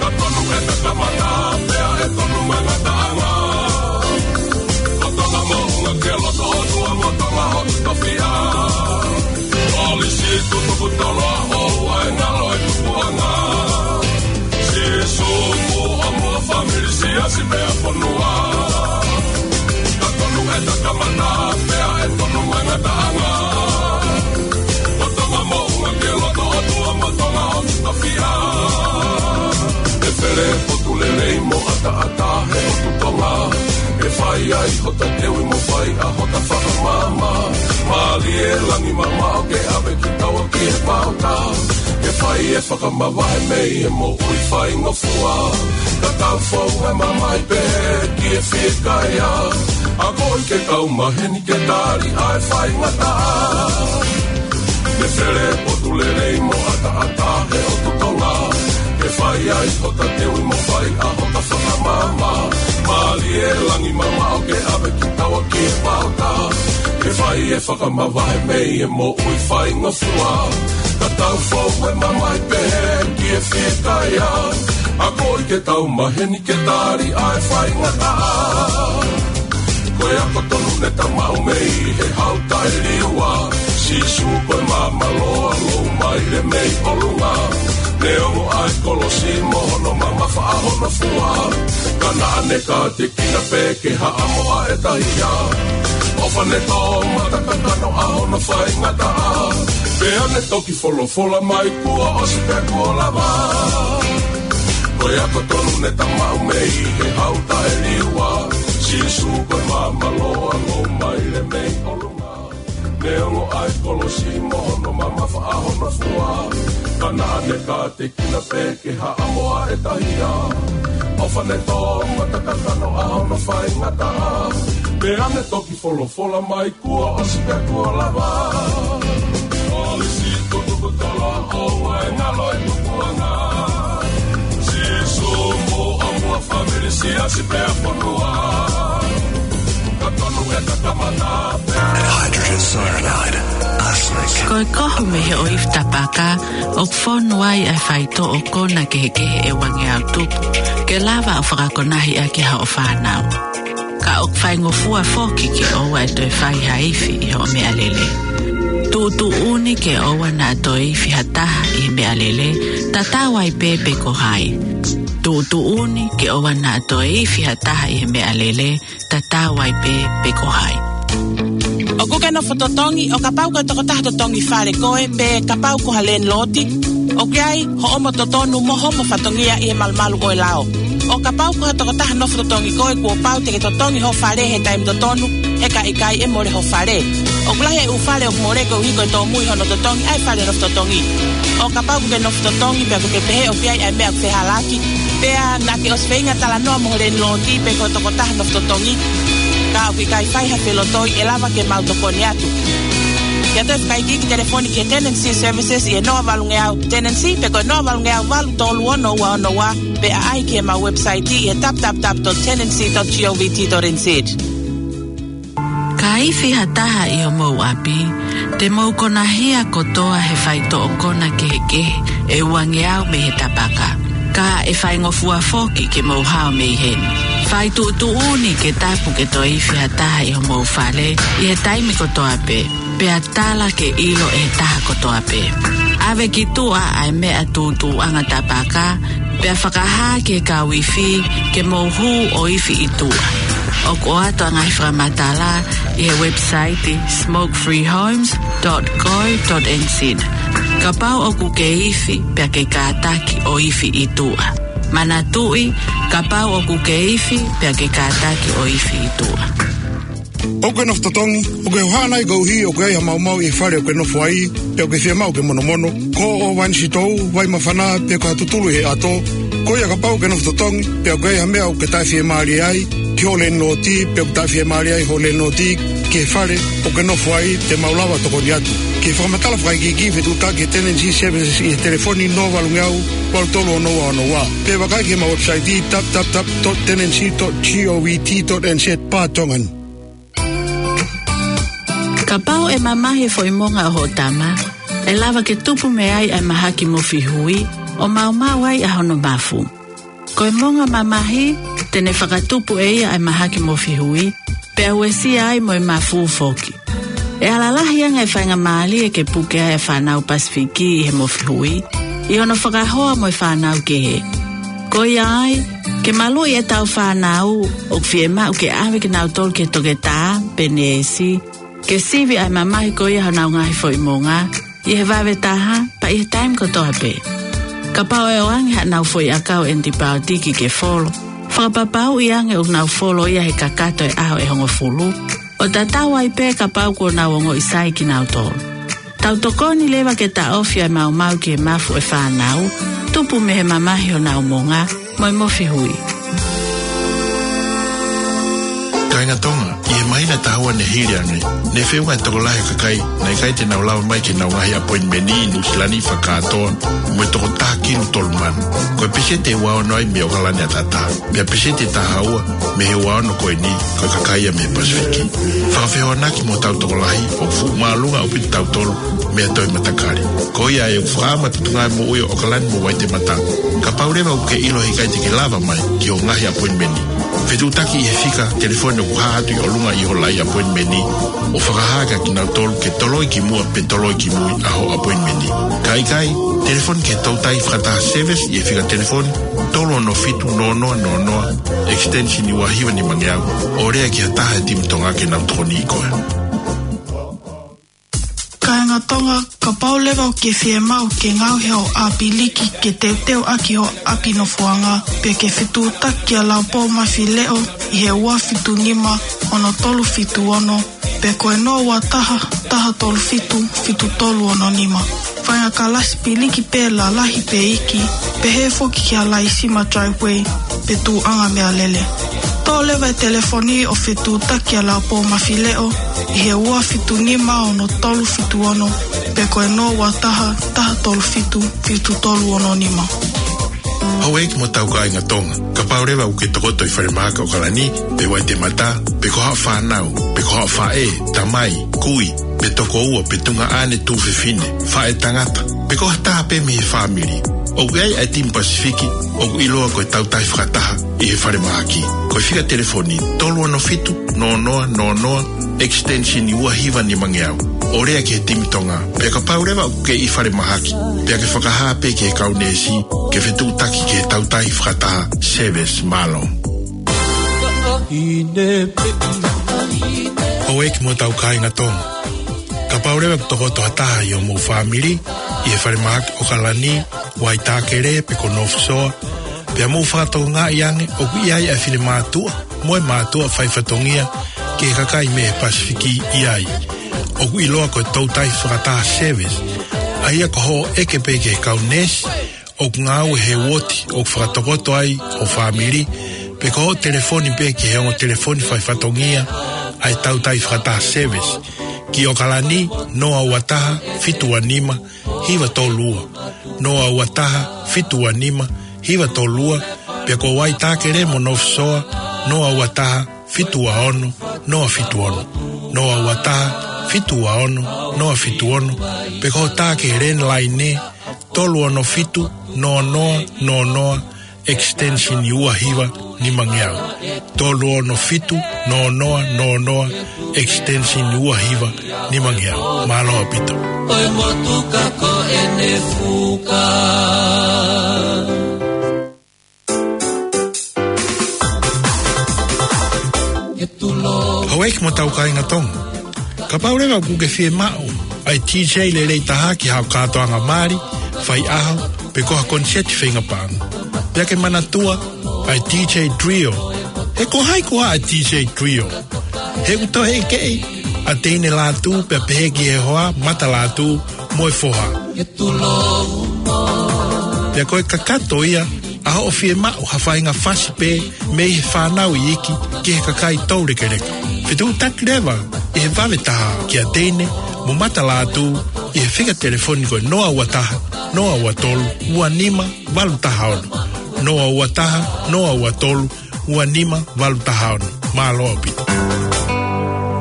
Ka tonu e takamana pea ʻe tonu mo e ngataʻanga. Ko Tonga moʻunga ke loto ʻOtua mo Tonga hoku tofiʻa. Kolisi tutuku tolo, ʻoua ʻe ngalo e tupuʻanga. Sīsū mo ʻomai fāmili, siasi pea fonua. Ka tonu e takamana pea ʻe tonu mo e ngataʻanga. Ko Tonga moʻunga ke loto ʻOtua mo Tonga hoku tofiʻa. ʻE fele potu lelei mo ʻataʻatā he ʻotu Tonga. ʻE fai ai hota teuʻi mo fai ʻa hota fakamaama. Mālie langi mamaʻo ke ʻave kitaua ki he pauta. Ke fai e fakamavahe mei he moʻui faingofua. Ka tau fou e mamahi pehē ki he fiekaia. Akoʻi ke kau maheni ke tali ʻa e faingataʻa. ʻE fele potu lelei mo ʻataʻatā he ʻotu Tonga. Ke fai ai hota teuʻi mo fai ʻa hota fakamaama. Mālie langi mamaʻo ke ʻave kitaua ki he pauta. Ke fai e fakamavahe mei he moʻui faingofua. Ka tau fou e mamahi pehē ki he fiekaia. Akoʻi ke tau maheni ke tali ʻa e faingataʻa. Ko e ako tonu ne ta maʻu mei he Hau Taʻeliua. Sīsū ko e maama loa, lou maile mei ʻolunga. Neongo ʻa e kolosi mo hono mamafa ʻa hono fua. Ka naʻa ne kātekina pē ke haʻamo ʻa e tahia. ʻOfa ne tō mata kakano ʻa hono faingataʻa. Pea ne toki folofola mai kuo ʻosi pea kuo lava. Ko e ako tonu ne ta maʻu mei he Hau Taʻeliua. Sīsū ko e maama loa, lou maile mei ʻolunga. Neongo ʻa e kolosi mo hono mamafa ʻa hono fua. Ka naʻa ne kātekina pē ke haʻamo ʻa e tahia. ʻOfa ne tō mata kakano ʻa hono faingataʻa. Pea ne toki folofola mai kuo ʻosi pea kuo lava. Kolisi tutuku tolo, ʻoua ʻe ngalo e tupuʻanga. Sīsū mo ʻomai fāmili, siasi pea fonua. Ka tonu e takamana pea. Hydrogen cyanide, arsenic. Ko e kohu mei he ʻoifi tapaka, ʻoku fonu ai ʻa e faitoʻo kona kehekehe ʻe uangeau tupu, ke lava ʻo fakakonahi ʻaki haʻo fānau. Ka ʻoku faingofua foki ke ʻoua ʻe toe fai ha ifi ʻi hoʻo meʻalele. Tuʻutuʻuni ke ʻoua naʻa toe ifi ha taha ʻi he meʻalele, tatau ai pē pe ko hai. Tuʻutuʻuni ke ʻoua naʻa toe ifi ha taha ʻi he meʻalele, tatau ai pē pe ko hai. ʻOkú ke nofo totongi, ʻo kapau ko e tokotaha totongi fale koe, pe kapau ko ha lēniloti, ʻoku ʻi ai hoʻomo totonu mo hoʻomo fatongia ʻi he malumalu ʻo e lao. ʻO kapau ko ha tokotaha nofo totongi koe, kuo pau te ke totongi ho fale he taimi totonu, he ka ʻikai ʻe mole ho fale. ʻOku lahi e ʻū fale ʻoku mole koeʻuhi ko e tōmui hono totongi ʻa e fale nofo totongi. ʻO kapau ʻokú ke nofo totongi pea ʻokú ke pehē ʻoku ʻi ai ʻa e meʻa ʻoku fehālaaki, pea naʻá ke ʻosi feinga talanoa mo ho lēniloti pe ko e tokotaha nofo totongi, ka ʻoku ʻikai fai ha felotoi, ʻe lava ke mau tokoni atu. Ke ʻoatu e fakaikiiki, telefoni ki he Tenancy Services ʻi he noa valungeau tenancy pe ko e noa valungeau valu tolu ono ua ono ua, pe ʻaʻahi ki heʻemau website ʻi he www dot tenancy dot govt dot nz. Ka ifi ha taha ʻi homou ʻapi, te mou konahia kotoa he faitoʻo kona kehekehe ʻe uangeau mei he tapaka. Ka ʻe faingofua foki ke mou hao mei heni. Fai tuʻutuʻuni ke tapu ke toe ifi ha taha ʻi homou fale ʻi he taimi kotoa pē, pea tala ke ʻilo ʻe he taha kotoa pē. ʻAve ki tuʻa ʻa e meʻa tūtuuʻanga tapaka, pea fakahā ki he kau ifi ke mou hū ʻo ifi ʻi tuʻa. ʻOku ʻoatu ʻa e ngaahi fakamatala ʻi he website smoke free homes dot co dot nz. Kapau ʻokú ke ifi, pea ke kātaki ʻo ifi ʻi tuʻa. Manatuʻi, kapau ʻokú ke ifi, pea ke kātaki ʻo ifi ʻi tuʻa. ʻOkú ke nofo totongi, ʻokú ke hohaʻa nai koeʻuhi ʻoku ʻi ai ha maumau ʻi he fale ʻokú ke nofo aí, pe ʻokú ke fiemaʻu ke monomono, ko hoʻo vai sitou, vai māfana, pe ko ha tutulu ʻi he ʻato? Ko ia, kapau ʻokú ke nofo totongi, pe ʻoku ʻi ai ha meʻa ʻokú ke taʻefiemālie ai ki hoʻo lēniloti, pe ʻoku taʻefiemālie ai hoʻo lēniloti ki he fale ʻokú ke nofo aí, te mau lava ʻo tokoni atu. Ki he fakamatala fakaikiiki, fetuʻutaki ki he Tenancy Services ʻi he telefoni noa valungeau valu tolu ono ua ono ua. Pe vakai ki heʻemau website www dot tenancy dot govt dot nz barra Tongan. Kapau ʻe mamahi e foʻi monga ʻo hoʻo tama, ʻe lava ke tupu mei ai ʻa e mahaki mofihui, ʻo maumau ai ʻa hono mafu. Ko e monga mamahi, te ne fakatupu ʻe ia ʻa e mahaki mofihui, pea uesia ai mo e mafu foki. ʻE ala lahi ange e faingamālie ke puke ai ʻa e fānau Pasifiki ʻi he mofihui, ʻi hono fakahoa mo e fānau kehe. Ko ia ai, ke maluʻi ʻetau fānau, ʻoku fiemaʻu ke ʻave kinautolu ki he toketā, pe neesi, ke sivi ʻa e mamahi ko ia honau ngaahi foʻi monga, ʻi he vave taha, pea ʻi he taimi kotoa pē. Kapau ʻe ʻoange haʻanau foʻi ʻakau ʻenipaotiki ke folo, fakapapauʻi ange ʻoku nau folo ia he kakato e ʻaho ʻe hongofulu, ʻo tatau ai pē kapau kuo nau ongoʻi sai kinautolu. Tau tokoni leva ke taʻofi ʻa e maumau ki he mafu ʻo e fānau, tupu mei he mamahi honau monga, mo e mofihui. Kāinga Tonga, ʻi he māhina ʻe taha ua ne hili ange, ne feʻunga e tokolahi ʻo e kakai naʻe ʻikai te nau lava mai ki heʻenau ngaahi appointment ʻi Nuʻusila ni fakakātoa, mo e toko taha kinu tolu mano. Ko e peseti ʻe ua ono ai mei ʻOkalani ʻataʻatā. Pea peseti ʻe taha ua mei he ua ono ko eni, ko e kakai ia mei he Pasifiki. Fakafehoanaki mo hotau tokolahi, ʻoku fuʻu māʻolunga ʻaupito kitautolu mei ha toe matakali. Ko ia ʻoku fakaʻamu ʻa e Potungāue Moʻui ʻo ʻOkalani mo Waitemata, kapau leva ʻoku ke ʻilo he ʻikai te ke lava mai ki hoʻo ngaahi appointment, fetuʻutaki ʻi he fika telefoni ʻoku hā atu ʻi ʻolunga ʻi hoʻo laʻi appointment, ʻo fakahā kia kinautolu ke toloi ki muʻa pe toloi ki mui ʻa hoʻo appointment. Ka ʻikai, telefoni ki he Toutai Fakataha Service ʻi he fika telefoni tolu ono fitu noa noa noa noa, extension ua hiva nimangeau, ʻo lea ki ha taha he timi Tonga ke nau tokoniʻi koe. Kāinga Tonga, kapau leva ʻoku ke fiemaʻu ke ngaohi hoʻo ʻapiliki ke teuteu ʻaki hoʻo ʻapi nofoʻanga, pe ke fetuʻutaki kia Laupō Mafileʻo ʻi he ua fitu nima ono tolu fitu ono, pe ko e noa ua taha, taha tolu fitu, fitu tolu ono nima. Faʻahinga kalasi piliki pē lalahi pe iiki, pehē foki ki ha laisima driveway, pe tuʻuʻanga meʻalele. Toʻo leva e telefoni ʻo fetuʻutaki kia Laupō Mafileʻo ʻi he ua fitu nima ono tolu fitu ono, pe ko e noa ua taha, taha tolu fitu, fitu tolu ono nima. Houʻeiki mo hotau kāinga Tonga, kapau leva ʻoku ke tokoto ʻi falemahaki ʻOkalani, pe Waitemata, pe ko haʻo fānau, pe ko haʻo faʻē, tamai, kui, pe tokoua, pe tuongaʻane tuofefine, faʻētangata, pe ko ha taha pē mei he fāmili, ʻoku ʻi ai ʻa e timi Pasifiki ʻoku ʻiloa ko e Toutai Fakataha ʻi he falemahaki. Ko e fika telefoni tolu ono fitu noa noa noa noa, extension ua hiva nimangeau, ʻo lea ki he timi Tonga. Pea kapau leva ʻoku ke ʻi falemahaki, pea ke fakahā pē ki he kau neesi ke fetuʻutaki ki he Toutai Fakataha Service. Mālō. Houʻeiki mo hotau kāinga Tonga, kapau leva ʻoku tokoto ha taha ʻi hoʻomou fāmili ʻi he falemahaki ʻOkalani, Waitākele pe ko North Shore, pea mou fakatokangaʻi ange ʻoku ʻi ai ʻa e finemātuʻa mo e mātuʻa faifatongia ki he kakai mei he Pasifiki ʻi ai, ʻoku ʻiloa ko e Toutai Fakataha Service, ʻa ia ko hoʻo ʻeke pē ki he kau neesi ʻoku ngāue he uooti ʻoku fakatokoto ai ho fāmili, pe ko hoʻo telefoni pē ki he ongo telefoni faifatongia ʻa e Toutai Fakataha Service, ki ʻOkalani, noa ua taha, fitu ua nima, hiva tolu ua, noa ua taha, fitu ua nima, hiva tolu ua, pea ko Waitākele mo North Shore, noa ua taha, fitu ua ono, noa fitu ono, noa ua taha, fitu ua ono, noa fitu ono, pe ko hoʻo tā ki he landline, tolu ono fitu noa noa noa noa, extension ua hiva nimangeau. Tolu ono fitu noa noa noa noa, extension ua hiva nimangeau. Mālō ʻaupito. ʻOi motuka ko ʻene fuka. Houʻeiki mo hotau kāinga Tonga, kapau leva ʻoku ke fiemaʻu ʻa e DJ lelei taha ki haʻo kātoanga mali, faiʻaho, pe ko ha koniseti feinga paʻanga, pea ke manatua ʻa e DJ Trio. He ko hai koā ʻa e DJ Trio? He ʻoku toe ʻekeʻi ʻa Teine Lātū, pea pehē ki he hoa, Mata Lātū mo e foha. Pea ko e kakato ia ʻa hoʻo fiemaʻu ha faʻahinga fasi pē mei he fānau iiki ki he kakai toulekeleka. Fetuʻutaki leva ʻi he vave taha kia Teine mo Mata Lātū ʻi he fika telefoni ko e noa ua taha, noa ua tolu, ua nima valu taha ono. Noa ua taha, noa ua tolu, ua nima valu taha ono. Mālō ʻaupito.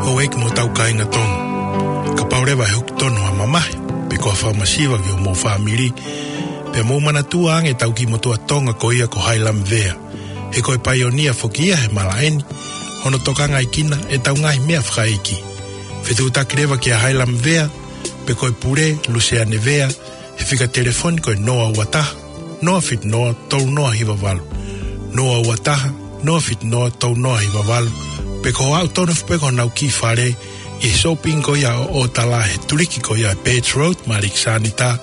Houʻeiki mo hotau kāinga Tonga, Kapau leva ʻe hoko tonu ha mamahi, pe ko ha fakamasiva ki homou fāmili, pea mou manatua ange ʻetau kiʻi motuʻa Tonga ko ia ko Hailamvea. He ko e paionia foki ia he malaʻe ni, hono tokangaʻi kinaua ʻetau ngaahi meʻa fakaʻeiki. Fetuʻutaki leva kia Hailamvea, pe ko e pule, Luseane Vea, he fika telefoni ko e noa ua taha, noa fitu noa, tolu noa hiva valu. Noa ua taha, noa fitu noa, tolu noa hiva valu. Pe ko e aʻu tonu foki pē ki honau kiʻi fale, ʻi he shopping ko ia ʻo ʻOtala he tuliki ko ia Birch Road, Malik Sanita,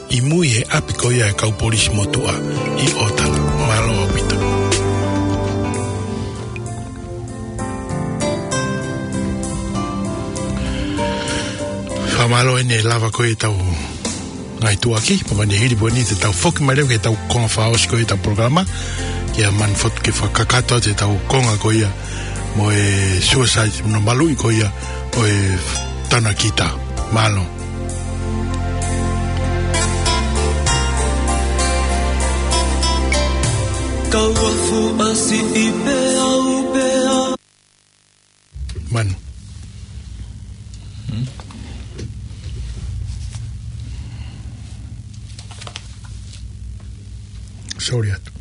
ʻi mui he ʻapi ko ia ʻa e kau polisi motuʻa ʻi ʻOtala. Mālō ʻaupito. Fakamālō ʻene lava ko ʻetau ngaahi tuʻuaki, pea mani hili pō ni te tau foki mai leva ki heʻetau konga fakaʻosi ko ia ʻetau polokalama, kia Manu Fotu ke fakakakato atu ʻetau konga ko ia mo e suicide, mo e maluʻi ko ia ʻo e tana kita. Mālō. Kau afu ʻasi ʻi pē au pē a. Manu. Hmm? Sorry atu.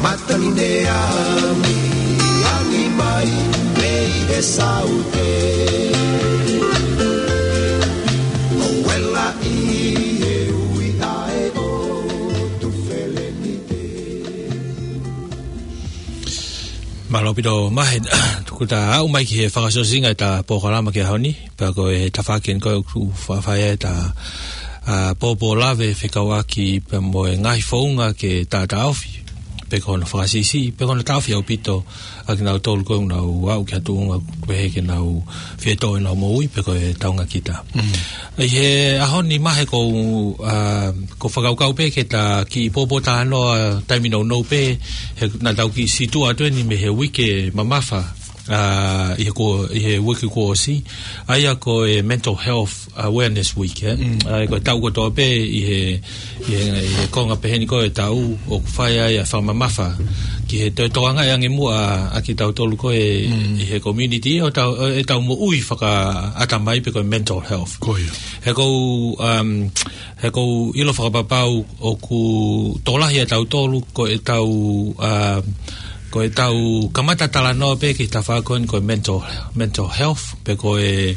Matangi ne ami, ami mai, mei he saute. ʻO wela ʻi he ui ʻa e ʻotu felenite. Mālō ʻaupito Mahe, tuku ta aʻu mai ki he fakaʻosiʻosinga ʻeta polokalama ki he ʻaho ni, pea ko e tafaʻaki eni ko ē ʻoku fai ai ʻeta, ā, pōpō lave fekauʻaki pea mo e ngaahi founga ke taʻataʻofi, pe ko hono fakasiʻisiʻi, pe ko hono taʻofi ʻaupito ʻa kinautolu ko ē ʻoku nau aʻu ki ha tuʻunga ʻoku pehē ke nau fie toʻo ʻenau moʻui, pe ko e taunga kita. Mm. ʻI he ʻaho ni Mahe ʻoku ou, ā, ʻoku ou fakakaukau pē ke ta kiʻi pōpōtalanoa taimi nounou pē, he naʻa tau kiʻi situʻa atu eni mei he uike mamafa, ā, ʻi he ko, ʻi he uike kuo ʻosi, ʻa ia ko e Mental Health Awareness Week, ē? Mm. Ā, ko e taʻu kotoa pē ʻi he, ʻi he, ʻi he konga pehē ni ko ē ʻo e taʻu ʻoku fai ai ʻa e fakamamafa ki he toe tokangaʻi ange muʻa ʻa kitautolu ko ē, mm, ʻi he community ʻo tau, ʻo ʻetau moʻui fakaʻatamai pe ko e mental health. Ko ia. He ʻoku ou, um, he ʻoku ou ʻilo fakapapau ʻoku tokolahi ʻa tautolu ko ʻetau, um, ko ʻetau kamata talanoa pē ki he tafaʻaki ko eni ko e mental, mental health, pe ko e,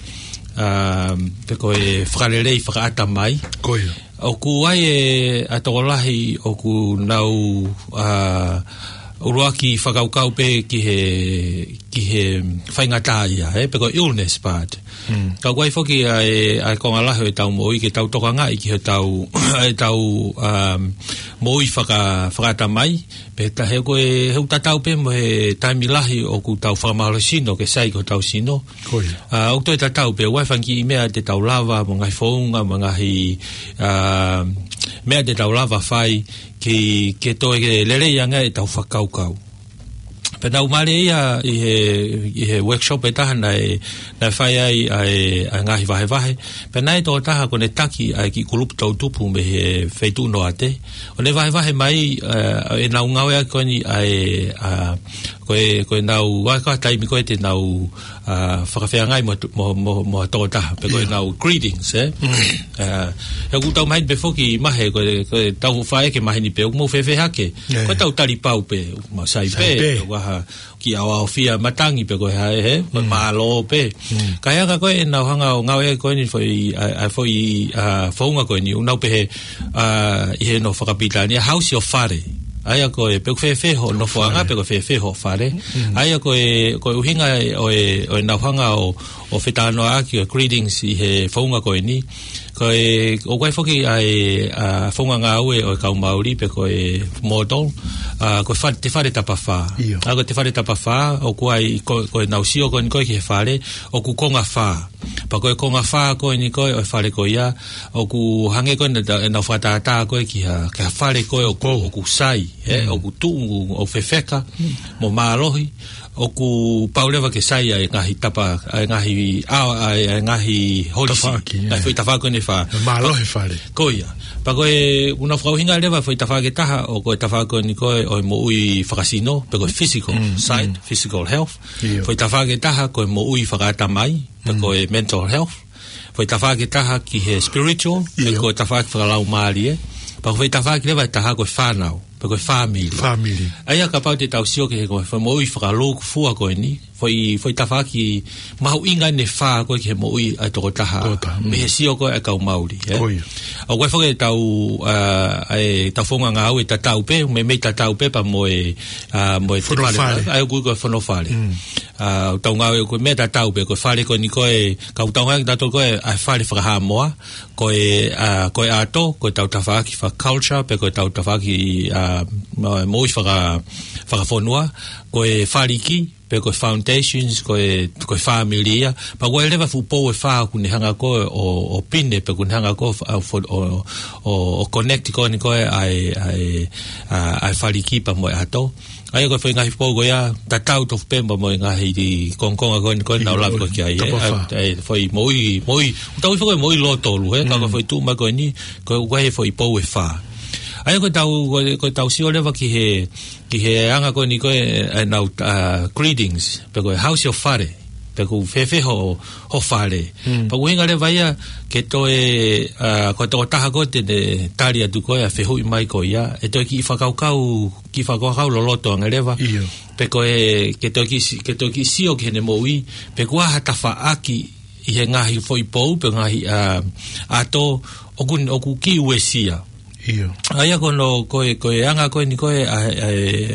um, pe ko e fakalelei fakaʻatamai. Ko ia. ʻOku ʻi ai e, ʻa e tokolahi ʻoku nau, ā, ʻuluaki fakakaukau pē ki he, ki he faingataʻaʻia, ē, pe ko e illness part. Mm. Ka ʻoku ʻi ai foki ʻa e, ʻa e konga lahi ʻo ʻetau moʻui ke tau tokangaʻi ki heʻetau, ʻetau, um, moʻui faka-, fakaʻatamai, pea he ko e, he ʻoku tatau pē mo e taimi lahi ʻoku tau fakamālohisino ke sai ki hotau sino. Ko ia. Ā, ʻoku toe tatau pē, ʻoku ʻi ai e fanga kiʻi meʻa te tau lava, mo e ngaahi founga, mo e ngaahi, ā, meʻa te tau lava fai ke, ke toe ke lelei ange ʻetau fakakaukau. Pea naʻa ku mālieʻia ʻi he, ʻi he workshop ʻe taha naʻe, naʻe fai ai ʻa e, ʻa e ngaahi vahevahe. Pea naʻe ʻi ai e tokotaha ʻoku ne taki ʻa e kiʻi kulupu toʻutupu mei he feituʻu Noate. ʻO ne vahevahe mai, ā, ʻenau ngāueʻaki ko eni ʻa e, ā, ko e, ko ʻenau, ʻa e ko e taimi ko ē te nau, ā, fakafeangai mo, mo, mo, mo ha tokotaha, pe ko ʻenau greetings, ē? Mm. Ā, he ʻoku tau maheni pē foki Mahe, ko e, ko ʻetau faʻē ke maheni pē, ʻoku mou fēfē hake. Ko ʻetau tali pau pē, ʻoku mau sai pē, ʻoku ʻi ai ha kiʻi ʻaoʻaofia matangi pe ko e hā, ē, he, ko e mālō pē. Mm. Ka ʻi he anga ko ē ʻenau hanga ʻo ngāueʻaki ko eni foʻi, ʻa, ʻa foʻi, ā, founga ko eni, ʻoku nau pehē, ā, ʻi he nofo fakapilitānia, how's your fare? ʻA ia ko e, pe ʻoku fēfē hoʻo nofoʻanga, pe ʻoku fēfē hoʻo fare. Mm. ʻA ia ko e, ko e ʻuhinga ʻo e, ʻo ʻenau hanga ʻo, ʻo fetalanoaʻaki ʻo e greetings ʻi he founga ko eni. Ko e, ʻoku ʻi ai foki ʻa e, ā, founga ngāue ʻo e kau Māori pe ko e model, ā, ko e fa-, te fale tapafā. ʻIo. Ā, ko e te fale tapafā, ʻoku ʻi ai ko, ko ʻenau sio ko eni ko ē ki he fale, ʻoku konga fā. Pea ko e konga fā ko eni ko ē ʻo e fale ko ia, ʻoku hangē ko ē naʻa ta-, ʻenau fakatātā ko ē ki ha, ki ha fale ko ē ʻoku, ʻoku sai, ē, ʻoku tuʻu, ʻoku fefeka, mo mālohi, ʻoku pau leva ke sai ʻa e ngaahi tapa, ʻa e ngaahi, ʻa, ʻa e, ʻa e ngaahi holisi. Tafaʻaki, ʻa e foʻi tafaʻaki ko eni ʻe fā. Mālohi fale. Ko ia. Pea ko e, ʻoku nau fakaʻuhinga leva foʻi tafaʻaki ʻe taha, ʻo ko e tafaʻaki ko eni ko e, ʻo e moʻui fakasino, pe ko e physical side, physical health. Foʻi tafaʻaki ʻe taha, ko e moʻui fakaʻatamai, pe ko e mental health. Foʻi tafaʻaki ʻe taha ki he spiritual, pe ko e tafaʻaki fakalaumālie. Pea ko e foʻi tafaʻaki leva ʻe taha ko e fānau, pe ko e family. Family. ʻA ia kapau te tau sio ki he ko e, foʻi moʻui fakalūkufua ko eni, foʻi, foʻi tafaʻaki mahuʻinga ʻeni ʻe fā ko e ki he moʻui ʻa e tokotaha. Tokotaha, mm. Mei he sio ko e ʻa e kau Mauli, ē? Ko ia. ʻOku ʻi ai foki ʻetau, ʻa, ʻa ʻetau founga ngāue tatau pē, meimei tatau pē pea mo e, ʻa, mo e fonofale. ʻA ia ʻoku ui ko e fonofale. Mm. ʻA, ʻetau ngāue ko e meʻa tatau pē, ko e fale ko eni ko e, ka ʻoku tau ngāue kitautolu ko e, ʻa e fale fakaHaʻamoa, ko e, ʻa, ko e ʻato, ko ʻetau tafaʻaki faka-culture, pe ko ʻetau tafaʻaki, ʻa, mo-, moʻui faka-, fakafonua, ko e faliki, pe ko e foundations, ko e, ko e family ia. Pea ʻoku ʻi ai leva fuʻu pou ʻe fā ʻoku ne hanga ko ē ʻo, ʻo pine, pe ʻoku ne hanga ko ē ʻo, ʻo, ʻo, ʻo connect ko eni ko ē ʻa e, ʻa e, ʻa, ʻa e faliki pea mo e ʻato. ʻA ia ko e foʻi ngaahi pou ko ia, tatau tofu pē mo e ngaahi kongokonga ko eni ko ē naʻa ku lave ko ē ki ai, ē. Top of ʻA, ʻa e foʻi moʻui, moʻui, ʻoku tau ui foki ko e moʻui lōtolu, ē. Ka ko e foʻi tuʻu mai ko eni, ko e ʻoku ʻi ai e foʻi pou ʻe fā. ʻA ia ko ʻetau, ko e, ko ʻetau sio leva ki he, ki he anga ko eni ko ē, ʻenau, ʻa, greetings, pe ko e how's your fale, pe ko e fēfē ho, ho fale. Pea ʻoku ʻuhinga leva ia ke toe, ʻa, ko e tokotaha ko ē te ne tali atu ko ē ʻa e fehuʻi mai ko ia, ʻe toe kiʻi fakakaukau, kiʻi fakakaukau loloto ange leva. Pe ko e, ke toe kiʻi si-, ke toe kiʻi sio ki heʻene moʻui, pe ko e hā ha tafaʻaki ʻi he ngaahi foʻi pou, pe ngaahi, ʻa, ʻato, ʻoku, ʻoku kiʻi uesia. ʻA ia ko hono, ko e, ko e anga ko eni ko ē, ʻa, ʻa,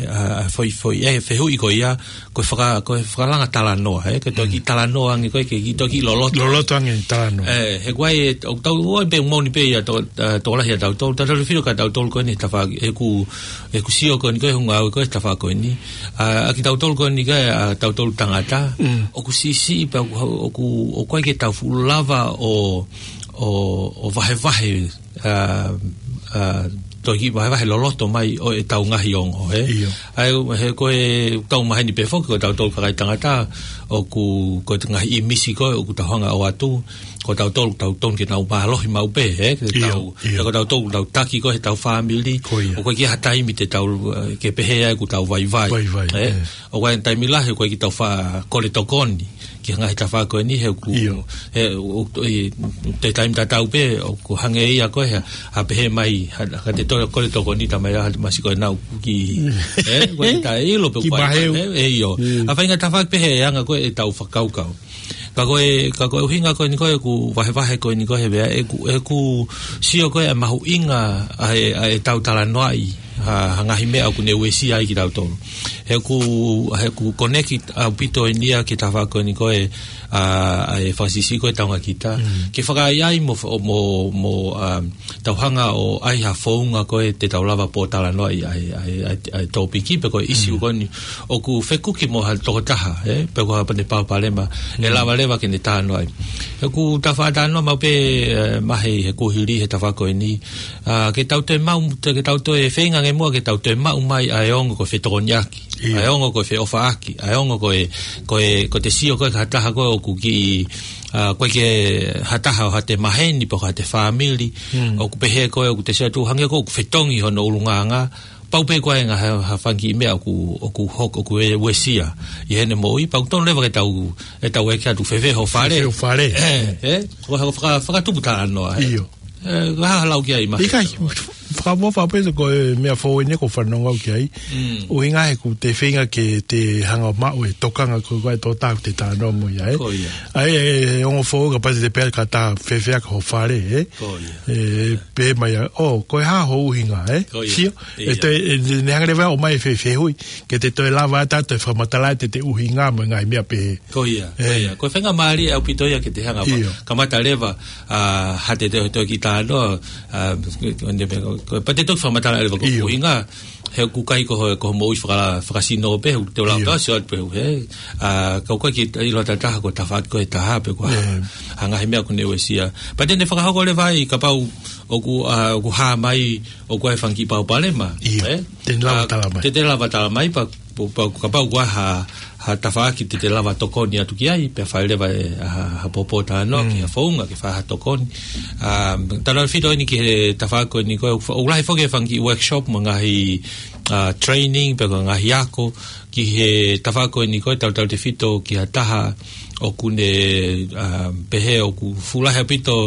ʻa, ʻa, foʻi, foʻi, ʻe, fehuʻi ko ia, ko e faka-, ko e fakalanga talanoa, ē, ke toe kiʻi talanoa ange ko ē, ke kiʻi toe kiʻi loloto. Loloto ange talanoa. ʻE, he ko e, ʻoku tau, ʻoku ʻi ai pē moʻoni pē ia to-, ʻa, tokolahi ʻa tautolu, tautolu filo ka tautolu ko eni tafaʻaki, ʻeku, ʻeku sio ko eni ko ē, hoku ngāue ko ē tafaʻaki ko eni. ʻA, ʻa kitautolu ko eni ko ē, ʻa, tautolu tangata, ʻoku siʻisiʻi pē ʻoku, ʻoku, ʻoku ʻikai ke tau fuʻu lava ʻo, ʻo, ʻo vahevahe ʻa, ʻa, toe kiʻi vahevahe loloto mai ʻo ʻetau ngaahi ongo, ē? ʻA ia, he ko e tau maheni pē foki, ko tautolu kakai tangata, ʻoku, ko e ngaahi ʻīmisi ko ē, ʻoku tau hanga ʻo ʻoatu, ko tautolu, tau tonu ke nau mālohi maʻu pē, ē? Ke tau, ʻe ko tautolu, tau taki ko ē, ʻetau fāmili, ʻoku ʻikai ha taimi te tau, ʻe, ke pehē ai ʻoku tau vaivai, ē? ʻOku ʻi ai e taimi lahi, ʻoku ʻikai ke tau faʻa kole tokoni ki he ngaahi tafaʻaki ko eni he ʻoku, he ʻoku, ʻi he taimi tatau pē, ʻoku hangē ia ko ē, ha, ha pehē mai, ha, ka te toe kole tokoni ta mai ha masi ko ē naʻa ku ki, ē, ko e taʻeʻilo pē ki maheu. ʻE, ʻe ʻio. ʻA e faʻahinga tafaʻaki pehē ʻe anga ko ē ʻetau fakakaukau. Ka ko e, ka ko e ʻuhinga ko eni ko ē ʻeku vahevahe ko eni ko ē he vea, ʻeku, ʻeku sio ko ē ʻa e mahuʻinga ʻa e, ʻa ʻetau talanoaʻi ha, ha ngaahi meʻa ʻoku ne uesia ai kitautolu. He ʻoku, he ʻoku connect ʻaupito eni ia ki he tafaʻaki ko eni ko ē, ʻa, ʻa e fakasiʻisiʻi ko ē taunga kita. Ke fakaʻaiʻai mo, mo, mo, ʻa, tau hanga ʻo ʻai ha founga ko ē te tau lava pōtalanoaʻi ʻa e, ʻa e, ʻa e, ʻa e tōpiki pe ko e ʻisiū ko eni. ʻOku fekuki mo ha tokotaha, ē, pe ko ha pene palopalema, ʻe lava leva ke ne talanoaʻi. He ʻoku tau faʻa talanoa maʻu pē, ē, mahe he kuohili he tafaʻaki ko eni. ʻA, ke tau toe maʻu, te, ke tau toe feinga ange muʻa ke tau toe maʻu mai ʻa e ongo ko e fetokoniʻaki, ʻa e ongo ko e feʻofaʻaki, ʻa e ongo ko e, ko e, ko e te sio ko ē ki ha taha ko ē ʻoku kiʻi, ʻa, ʻoku ʻikai ke ha taha ʻo ha te maheni pe ko ha te fāmili, ʻoku pehē ko ē ʻoku te sio atu hangē ko ē ʻoku fetongi hono ʻulungaanga, pau pē ko ē ngaahi ha, ha fanga kiʻi meʻa ʻoku, ʻoku hoko, ʻoku ʻe uesia ʻi heʻene moʻui, pea ʻoku tonu leva ke tau, ʻe tau ʻeke atu fēfē ho fale. Fēfē ho fale. ʻE, ʻe, ko ha faka-, fakatupu talanoa, ē. ʻIo. ʻE, ka ha lau ki ai ma. ʻIkai, fakamoʻoni pē ko e meʻa foʻou eni ʻoku ou fanongo ki ai. ʻUhinga he ʻoku te feinga ke te hanga maʻu e tokanga ko ē ʻa e tokotaha ʻoku te talanoa mo ia, ē. Ko ia. ʻA ia, ʻe, ʻe ongo foʻou kapau te te pehē ka ta fēfē ʻa ho fale, ē. Ko ia. ʻE, pehē mai ʻa, ʻo, ko e hā ho ʻuhinga, ē? Ko ia. Sio, ʻe te, ʻe, ne hanga leva ʻo mai fēfē hui, ke te toe lava atu ʻo toe fakamatala ʻa e te ʻuhinga mo e ngaahi meʻa pehē. Ko ia, ko ia. Ko e faingamālie ʻaupito ia ke te hanga ʻo kamata leva, ʻa, ha te te toe kiʻi talanoa, ʻa, ko, ko, pea te toe fakamatala leva ko e ʻuhinga, he ʻoku ʻikai ko ho, ko ho moʻui faka-, fakasino pē, ʻoku te lau pē, sio atu pē, he, ʻa, ka ʻoku ʻikai ke ʻilo ʻe ha taha ko e tafaʻaki ko ē ʻe taha pe ko ha, ha ngaahi meʻa ʻoku ne uesia. Pea te ne fakahoko leva ai, kapau ʻoku, ʻa, ʻoku hā mai, ʻoku ʻi ai e fanga kiʻi palopalema, ē? Te ne lava tala mai. Te, te lava tala mai, pea Kapau, kapau ʻoku ʻi ai ha, ha tafaʻaki te te lava tokoni atu ki ai, pea fai leva ʻe, ha, ha pōpō talanoa ki ha founga ke fai ha tokoni. Um, tautefito eni ki he tafaʻaki ko eni ko ē, ʻoku lahi foki e fanga kiʻi workshop mo e ngaahi, uh, training, pe ko e ngaahi ako, ki he tafaʻaki ko eni ko ē, tautautefito ki ha taha ʻoku ne, um, pehē ʻoku fuʻu lahi ʻaupito,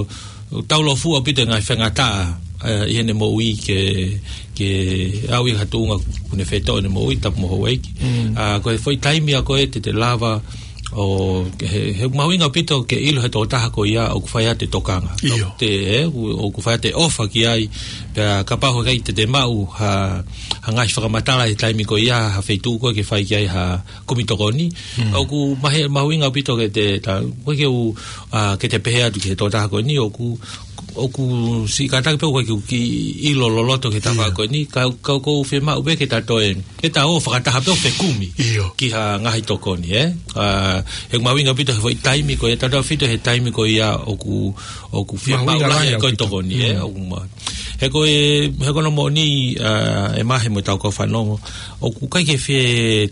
taulōfuʻu ʻaupito e ngaahi faingataʻa, uh, ʻi heʻene moʻui ke, ke aʻu ʻi ha tuʻunga ʻoku ne fetō ʻene moʻui, tapu mo houʻeiki. Uh, ko e foʻi taimi ia ko ē te te lava ʻo, he, he mahuʻinga ʻaupito ke ʻilo he tokotaha ko ia ʻoku fai atu e tokanga. ʻIo. Te, ē, ʻoku, ʻoku fai atu e ʻofa ki ai, pea kapau ʻoku ʻikai te te maʻu ha, ha ngaahi fakamatala he taimi ko ia, ha feituʻu ko ē ke fai ki ai ha kumi tokoni. ʻOku mahe-, mahuʻinga ʻaupito ke te, ta, ʻoku ʻikai ke u, uh, ke te pehē atu ki he tokotaha ko eni, ʻoku, ʻoku siʻi kātaki pē ʻoku ʻikai ke u kiʻi ʻilo loloto ki he tafaʻaki ko eni, ka, ka ʻoku ou fiemaʻu pē ke ta toe, ke ta ō fakataha pē ʻo fekumi ki ha ngaahi tokoni, ē? Uh, he mahuʻinga ʻaupito he foʻi taimi ko ia, tautefito he taimi ko ia ʻoku, ʻoku fiemaʻu lahi ai ko e tokoni, ē? ʻOku ma-, he ko e, he ko hono moʻoni, uh, ʻe Mahe mo ʻetau kau fanongo, ʻoku ʻikai ke fie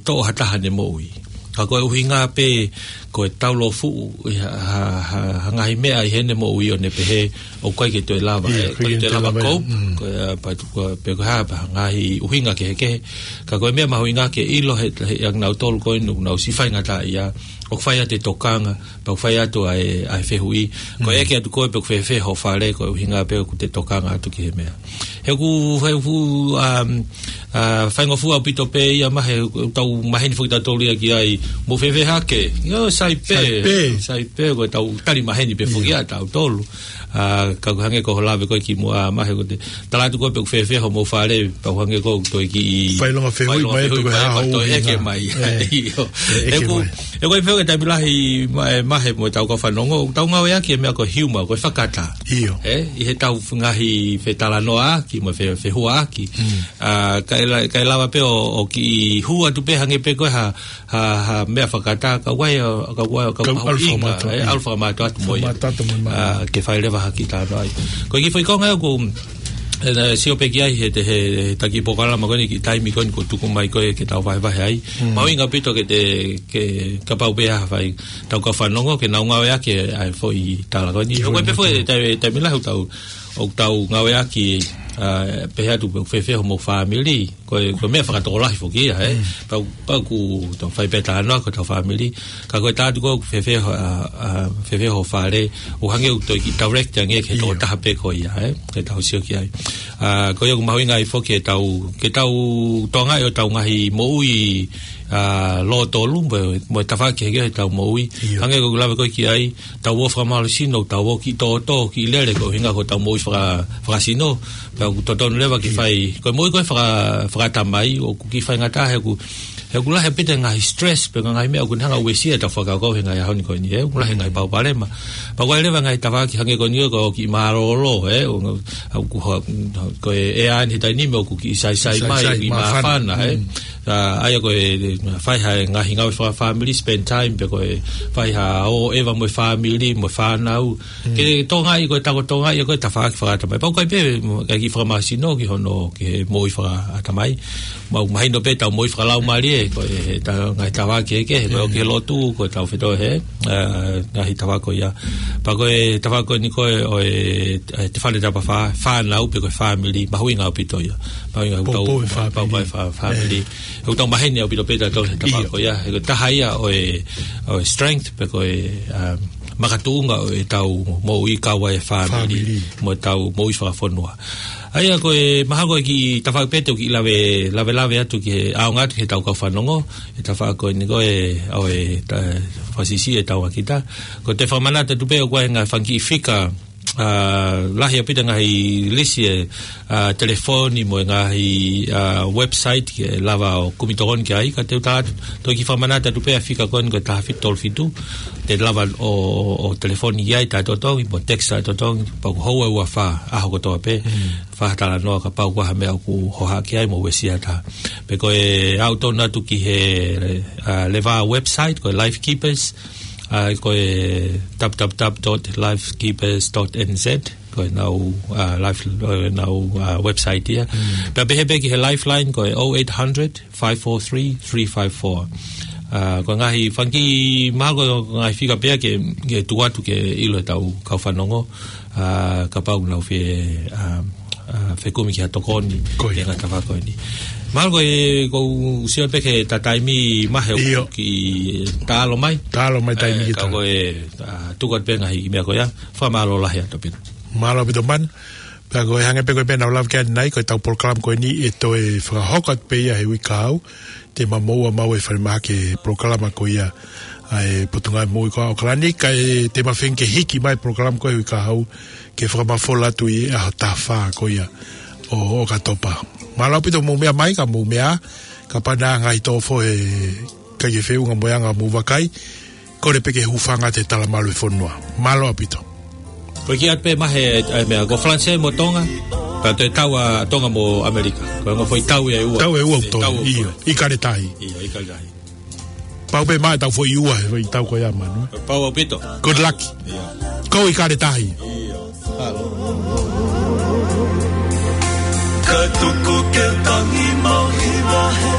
toʻo ha taha ʻene moʻui. Ka ko e ʻuhinga pē, ko e taulōfuʻu ʻi ha, ha, ha, ha ngaahi meʻa ʻi heʻene moʻui ʻo ne pehē, ʻoku ʻikai ke toe lava, ʻikai ke toe lava cope, ko e, uh, pa, ko e, pe ko e hā, pa, ngaahi ʻuhinga kehekehe. Ka ko e meʻa mahuʻinga ke ʻilo he, he ʻa kinautolu ko ē ʻoku nau siʻi faingataʻaʻia, ʻoku fai atu e tokanga, pea ʻoku fai atu ʻa e, ʻa e fehuʻi. Ko e ʻeke atu ko ē pe ʻoku fēfē ho fale, ko e ʻuhinga pē ʻoku te tokanga atu ki he meʻa. He ʻoku, he ʻoku, um, uh, faingofua ʻaupito pē ia Mahe, tau maheni foki tautolu ia ki ai, mou fēfē hake? ʻIo, sai pē. Sai pē. Sai pē, ko ʻetau tali maheni pē foki ia tautolu. Uh, ka ʻoku hangē ko hoʻo lave ko ē kimuʻa Mahe, ko ʻete tala atu ko ē pe ʻoku fēfē hoʻomou fale, pea ʻoku hangē ko ē ʻoku toe kiʻi failonga fehuʻi mai atu ko e hā hoʻo ʻeke mai. ʻIo. He ʻoku, he ʻoku ʻi ai pē foki e taimi lahi Ma-, ʻe Mahe mo ʻetau kau fanongo, ʻoku tau ngāueʻaki e meʻa ko e humor, ko e fakataha. ʻIo. Ē, ʻi heʻetau ngaahi fetalanoaʻaki mo e fe-, fehuaʻaki. Uh, kae la-, kae lava pē ʻo, ʻo kiʻi hū atu pē hangē pē ko e ha, ha, ha meʻa fakataha, ka ʻoku ʻi ai, ka ʻoku ʻi ai, ka ʻoku ʻi ai ha ʻuhinga, ʻalu fakamātoato atu mo ia. Uh, ke fai leva ha kiʻi talanoa ai. Ko e kiʻi foʻi konga ʻoku, ē, sio pē ki ai he, he, he taki polokalama ko eni, kiʻi taimi ko eni kuo tuku mai ko ē ke tau vahevahe ai. Mahuʻinga ʻaupito ke te, ke kapau pē ʻe fai ʻetau kau fanongo ke nau ngāueʻaki ʻa e foʻi tala ko eni. ʻOku ʻi ai pē foki e taimi, taimi lahi ʻoku tau, ʻoku tau ngāueʻaki, uh, pehē atu pe ʻoku fēfē hoʻomou fāmili. Ko e, ko e meʻa fakatokolahi foki ia, ē? Pau, pau ʻoku tau fai pē talanoa ko ʻetau fāmili. Ka ko e tala atu ko ē ʻoku fēfē ho, uh, uh, fēfē ho fale, ʻoku hangē ʻoku toe kiʻi direct ange ki he tokotaha pē ko ia, ē? Ke tau sio ki ai. Uh, ko ia ʻoku mahuʻinga ai foki ke tau, ke tau tokangaʻi hotau ngaahi moʻui, uh, lōtolu, mo, mo e tafaʻaki kehekehe hotau moʻui. Hangē ko ʻeku lave ko ē ki ai, tau ō fakamālohisino, tau ō kiʻi tōtō, kiʻi lele, ko e ʻuhinga ko ʻetau moʻui faka-, fakasino, pea ʻoku totonu leva ke fai, ko e moʻui ko ē faka-, fakaʻatamai, ʻoku kiʻi faingataʻa he ʻoku, he ʻoku lahi ʻaupito e ngaahi stress, pe ngaahi meʻa ʻoku ne hanga ʻo uesia ʻetau fakakaukau he ngaahi ʻaho ni ko eni, ē, ʻoku lahi e ngaahi palopalema. Pea ʻoku ʻi ai leva e ngaahi tafaʻaki hangē ko eni ko e kiʻi mālōlō, ē, ʻo, ʻoku ha-, ko e ʻea ni he taimi ni ʻoku kiʻi saisai mai, kiʻi māfana, ē. ʻA ia ko e fai ha ngaahi ngāue fakafāmili, spend time, pe ko e fai ha ō ʻeva mo e fāmili, mo e fānau. Ke tokangaʻi, ko e tau tokangaʻi ko e tafaʻaki fakaʻatamai. Pau ʻoku ʻi ai pē, ke kiʻi fakamālohisino ki hono, ki he moʻui fakaʻatamai. Mau mahino pē ʻetau moʻui fakalaumālie, ko e, he ta-, ngaahi tafaʻaki kehekehe, ko e ō ki he lotu, ko ʻetau fetō he, uh, ngaahi tafaʻaki ko ia. Pea ko e tafaʻaki ko eni ko ē ʻo e, e, te fale tapafā, fānau pe ko e fāmili, mahuʻinga ʻaupito ia. Mahuʻinga ʻaupito, pau, pau e fā-, fāmili. He ʻoku tau maheni ʻaupito pē tautolu he tafaʻaki ko ia. He ko e taha ia ʻo e, ʻo e strength pe ko e, um, makatuʻunga ʻo ʻetau moʻui kau ai e fāmili, mo ʻetau moʻui fakafonua. ʻA ia ko e mahalo ko e kiʻi tafaʻaki pē te u kiʻi lave, lavelave atu ki he ʻaonga atu ki heʻetau kau fanongo, he tafaʻaki ko eni ko ē ʻo e ta-, fakasiʻisiʻi ʻetau ʻakita. Ko ʻete fakamanatu atu pē ʻoku ʻi ai e ngaahi fanga kiʻi fika, uh, lahi ʻaupito e ngaahi lisi e, uh, telefoni mo e ngaahi, uh, website ke lava ʻo kumi tokoni ki ai, ka te u tala atu, toe kiʻi fakamanatu atu pē ʻa e fika ko eni ko e taha fitu tolu fitu, te lava ʻo, ʻo, ʻo telefoni ki ai taʻetotongi, mo text taʻetotongi, pea ʻoku hou e ua fā, ʻaho kotoa pē, fai ha talanoa kapau ʻoku ʻi ai ha meʻa ʻoku hohaʻa ki ai mo uesia atu. Pe ko e aʻu tonu atu ki he, uh, leva website, ko e Life Keepers, uh, ko e w w w dot life keepers dot n z. ko ʻenau, ʻa, life, ʻenau, ʻa, website ia. Pea pehē pē ki he Lifeline ko e oh eight hundred, five four three, three five four. ʻA, ko e ngaahi fanga kiʻi mahalo ko e ngaahi fika pē ia ke, ke tuku atu ke ʻilo ʻe heʻetau kau fanongo. ʻA, kapau ʻoku nau fie, ʻa, ʻa, fekumi ki ha tokoni, ko ia, ki he ngaahi tafaʻaki ko eni. Mahalo ko e, ʻoku ou sio pē ki he taimi mahalo ʻoku ʻIo. kiʻi taʻalo mai. Taʻalo mai taimi ʻe, ki ka taimi. ko e, ʻa, tuku atu pē ngaahi meʻa ko ia. Fakamālō lahi atu pē. Mālō ʻaupito Manu. Pea ko e hangē pē ko e meʻa naʻa ku lave ki ai ʻanenai, ko ʻetau polokalama ko eni ʻe toe fakahoko atu pē ia he uike kahaʻu. Te ma moʻua maʻu e falemahaki e polokalama ko ia ʻa e Potungāue Moʻui ko ia ʻAokalani, kae te ma feinga ke hiki mai e polokalama ko ia he uike kahaʻu ke fakamafola atu ʻi he ʻaho taha fā ko ia ʻo ʻOkatopa. Mālō ʻaupito hoʻomou meʻa mai, ka mou meʻa ā, kapau naʻe ʻi ai ha ngaahi tōfo he ʻikai ke feʻunga mo e anga hoʻomou vakai, kole pē ke hūfanga atu he talamalu e fonua. Mālō ʻaupito. Ko e kiʻi ʻatu pē mai he, ʻa e meʻa, ko Falanisē mo Tonga, pea toe tau ʻa Tonga mo ʻAmelika. Ko e ongo foʻi tau ia ʻe ua. Tau ʻe ua ʻoku toe, Tau ʻe ua. ʻIo, ʻIkale Tahi. ʻIo, ʻIkale Tahi. Pau pē mai ʻetau foʻi ua he foʻi tau ko ia Manu. Pau ʻaupito. Good luck. ʻIo. Ko ʻIkale Tahi. ʻIo. Mālō. Ka tuku ke tangi mau hiva he